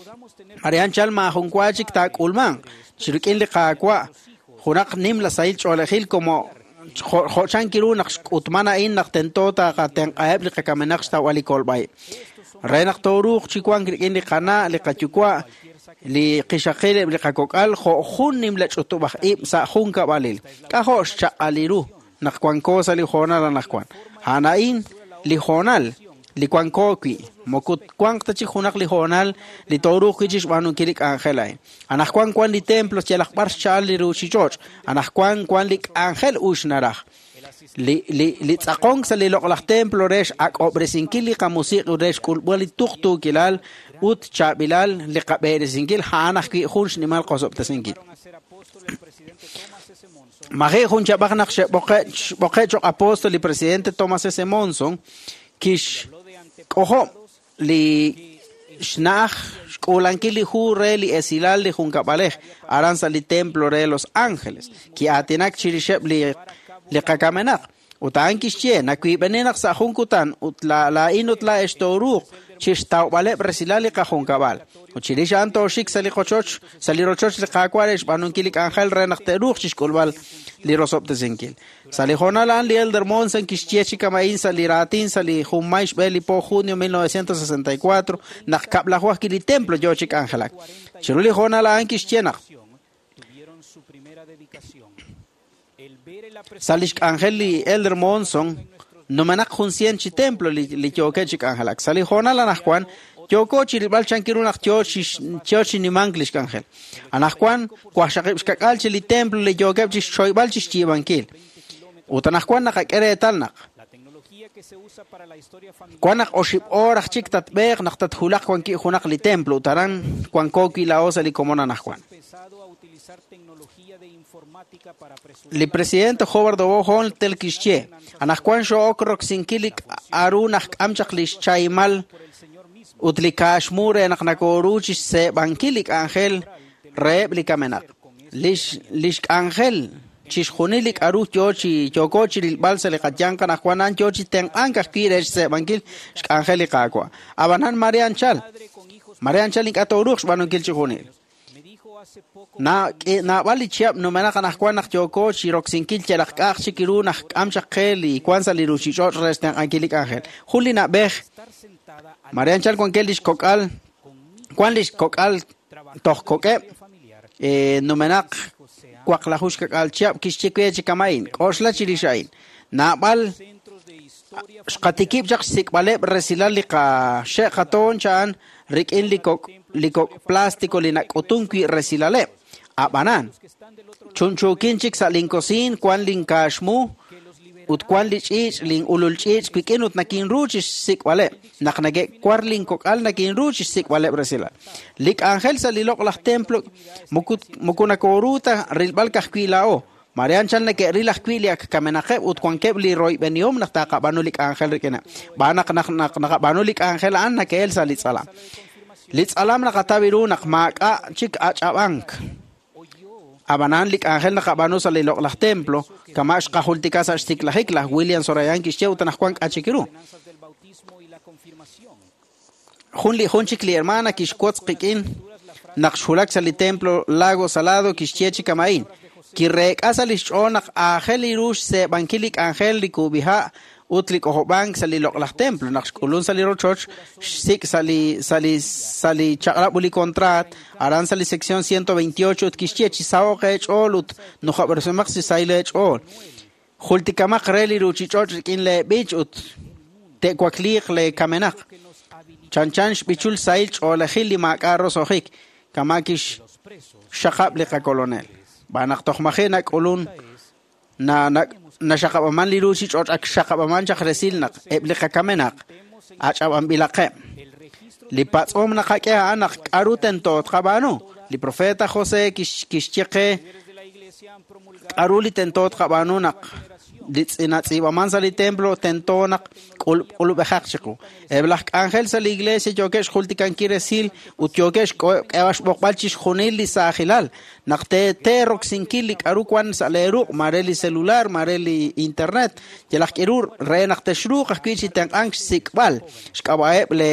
Marian chal maajun wa chik taak'ulmanq chi rik'in li Qaawa' junaq nim la sahil ch'oolejil como jo'chan kiru naq xk'utman a'in naq tento taqatenq'aheb' li qakamenaq xtawb'al li kolb'a'ib'. Re naq tooruuq chi wank rik'in li qana', li qayuwa', li qixaqil eb' li qakok'al jo' jun nimla ch'utub'aj ib' sa' jun kab'alil. K'ajo' xchaq'al ru naq wanko sa' li hoonal anaqwan. A'an a'in li hoonal li wanko wi' moko wanq ta chik junaq li hoonal li tooruuq wi' chi xb'aanunkil li k'anjel a'in. Anaqwan wan li templo yalaq b'ar xcha'al li ruuchich'och'. Anaqwan wan li k'anjel ux naraj. Li li li tz'aqonk sa' li loq'laj templo re x'ak'ob'resinkil li qamusiq' ut re xk'ulb'al li tuqtuukilal ut chaab'ilal li qab'eresinkil a'an ajwi' jun xnimal qosob'tesinkil. Maji' jun chab'aj naq xe'b'oqe' xb'oqe' choq' apóstol li presidente Thomas S. Monson kix k'ojob' li xna'aj xk'uulankil li hu re li esilal li junkab'alej aran sa' li templo re Los Ángeles ki'aatinak chirixeb' li li qakamenaq ut a'an kixye nawiib'eni naq sa' jun kutan ut la laa'in ut laa'ex tooruuq chixtawb'aleb' resilal li qajunkab'al ut chirix a'an tooxik sa' li qochoch sa' li rochoch li Qaawa' re xb'aanunkil li k'anjel re naq te'ruuq chixk'ulb'al li rosob'tesinkil. Sa' li hoonal a'an li Elder Monson kixye chi kama'in sa' li raatin sa' li junmay xb'e li po junio mil novecientos sesenta y cuatro naq kab'laju ajwi' li templo yoo chi k'anjelak. Chiru li hoonal a'an kixye naq sa' lix k'anjel li Elder Monson numenaq jun cien chi templo li li yookeb' chi k'anjelak. Sa' li hoonal anaqwan yooko chi rilb'al chankiru naq yoo chi yoo chi nimank lix k'anjel. Anaqwan waqxaqib' xkak'al chi li templo li yookeb' chi xchoyb'al chi xyiib'ankil. Ut anaqwan naqak'e reetal naq wan naq oxib' oor aj chik tatb'eeq naq tathulaq wanki' junaq li templo ut aran wanko wi' laa'o sa' li komon anaqwan. Li presidente Howard O. Hunter kixye anaqwan xo'ok roksinkil li k'a'ru naq k'am chaq li xchaymal ut li kaaxmu re naq nakooru chi xseeb'ankil li k'anjel reheb' li kamenaq. Lix lix k'anjel chixjunil li k'a'ru yoo chi yooko chi rilb'al sa' li qayanq anaqwan a'an yoo chi tenq'ank ajwi' re xseeb'ankil xk'anjel li Qaawa'. Ab'anan Marian chal Marian chal ink'a' tooruuq xb'aanunkil chixjunil. Na naab'al li chihab' numenaq anaqwan naq yooko chi roksinkil yalaq k'a'aj chik ru naq k'am chaq qe li wan sa' li ruuchich'och' re xtenq'ankil li k'anjel. Jun li na'b'ej Marian chal wankeb' lix kok'al wan lix kok'al toj kok'eb' eh, numenaq waqlaju xkak'al chihab' kixye we chi kama'in k'oxla chirix a'in. Naab'al xqatikib' chaq xsik'b'aleb' resilal li qaxe' qatoon cha'an rik'in li kok' li kok' plástico li nak'utun wi' resilaleb'. Ab'anan chunchuukin chik sa' linkosiin wan linkaaxmu ut wan li ch'iich' lin ulul ch'iich' wik'in ut nakinru chi xsik'b'aleb' naq nake'war linkok'al nakinru chi xsik'b'aleb' resilal. Li k'anjel sa' li loq'laj templo moku moko nakooru ta rilb'al ka'ajwi' laa'o. Marian chal nake'ril ajwi' li ak kamenaqeb' ut wankeb' li royb'enihom naq taqab'aanu li k'anjel rik'ineb'. B'aan naq naq naq naqab'aanu li k'anjel a'an nake'el sa' li tz'alam. Li tz'alam naqataw ru naq maak'a' chik ach'ab'ank. Ab'anan li k'anjel naqab'aanu sa' li loq'laj templo kama' xqajultika sa' xtiklajik laj William Sorayan kixye ut anaqwan k'a chik ru. Jun li jun chik li hermana kixwotz qik'in naq xwulak sa' li templo Lago Salado kixye chi kama'in. Kireek'a sa' lix ch'ool naq aajel li ru xseeb'ankil li k'anjel li kub'iha' ut li k'ojob'ank sa' li loq'laj templo naq xk'ulun sa' li rochoch xsik' sa' li sa' li sa' li chaq'rab' ut li contrat aran sa' li sección ciento veintiocho ut kixye chi saho'q eech'ool ut nujob'resimaq chi sahil eech'ool. Jultikamaq re li ruuchich'och' rik'in leeb'ich ut te'wakliiq leekamenaq. Chanchan xb'ichul sahil ch'oolejil li maak'a' roso'jik kama' kixxaqab' li qakolonel. B'aan naq toj maji' nak'ulun na naxaqab'aman li ruuchich'och' ak xaqab'aman chaq resil naq eb' li qakamenaq ach'ab'anb'ilaqeb'. Li patz'om naqak'e a'an naq k'a'ru tento tqab'aanu. Li profeta José kixye qe K'aru li tento tqab'aanu naq li natz'iib'aman sa' li templo tento naq k'ulub'ejaq chiqu. Eb' laj k'anjel sa' li iglesia yookeb' xjultikankil resil ut yookeb' xk'eb'al xb'oqb'al chixjunil li saajilal naq teeroksinki li k'aru wan sa' leeruq' mare li celular, mare li internet, yalaq k'iru re naq texruuq ajwi' chi tenq'ank xsik'b'al xk'ab'a'eb' le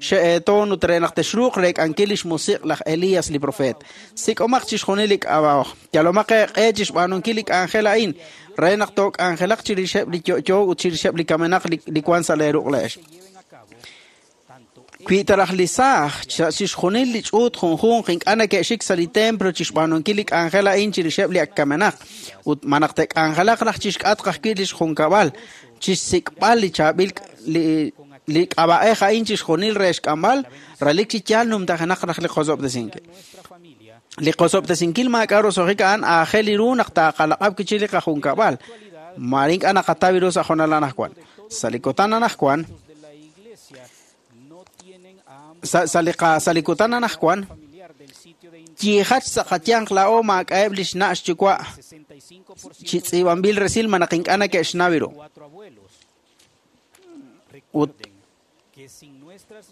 xe'eetoon ut re naq texruuq reek'ankil li xmusiq' laj Elías li profeet. Sik'omaq chixjunil li k'ab'a'oj. Yalomaq eeq'e chixb'aanunkil li k'anjel a'in re naq took'anjelaq chirixeb' li yo'yo ut chirixeb' li kamenaq li wan sa' leeruq' le'ex. Wi taraj li saaj chixjunil li ch'uut junjunq ink'a' neke'xik sa' li templo chixb'aanunkil li k'anjel a'in chirixeb' li ak kamenaq ut ma naq te'k'anjelaq raj chixk'atq ajwi' li xjunkab'al chixsik'b'al li chaab'il li li k'ab'a'ej a'in chixjunil re xk'amb'al relik chi yaal numtajenaq raj li qosob'tesinkil. Li qosob'tesinkil maak'a' roso'jik a'an aajel ru naq taaqalaq'ab' kichi li qajunkab'al mare ink'a' naqataw ru sa' jonal anajwan. Sa' li kutan anajwan sa' sa' li qa sa' li kutan anajwan yiijach sa' qayanq laa'o maak'a'eb' li xna' xyuwa' chi tz'iib'anb'il resil ma naq ink'a' neke'xnaw ru. Ut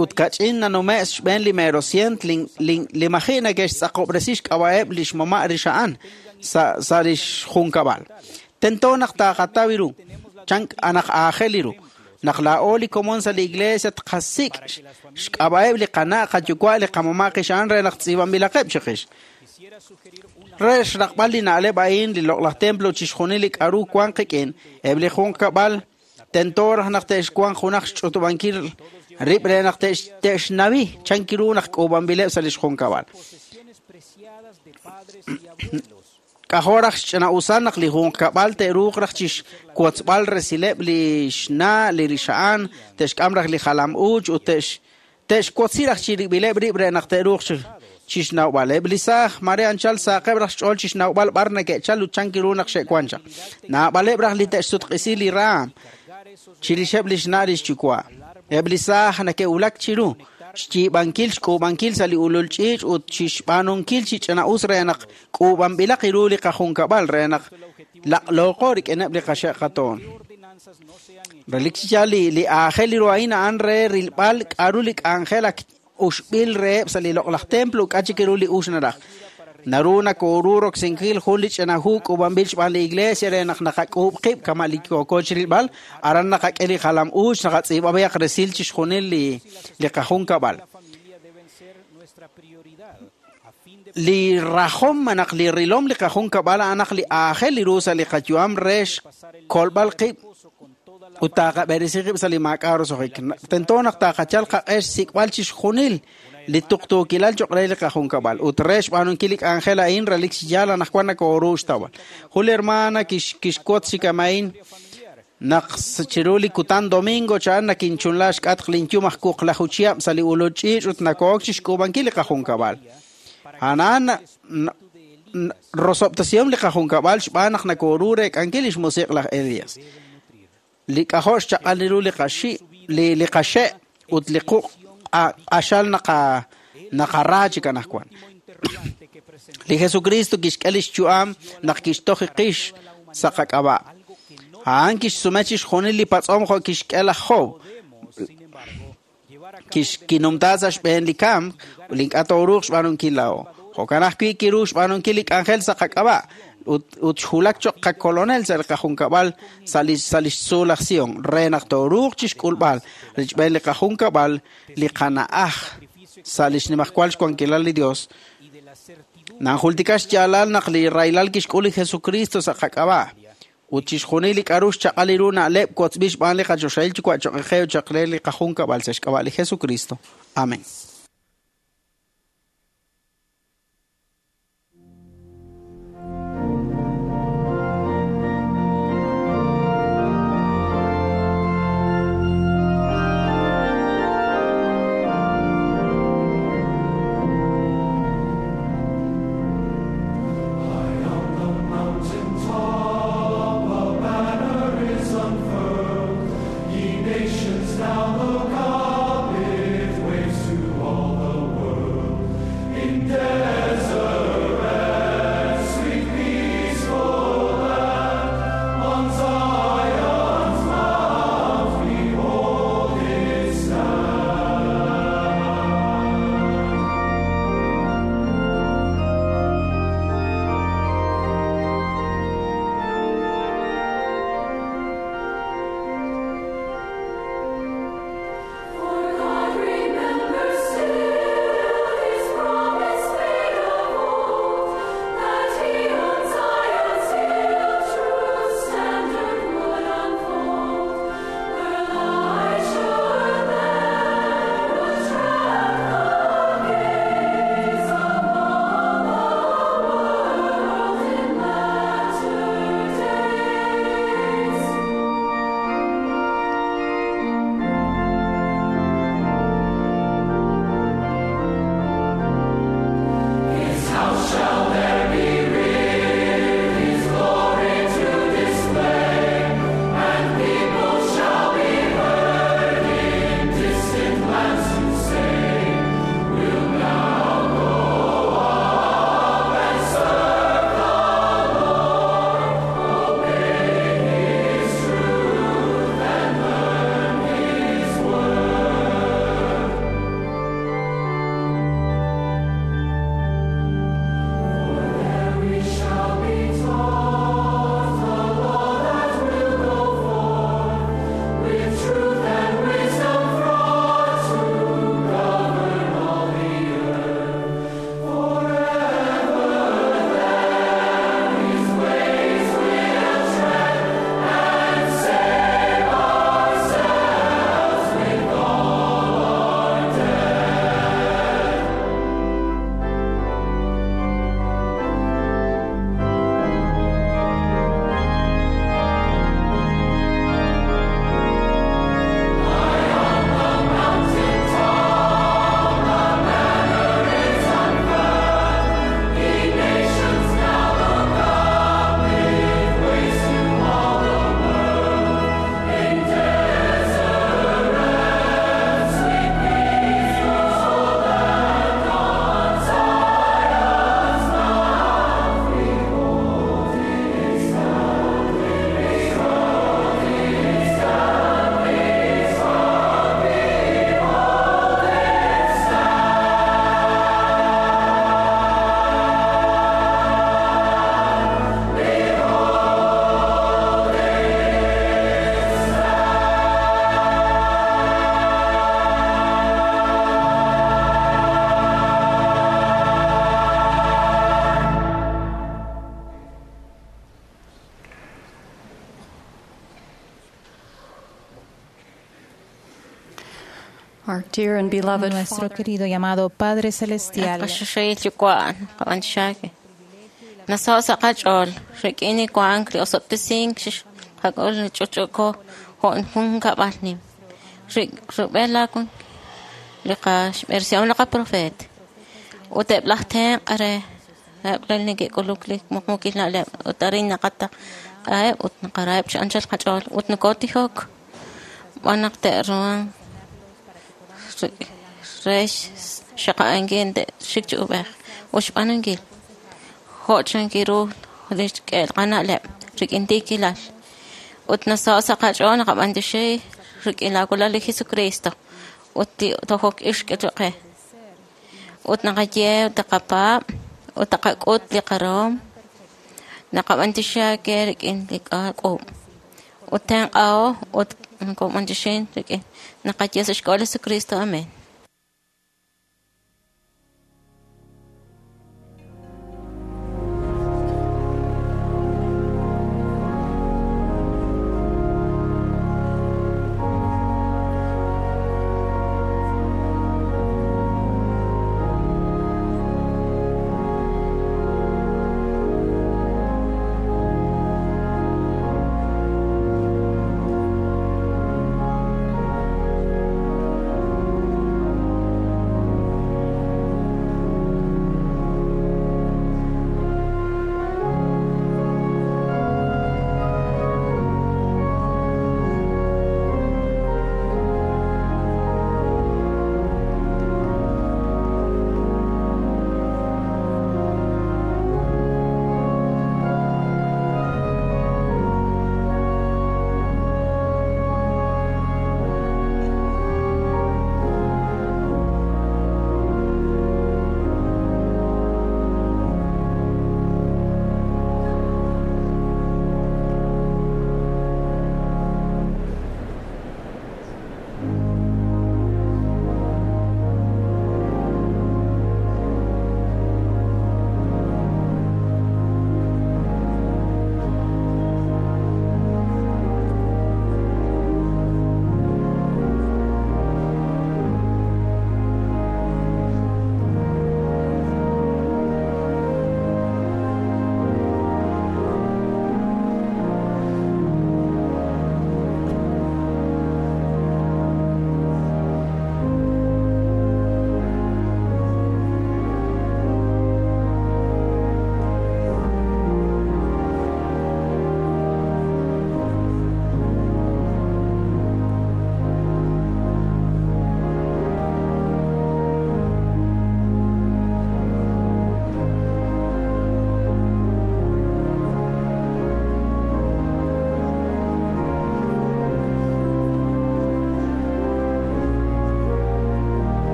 ut kach'in nanume' xb'een li merosient li maji' neke'xtz'aqob'resi xk'ab'a'eb' li xmama' rixa'an sa' sa' li xjunkab'al. Tento naq taaqataw ru, chan anaq aajel ru. Naq laa'o li komon sa' li iglesia tqasik' xk'ab'a'eb' li qana' qayuwa' li qamama' qixa'an re naq tz'iib'anb'ilaqeb' chiqix. Re xraqb'al li na'leb' a'in li loq'laj templo chixjunil li k'aru wan qik'in, eb' li junkab'al tento raj naq te'xwanq junaq xch'utub'ankil rib' re naq te'xnawi chan kiru naq k'uub'anb'ileb' sa' li xjunkab'al. K'ajo raj xch'ina'usan naq li junkab'al te'ruuq raj chixwotzb'al resileb' li xna' li rixa'an, te'xk'am raj li jalam uuch ut te'xwotzi raj chirib'ileb' rib' re naq te'ruuq chixnawb'aleb' li saaj mare anchal saaqeb' raj xch'ool chixnawb'al b'ar neke'chal ut chan kiru naq xe'wan chaq. Naab'aleb' raj li te'xsutq'isi li raam chirixeb' li xna' li xyuwa'. Eb' li saaj neke'wulak chiru xyiib'ankil xk'uub'ankil sa' li ulul ch'iich' ut chixb'aanunkil chi ch'ina'us re naq k'uub'anb'ilaq ru li qajunkab'al re naq laq'looqo rik'ineb' li qaxe' qatoon. Relik chi yaal li li aajel ru a'in a'an re rilb'al k'aru li k'anjel ak uxb'il reheb' sa' li loq'laj templo k'a chik ru li ux naraj. Naru nakooru roksinkil jun li ch'ina hu k'uub'anb'il xb'aan li iglesia re naq naqak'uub' qib' kama' li yooko chirilb'al, aran naqak'e li jalam uuch naqatz'iib'ab'ayaq resil chixjunil li li qajunkab'al. Li rajom naq li rilom li qajunkab'al a'an naq li aajel ru sa' li qayu'am re xkolb'al qib' ut taaqab'eresi qib' sa' li maak'a' roso'jik. Tento naq taaqachal qaq'e xsik'b'al chixjunil li tuqtuukilal cho'q re li qajunkab'al ut re xb'aanunkil li k'anjel a'in relik chi yaal anaqwan nakooru xtawb'al. Jun li hermana kixwotz chi kama'in naq chiru li kutan domingo cha'an nakinchunla xk'atq linyum aj wuqlaju chihab' sa' li ulul ch'iich' ut nakook chixk'uub'ankil li qajunkab'al. A'an rosob'tesihom li qajunkab'al xb'aan naq nakooru reek'ankil li xmusiq' laj Elías. Li k'ajo' xchaq'al ru li qaxi' li li qaxe' ut li quq' q'axal naqa naqara chik anaqwan. Li Jesucristo kixk'e li xyu'am naq kixtoj qix sa' qak'ab'a'. A'an kixsume chixjunil li patz'om jo' kixk'e laj Job. Kinumta sa' xb'een li kamk ut ink'a' tooruuq xb'aanunkil laa'o. Jo'kan ajwi' kiru xb'aanunkil li k'anjel sa' qak'ab'a' ut ut xwulak cho'q qakolonel sa' li qajunkab'al sa' li sa' li xtzuul laj Sion re naq tooruuq chixk'ulb'al richb'een li qajunkab'al li qana'aj sa' li xnimajwal xwankilal li Dios. Nanjultika xyaalal naq li rahilal kixk'ul li Jesucristo sa' qak'ab'a' ut chixjunil li k'aru xchaq'al ru na'leb' wotzb'il xb'aan li qachoxahil yuwa' cho'q qe ut cho'q re li qajunkab'al sa' xk'ab'a' li Jesucristo. Amén. Nations now look up, it waves to Our dear and beloved Nuestro querido y amado Padre Celestial, Qaxaxil yuwa' qab'anxaake. Nasaw sa' qach'ool rik'in wank li osob'tesink xqak'ul li ch'uch'uko jo' jun kab'al nim. Rub'el laakun li qaxb'eresihom li qaprofeet. Ut eb' laj tenq' re eb' li neke'k'uluk li muqmuukil na'leb' ut arin naqataq'aheb' ut naqaraheb' chi anchal qach'ool ut nokotijok b'an naq te'ruhan re xaqa'ankil te'xik chi ub'ej ut xb'aanunkil jo' chankiru li xk'el qana'leb' rik'in tiikilal ut nasaw sa' qach'ool naqab'antioxi rik'in laawalal li Jesucristo ut li tojok ix k'e qe ut naqaye ut taqapaab' ut taqak'ut li qarahom naqab'antioxi ake rik'in li qak'uub' ut tenq'aho ut nokob'antioxin rik'in naqaye sa' xk'ab'a' li Jesucristo. Amén.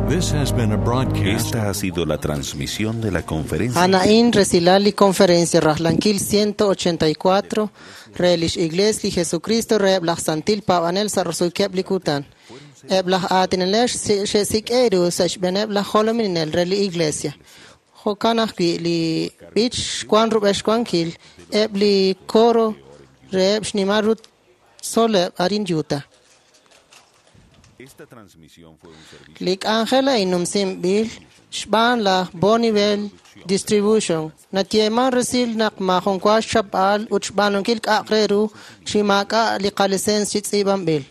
This has been a broadcast. Esta ha sido la transmisión de la conferencia. Anaín Resilali Conferencia Rajlankil ciento ochenta y cuatro Relish Iglesia li Jesucristo Reblach Santil Pavanel Sarrosuikeb Likutan Eblach Atinelesh Shesik Eru Sashbenebla Holominel Reli Iglesia Jokanajki li Bich Kwan Rubesh Kwankil Ebli Koro Reb Shnimarut Soleb Arin Yuta. Esta transmisión fue un servicio. Lik Angela inumsim bil Xban la Bonneville Distribution natyeman resil naq majonwa xchapal ut xb'aanunkil k'a'aq re ru chi maak'a' li qalicencia chi tz'iib'anb'il.